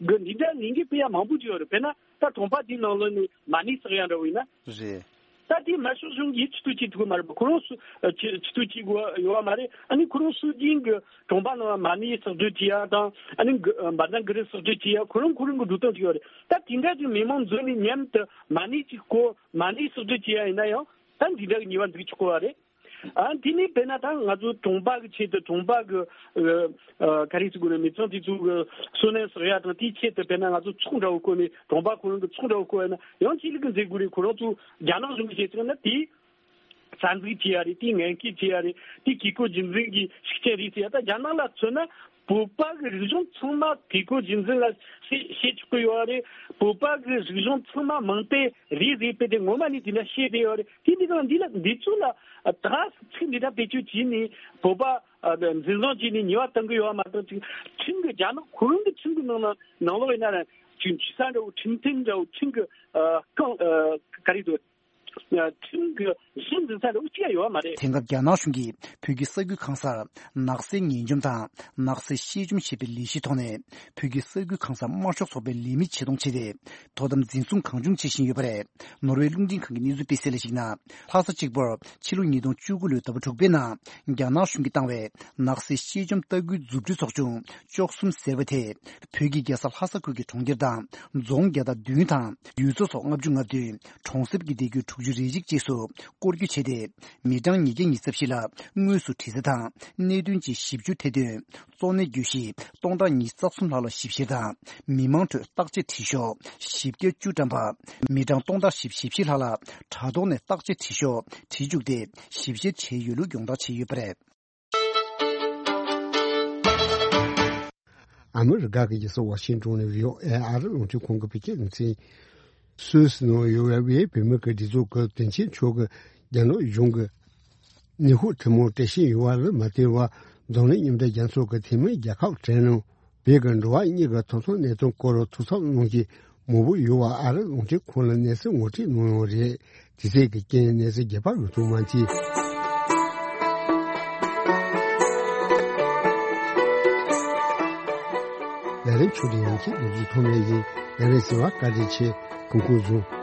གི་འདི་འདྲ་ལས་འགུལ་སྤེལ་ཡ་མང་པོ་ཅིག་ཡོད་རེད། དཔེར་ན་ད་གྲོང་པ་འདིའི་ནང་ལོགས་ནས་མ་ཎི་བསགས་ཡ་འདྲ་བོ་ཡིན་ན། རེད། ད་དེ་དམར་ཤོག་གཞུང་གིས་ཆེ་བསྟོད་བྱེད་ཐུབ་ཀྱི་མ་རེད་པ། ཁོ་རང་སུ་ཆེ་ཆེ་བསྟོད་བྱེད་དགོས་ཡོད་མ་རེད། ཨ་ནི་ཁོ་རང་སྲོལ་རྒྱུན་གྱི་གྲོང་པ་ནང་མ་ཎི་བསགས་སྡོད་བྱེད་ཡ་དང་། ཨ་ནི་གི་བཛྲ་གུ་རུ་བསགས་སྡོད་བྱེད་ཡ། ཁོ་རང་ཁོ་རང་གི་འགྲོ་སྟངས་ཅིག་ཡོད་རེད། ད་དེ་འདྲ་ཅིག་མི་མང་འཛོམས་ནས་མཉམ་དུ་མ་ཎི་ཅིག་བསྐོར། མ་ཎི་བསགས་སྡོད་བྱེད་ཡ་ཡིན་ན་ཡང་ད་འདི་འདྲ་གི་ཉེས་པ་འཛུགས་ཆོག་གི་རེད། ཨ་དེ་ནས་དཔེར་ན་ད་ང་ཚོ་གྲོང་པ་གི་ཆེད་དུ། གྲོང་པ་གི་ཨ་ག་རེ་ཟེར་དགོས་རེད། མི་ཚང་དེ་ཚོ་གི་བསོད་ནམས་བསགས་ཡ་དང་། དེའི་ཆེད་དུ་དཔེར་ན་ང་ཚོ་ཚོགས་འདྲ་བོ་བསྐོར་ནས། གྲོང་པ་ཁོ་རང་གི་ཚོགས་འདྲ་བོ་བསྐོར་ཡ་ན་ཡང་ཆོས་ལུགས་ཀྱི་མཛད་སྒོ་རེད། ཁོ་རང་ཚོ་རྒྱ་ནག་གཞུང་གི་བྱས་ཙང་ན་དེ་རྩ་འཛུགས་བྱེད་ཡ་རེད། དེ་ངན་སྐུལ་བྱེད་ཡ་རེད། དེ་བཀས་བཀོད་རྒྱུད་འཛིན་གྱི་ཤུགས་རྐྱེན་རེད་ཟེར་ཡ། ད་རྒྱ་ནག་ལ་མཚོན་ན་བོད་པ་གི་རིག་གཞུང་ཚང་མ་བཀས་བཀོད་རྒྱུད་འཛིན་ལ་བཤད་བཤད་ཆོག་གི་ཡོད་རེད། བོད་པ་གི་རིག་གཞུང་ཚང་མ་མིང་དེབ་རེད་ཟེར་བས་དེ་ངོ་མ་ནས་དེ་འདྲ་བཤད་བསྡད་ཡོད་རེད། དེ་འདི་གང་འདི་ལ་འདི་ཚོ་ལ་ད་ཚིག་འདི་འདྲ་བེད་སྤྱོད་བྱས་ནས་བོད་པ་འཛིན་བཟུང་བྱས་ནས་ཉེས་པ་གཏང་གི་ཡོད་མ་གཏོགས། ཅིག་ཁྲིམས་ཀྱི་རྒྱ་ནག་ཁོ་རང་གི་ཁྲིམས་ཀྱི་ནང་ན་ནང་ལོགས་ཡིན་ན་ར་ཅིག་འཆི་ས་འདྲ་བོ། ཁྲིམས་མཐུན་འདྲ་བོ། ཁྲིམས་ཀྱི་ཨ་རྐང་ཨ་ག་རེ་འདུག་ཁྲིམས་ཀྱི་གཞི་འཛིན་ས་འདྲ་བོ་ཅི་ཡང་ཡོད་མ་རེད། དེང་སྐབས་རྒྱ་ནག་གཞུང་གིས་བོད་ཀྱི་ས་ཁུལ་གང་སར་ནག་སེལ་ངེས་འཇོམས་དང་ནག་སེལ་ཤེས་འཇོམས་ཞེས་པའི་ལས་གཞིའི་ཐོག་ནས་བོད་ཀྱི་ས་ཁུལ་གང་སར་དམར་ཤོག་ཚོགས་པའི་ལས་མི་ཆེད་གཏོང་བྱས་ཏེ། དོ་དམ་འཛིན་བཟུང་གང་བྱུང་བྱེད་བཞིན་ཡོད་པ་རེད། ནོར་ཝེ་རླུང་འཕྲིན་ཁང་གི་གནས་ཚུལ་སྤེལ་གསལ་ལ་གཞིགས་ན། ལྷ་ས་གཅིག་པུར་ཕྱི་ལོ་ཉིས་སྟོང་བཅུ་དགུ་ལོའི་ཟླ་བ་དྲུག་པའི་ནང་རྒྱ་ནག་གཞུང་གིས་བཏང་བའི་ནག་སེལ་ཤེས་འཇོམས་ལྟ་སྐུལ་མཛུབ་སྟོན་ཚོགས་ཆུང་བཅུ་གསུམ་ཟེར་བ་དེ། བོད་ཀྱི་རྒྱལ་ས་ལྷ་ས་ཁུལ་གྱི་གྲོང་ཁྱེར་དང་རྫོང་བརྒྱ་དང་བདུན་དང་། ཡུལ་ཚོ་སོགས་ལྔ་བཅུ་ང་བདུན། གྲོང་གསེབ་ཀྱི་སྡེ་ཁུལ་དྲུག་ཅུ་རེ་གཅིག་བཅས་སུ་སྐོར་སྐྱོད་བྱས་ཏེ། མི་གྲངས་ཉིས་བརྒྱ་ཉི་ཤུ་རྩ་བཞི་ལ་དངོས་སུ་དྲི་ཟ་དང་གནད་དོན་བཅས་ཞིབ་འཇུག་ཐེར་འདོན། གཙོ་གནད་གྱོད་གཞི་སྟོང་ཕྲག་ཉི་ཤུ་རྩ་གསུམ་ལྷག་ལ་ཞིབ་བཤེར་དང་། མི་མང་ཁྲོད་བརྟག་དཔྱད་དྲི་ཤོག་བཞི་བརྒྱ་བཅུ་བཀྲམ་པ། མི་གྲངས་སྟོང་ཕྲག་བཞི་བཅུ་ཞེ་བཞི་ལྷག་ལ་དྲ་ཐོག་ནས་བརྟག་དཔྱད་དྲི་ཤོག་བྲིས་བཅུག་སྟེ་ཞིབ་བཤེར་བྱས་ཡོད་ལུགས་ཡོངས་བསྒྲགས་བྱས་ཡོད་པ་རེད། ཨ་མི་རི་ཀ་གི་རྒྱལ་ས་ཝ་ཤིང་ཏོན་ནས་བྷི་ཨོ་ཨེ་ཨ་རི་རླུང་འཕྲིན་ཁང་གི་བོད་སྐད་སྡེ་ཚན། སུད་སི་ནང་ཡོད་པའི་བོད་མི་གི་སྒྲིག་འཛུགས་ཀྱི་དོན་ཆེན་ཕྱོགས་ཀྱི་རྒྱ་ནག་གཞུང་གི་ནུས་ཤུགས་ཐུན་མོང་སྤྲད་བཞིན་ཡོད་པ་ལ་མ་བལྟས་པར། འཛམ་གླིང་མཉམ་འབྲེལ་རྒྱལ་ཚོགས་ཀྱི་འཐུས་མི་རྒྱལ་ཁབ་གྲས་ནང་བོད་ཀྱི་འགྲོ་བ་མིའི་ཐོབ་ཐང་གནད་དོན་སྐོར་ཐུགས་འཚབ་གནང་གི་མང་པོ་ཡོད་པ་ཨ་རི་རླུང་འཕྲིན་ཁང་ལ་གནས་ཚུལ་ངོ་སྤྲོད་གནང་ཡོད་རེད། དེ་ཚོ་གི་རྐྱེན་གནས་ཚུལ་རྒྱས་པ་ཡོད་ཐུབ་མ་མཆིས། ལས་རིམ་ཆུ་ལྡན་ཡང་ཁྱེད་འདུག་རྒྱུ་ཐོག་མེད་ཡིན། ལས་རིམ་གསན་པར་བཀའ་དྲིན་ཆེ། ཁོང་ཁོང་བཟུང་།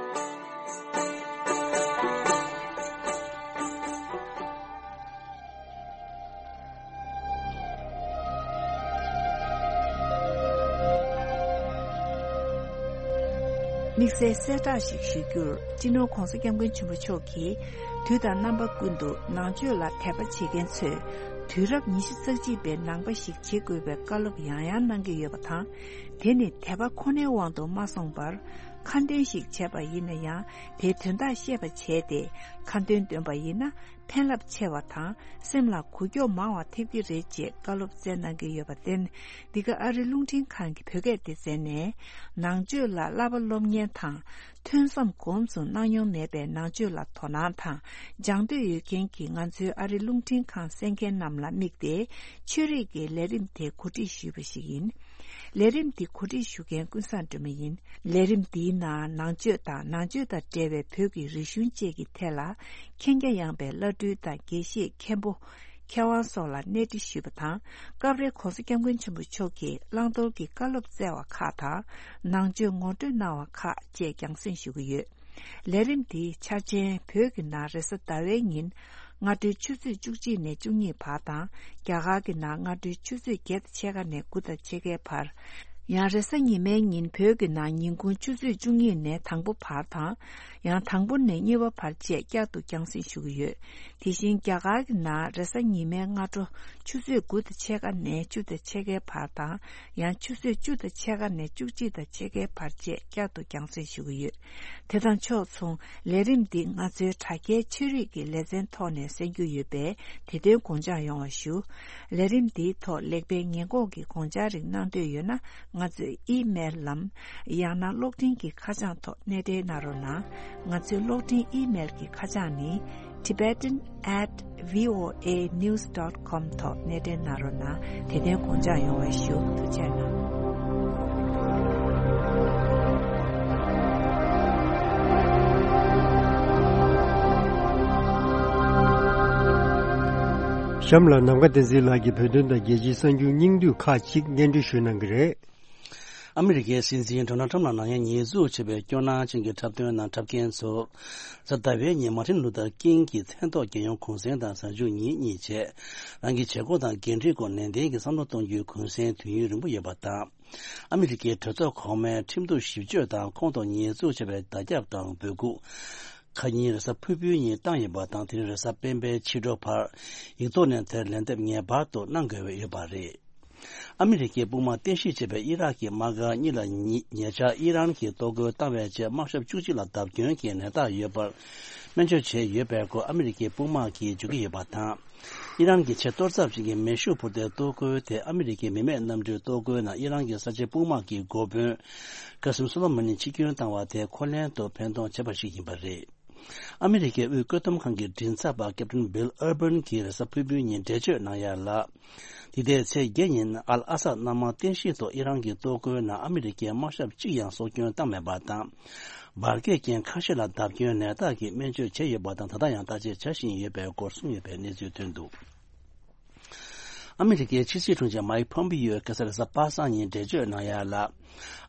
དམིགས་བསལ་གསལ་བསྒྲགས་ཤིག་ཞུ་རྒྱུར། སྤྱི་ནོར་༧གོང་ས་༧སྐྱབས་མགོན་ཆེན་པོ་མཆོག་གིས་དུས་དང་རྣམ་པ་ཀུན་ཏུ་ནང་ཆོས་ལ་དད་པ་བྱེད་མཁན་ཚོས་དུས་རབས་ཉི་ཤུ་རྩ་གཅིག་པའི་ནང་པ་ཞིག་བྱེད་དགོས་པའི་བཀའ་སློབ་ཡང་ཡང་གནང་གི་ཡོད་པ་དང་། དེ་ནི་དད་པ་ཁོ་ནའི་དབང་དུ་མ་སོང་བར། ཁ་འདོན་ཞིག་བྱས་པ་ཡིན་ན་ཡང་དེའི་དོན་དག་ཤེས་པ་བྱས་ཏེ་ཁ་འདོན་འདོན་པ་ཡིན་ན་ཕན་རླབས་ཆེ་བ་དང་སེམས་ལ་འགུལ་སྐྱོད་མང་བ་ཐེབས་ཀྱི་རེད་ཅེས་བཀའ་སློབ་སྩལ་གནང་གི་ཡོད་པར་བརྟེན། འདི་ག་ཨ་རི་རླུང་འཕྲིན་ཁང་གི་བོད་སྐད་སྡེ་ཚན་ནས་ནང་ཆོས་ལ་བསླབ་པ་སློབ་གཉེར་དང་། ཐོས་བསམ་སྒོམ་གསུམ་གནང་མྱོང་མེད་པའི་ནང་ཆོས་ལ་དོ་སྣང་དང་སྦྱང་འདོད་ཡོད་མཁན་གྱི་ང་ཚོའི་ཨ་རི་རླུང་འཕྲིན་ཁང་གསན་མཁན་རྣམས་ལ་དམིགས་ཏེ་ཆོས་རིག་གི་ལས་རིམ་དེ་གོ་སྒྲིག་ཞུས་པ་ཞིག་ཡིན། ལས་རིམ་འདི་གོ་སྒྲིག་ཞུ་མཁན་ཀུན་བཟང་སྒྲོལ་མ་ཡིན། ལས་རིམ་འདིའི་ནང་ནང་ཆོས་དང་ནང་ཆོས་དང་འབྲེལ་བའི་བོད་ཀྱི་རིག་གཞུང་བཅས་ཀྱི་ཐད་ལ་མཁྱེན་རྒྱ་ཡངས་པའི་བླ་སྤྲུལ་དང་དགེ་བཤེས་མཁན་པོ། མཁས་དབང་སོགས་ལ་གནས་འདྲི་ཞུས་པ་དང་། སྐབས་རེ་༸གོང་ས་༸སྐྱབས་མགོན་ཆེན་པོ་མཆོག་གིས་བླང་དོར་གྱི་བཀའ་སློབ་སྩལ་བ་ཁག་དང་། ནང་ཆོས་ངོ་སྤྲོད་གནང་བ་ཁག་བཅས་རྒྱང་སྲིང་ཞུ་གི་ཡོད། ལས་རིམ་འདིའི་འཆར་ཅན་བོད་ཀྱི་ནང་རེས་གཟའ་ཟླ་བའི་ཉིན་སྔ་དྲོའི་ཆུ་ཚོད་བཅུ་གཅིག་ནས་བཅུ་གཉིས་བར་དང་། རྒྱ་གར་གྱི་ནང་སྔ་དྲོའི་ཆུ་ཚོད་བརྒྱད་དང་ཕྱེད་ཀ་ནས་དགུ་དང་ཕྱེད་ཀའི་བར། ཡང་རེས་གཟའ་ཉི་མའི་ཉིན་བོད་ཀྱི་ནང་ཉིན་གུང་ཆུ་ཚོད་བཅུ་གཉིས་ནས་དང་པོ་བར་དང་། ཡང་དང་པོ་ནས་གཉིས་པ་བར་བཅས་བསྐྱར་དུ་རྒྱང་སྲིང་ཞུ་གི་ཡོད། དེ་བཞིན་རྒྱ་གར་གྱི་ནང་རེས་གཟའ་ཉི་མའི་སྔ་དྲོ་ཆུ་ཚོད་དགུ་དང་ཕྱེད་ཀ་ནས་བཅུ་དང་ཕྱེད་ཀའི་བར་དང་། ཡང་ཆུ་ཚོད་བཅུ་དང་ཕྱེད་ཀ་ནས་བཅུ་གཅིག་དང་ཕྱེད་ཀའི་བར་བཅས་བསྐྱར་དུ་རྒྱང་སྲིང་ཞུ་གི་ཡོད། དེ་དང་ཕྱོགས་མཚུངས་ལས་རིམ་འདི་ང་ཚོའི་དྲ་རྒྱའི་ཆོས་རིག་གི་ལེ་ཚན་ཐོག་ནས་གསན་རྒྱུ་ཡོད་པས་དེ་དོན་དགོངས་འཇགས་ཡོང་བ་ཞུ། ལས་རིམ་འདིའི་ཐོག་ལེགས་སྤེལ་ཉེས་འགོག་གི་དགོངས་འཆར་རིགས་གནང་འདོད་ཡོད་ན། ང་ཚོའི་ཨི་མེལ་ལམ། ཡང་ན་གློག་འཕྲིན་གྱི་ཁ་བྱང་ཐོག་གནས་འབྲེལ་གནང་རོགས་གནང་། ང་ཚོའི་གློག་འཕྲིན་ཨི་མེལ་གྱི་ཁ་བྱང་ནི། tibetan at voanews dot com ཐོག་གནས་འབྲེལ་གནང་རོགས་གནང་། དེ་དོན་དགོངས་འཇགས་ཡོང་བ་ཞུ། ཐུགས་རྗེ་གནང་། གཤམ་ལ་ནམ་མཁའ་བསྟན་འཛིན་ལགས་ཀྱིས་བོད་དོན་དང་རྒྱལ་སྤྱིའི་གསར་འགྱུར་སྙིང་བསྡུས་ཁག་ཅིག་སྙན་སྒྲོན་ཞུ་གནང་གི་རེད། ཨ་མི་རི་ཀའི་སྲིད་འཛིན་ཌོ་ནལ་ཁྲམ་ལ་ནག་ཉེས་ཉེས་འཛུགས་བྱས་པའི་སྐྱོ་སྣང་ཅན་གྱི་འཁྲབ་སྟོན་ནང་འཁྲབ་མཁན་ཚོར། གཟའ་ཟླ་བའི་ཉིན་མར་ཊིན་ལུ་ཐར་ཀིང་གི་མཚན་ཐོག་རྒྱལ་ཡོངས་གུང་སེང་དང་གཟའ་མཇུག་ཉིན་གཉིས་བྱས། རང་གི་བྱེད་སྒོ་དང་འགན་འཁྲིའི་སྐོར་ནན་ཏན་གྱིས་བསམ་བློ་གཏོང་རྒྱུའི་གུང་སེང་དུས་ཡུན་རིང་པོ་ཡོད་པ་དང་། ཨ་མི་རི་ཀའི་གྲོས་ཚོགས་གོང་མའི་ཁྲིམས་གཏུག་ཞིབ་དཔྱོད་དང་ཁོང་ཐོག་ཉེས་འཛུགས་བྱས་པའི་བརྡ་ཁྱབ་དང་འབོད་འགུག་ཁ་ཉིན་རེས་གཟའ་ཕུར་བུའི་ཉིན་བཏང་ཡོད་པ་དང་། དེ་རིང་རེས་གཟའ་སྤེན་པའི་ཕྱི་དྲོ་བར་ཡིག་ཐོག་ནས་དེར་ལན་འདེབས་ངེས་པར་དུ་གནང་དགོས་ཡོད་པ་རེད། ཨ་མི་རི་ཀའི་དཔུང་དམག་རྟེན་གཞི་བྱས་པའི་ཨི་རག་གི་དམག་སྒར་གཉིས་ལ་ཉེ་ཉེ་ཆར་ཨི་རན་གྱིས་གཏོར་རྒོལ་བཏང་བའི་རྗེས་དམག་ཞབས་བཅུ་གཅིག་ལ་བརྡབ་སྐྱོན་གྱི་ནད་རྟགས་ཡོད་པར་སྨན་བཅོས་བྱས་ཡོད་པའི་སྐོར་ཨ་མི་རི་ཀའི་དཔུང་དམག་གིས་བརྗོད་ཀྱི་ཡོད་པ་དང་། ཨི་རན་གྱི་ཆེས་གཏོར་ཚབས་ཆེན་གྱི་མེ་ཤུགས་འཕུར་མདེལ་གཏོར་རྒོལ་དེ་ཨ་མི་རི་ཀའི་མི་མེད་གནམ་གྲུའི་གཏོར་རྒོལ་ནང་ཨི་རན་གྱི་གསར་བརྗེ་དཔུང་དམག་གི་འགོ་དཔོན་ཀ་སིམ་སོ་ལོ་མ་ནི་འཆི་སྐྱོན་བཏང་བ་དེ་ཁོ་ལན་དུ་ཕན་ཐོགས་བྱས་པ་ཞིག་ཡིན་པ་རེད། ཨ་མི་རི་ཀའི་དབུས་བཀོད་འདོམས་ཁང་གི་མགྲིན་ཚབ་པ་ཀེབ་ཏིན་བྷིལ་ཨར་བྷན་གྱིས་རེས་གཟའ་ཕུར་བུའི་ཉིན་འགྲེལ་བརྗོད་གནང་ཡ་ལ། འདི་ཟླའི་ཚེས་བརྒྱད་ཉིན་ཨལ་ཨ་སད་གནམ་དམག་རྟེན་གཞི་ཐོག་ཨི་རན་གྱི་གཏོར་རྒོལ་ནང་ཨ་མི་རི་ཀའི་དམག་ཞབས་གཅིག་ཀྱང་སྲོག་སྐྱོན་བཏང་མེད་པ་དང་། འབར་གས་ཅན་ཁ་ཤས་ལ་བརྡབ་སྐྱོན་ནད་རྟགས་ཀྱིས་སྨན་བཅོས་བྱས་ཡོད་པ་དང་། ད་ལྟ་ཡང་བརྟག་དཔྱད་བྱ་བཞིན་ཡོད་པའི་སྐོར་གསུངས་ཡོད་པའི་གནས་ཚུལ་ཐོན་འདུག་ཨ་མི་རི་ཀའི་ཕྱི་སྲིད་དྲུང་ཆེ་མའིག་ཕོམ་པིའོ་ཁ་སང་རེས་གཟའ་པ་སངས་ཉིན་འགྲེལ་བརྗོད་གནང་ཡ་ལ།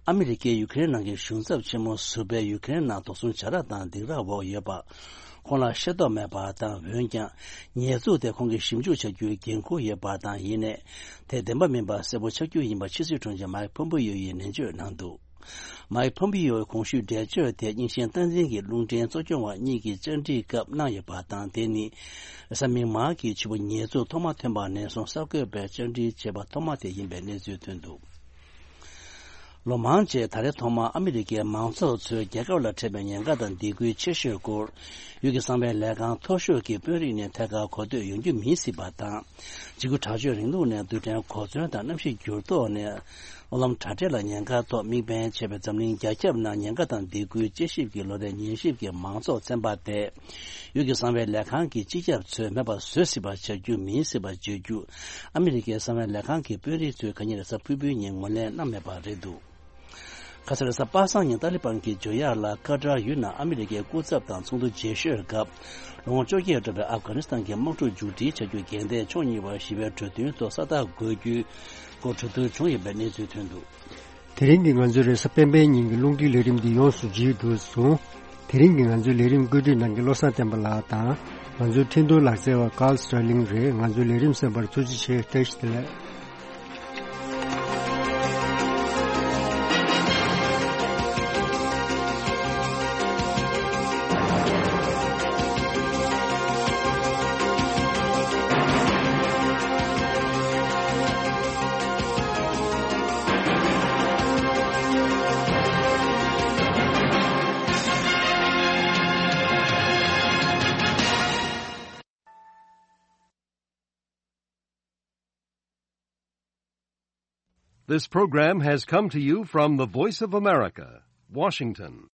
ཨ་མི་རི་ཀས་ཡུ་ཀེ་རེན་ནང་གི་གཞུང་ཚབ་ཆེན་མོ་ཟུར་པས་ཡུ་ཀེ་རེན་ནང་དོགས་ཟོན་བྱ་ར་དང་སྡིགས་ར་འོག་ཡོད་པ། ཁོང་ལ་ཤེས་རྟོགས་མེད་པ་དང་། འོན་ཀྱང་ཉེས་འཛུགས་དེ་ཁོང་གིས་ཞིབ་འཇུག་བྱ་རྒྱུའི་འགན་འཁུར་ཡོད་པ་དང་། ཡིན་ནའི་དེ་བདེན་པ་མིན་པ་གསལ་པོ་ཆགས་རྒྱུ་ཡིན་པ་ཕྱི་སྲིད་དྲུང་ཆེ་མའིག་ཕོམ་པིའོ་ཡིས་ནན་བརྗོད་གནང་འདུག་མའིག་ཕོམ་པིའོ་གོང་ཞུས་འགྲེལ་བརྗོད་དེ་རྙིང་ཞེན་སྟངས་འཛིན་གྱི་རླུང་འཕྲིན་གཙོ་སྐྱོང་བ་གཉིས་ཀྱི་བཅར་འདྲིའི་སྐབས་གནང་ཡོད་པ་དང་། དེ་ནི་རེས་གཟའ་མིག་དམར་གྱི་ཕྱི་པོ་ཉེས་འཛུགས་ཐོག་མ་ཐོན་པ་ནས་བཟུང་གསར་འགོད་པའི་བཅར་འདྲི་བྱས་པ་ཐོག་མ་དེ་ཡིན་པའི་གནས་ཚུལ་ཐོན་འདུག་ལོ་མང་རྗེས་ད་རེས་ཐོག་མར་ཨ་མི་རི་ཀའི་མང་ཚོགས་ཚོས་རྒྱལ་ཁབ་ལ་འཕྲད་པའི་ཉེན་ཁ་དང་སྡིགས་སྐུལ་ཆེ་ཤོས་སྐོར། ཡུལ་གྱི་གསང་བའི་ལས་ཁང་མཐོ་ཤོས་ཀྱི་དཔོན་རིགས་ནས་ཐད་ཀར་གོ་ཐོས་ཡོང་རྒྱུ་མིན་སྲིད་པ་དང་། འཇིགས་སྐུལ་དྲག་སྤྱོད་རིང་ལུགས་ནས་རྡུལ་ཕྲན་གོ་མཚོན་དང་གནམ་གཤིས་འགྱུར་ལྡོག་ནས་གློག་ལམ་དྲ་སྦྲེལ་ལ་ཉེན་ཁ་ཐོག་དམིགས་འབེན་བྱས་པའི་འཛམ་གླིང་རྒྱ་ཁྱབ་ནང་ཉེན་ཁ་དང་སྡིགས་སྐུལ་དཔྱད་ཞིབ་ཀྱི་ལོ་རེའི་ཉན་ཞིབ་ཀྱི་མང་ཚོགས་ཚན་པ་དེ། ཡུལ་གྱི་གསང་བའི་ལས་ཁང་གི་སྤྱི་ཁྱབ་ཚོས་མེད་པ་བཟོ་སྲིད་པ་བྱ་རྒྱུ་མིན་སྲིད་པ་བརྗོད་རྒྱུ། ཨ་མི་རི་ཀའི་གསང་བའི་ལས་ཁང་གི་དཔོན་རིགས་ཚོས་ག་ཉིན་རེས་གཟའ་ཕུར་བུའི་ཉིན་ངོས་ལེན་གནང་མེད་པ་རེད་འདུག་ཁ་སང་རེས་གཟའ་པ་སངས་ཉིན་ཏཱ་ལི་བན་གྱིས་འཇོ་ཡག་ལ་ཀ་ཏར་ཡུལ་ནང་ཨ་མི་རི་ཀའི་སྐུ་ཚབ་དང་ཚོགས་འདུ་རྗེས་ཤོད་སྐབས། ལོ་ངོ་བཅོ་བརྒྱད་འགྲོ་བའི་ཨབ་གྷ་ནི་སི་ཐན་གྱི་དམག་འཁྲུག་མཇུག་སྒྲིལ་བྱ་རྒྱུ་འགལ་ཟླས་ཕྱོགས་གཉིས་བར་ཞི་བའི་གྲོས་མཐུན་ཐོག་ས་རྟགས་འགོད་རྒྱུའི་སྐོར་གྲོས་བསྡུར་བྱུང་ཡོད་པའི་གནས་ཚུལ་ཐོན་འདུག་དེ་རིང་གི་ང་ཚོའི་རེས་གཟའ་སྤེན་པའི་ཉིན་གྱི་རླུང་འཕྲིན་ལས་རིམ་འདི་ཡོངས་སུ་མཇུག་བསྡུས་སོང་། དེ་རིང་གི་ང་ཚོའི་ལས་རིམ་བཀོད་སྒྲིག་གནང་མཁན་བློ་བཟང་བསྟན་པ་ལགས་དང་། ང་ཚོའི་འཕྲིན་གཏོང་ལག་རྩལ་བ་ཀཱལ་སི་ཊར་ལིང་རེད། ང་ཚོའི་ལས་རིམ་གསན་པར་ཐུགས་རྗེ་ཆེ། བཀྲ་ཤིས་བདེ་ལེགས། This program has come to you from the Voice of America, Washington.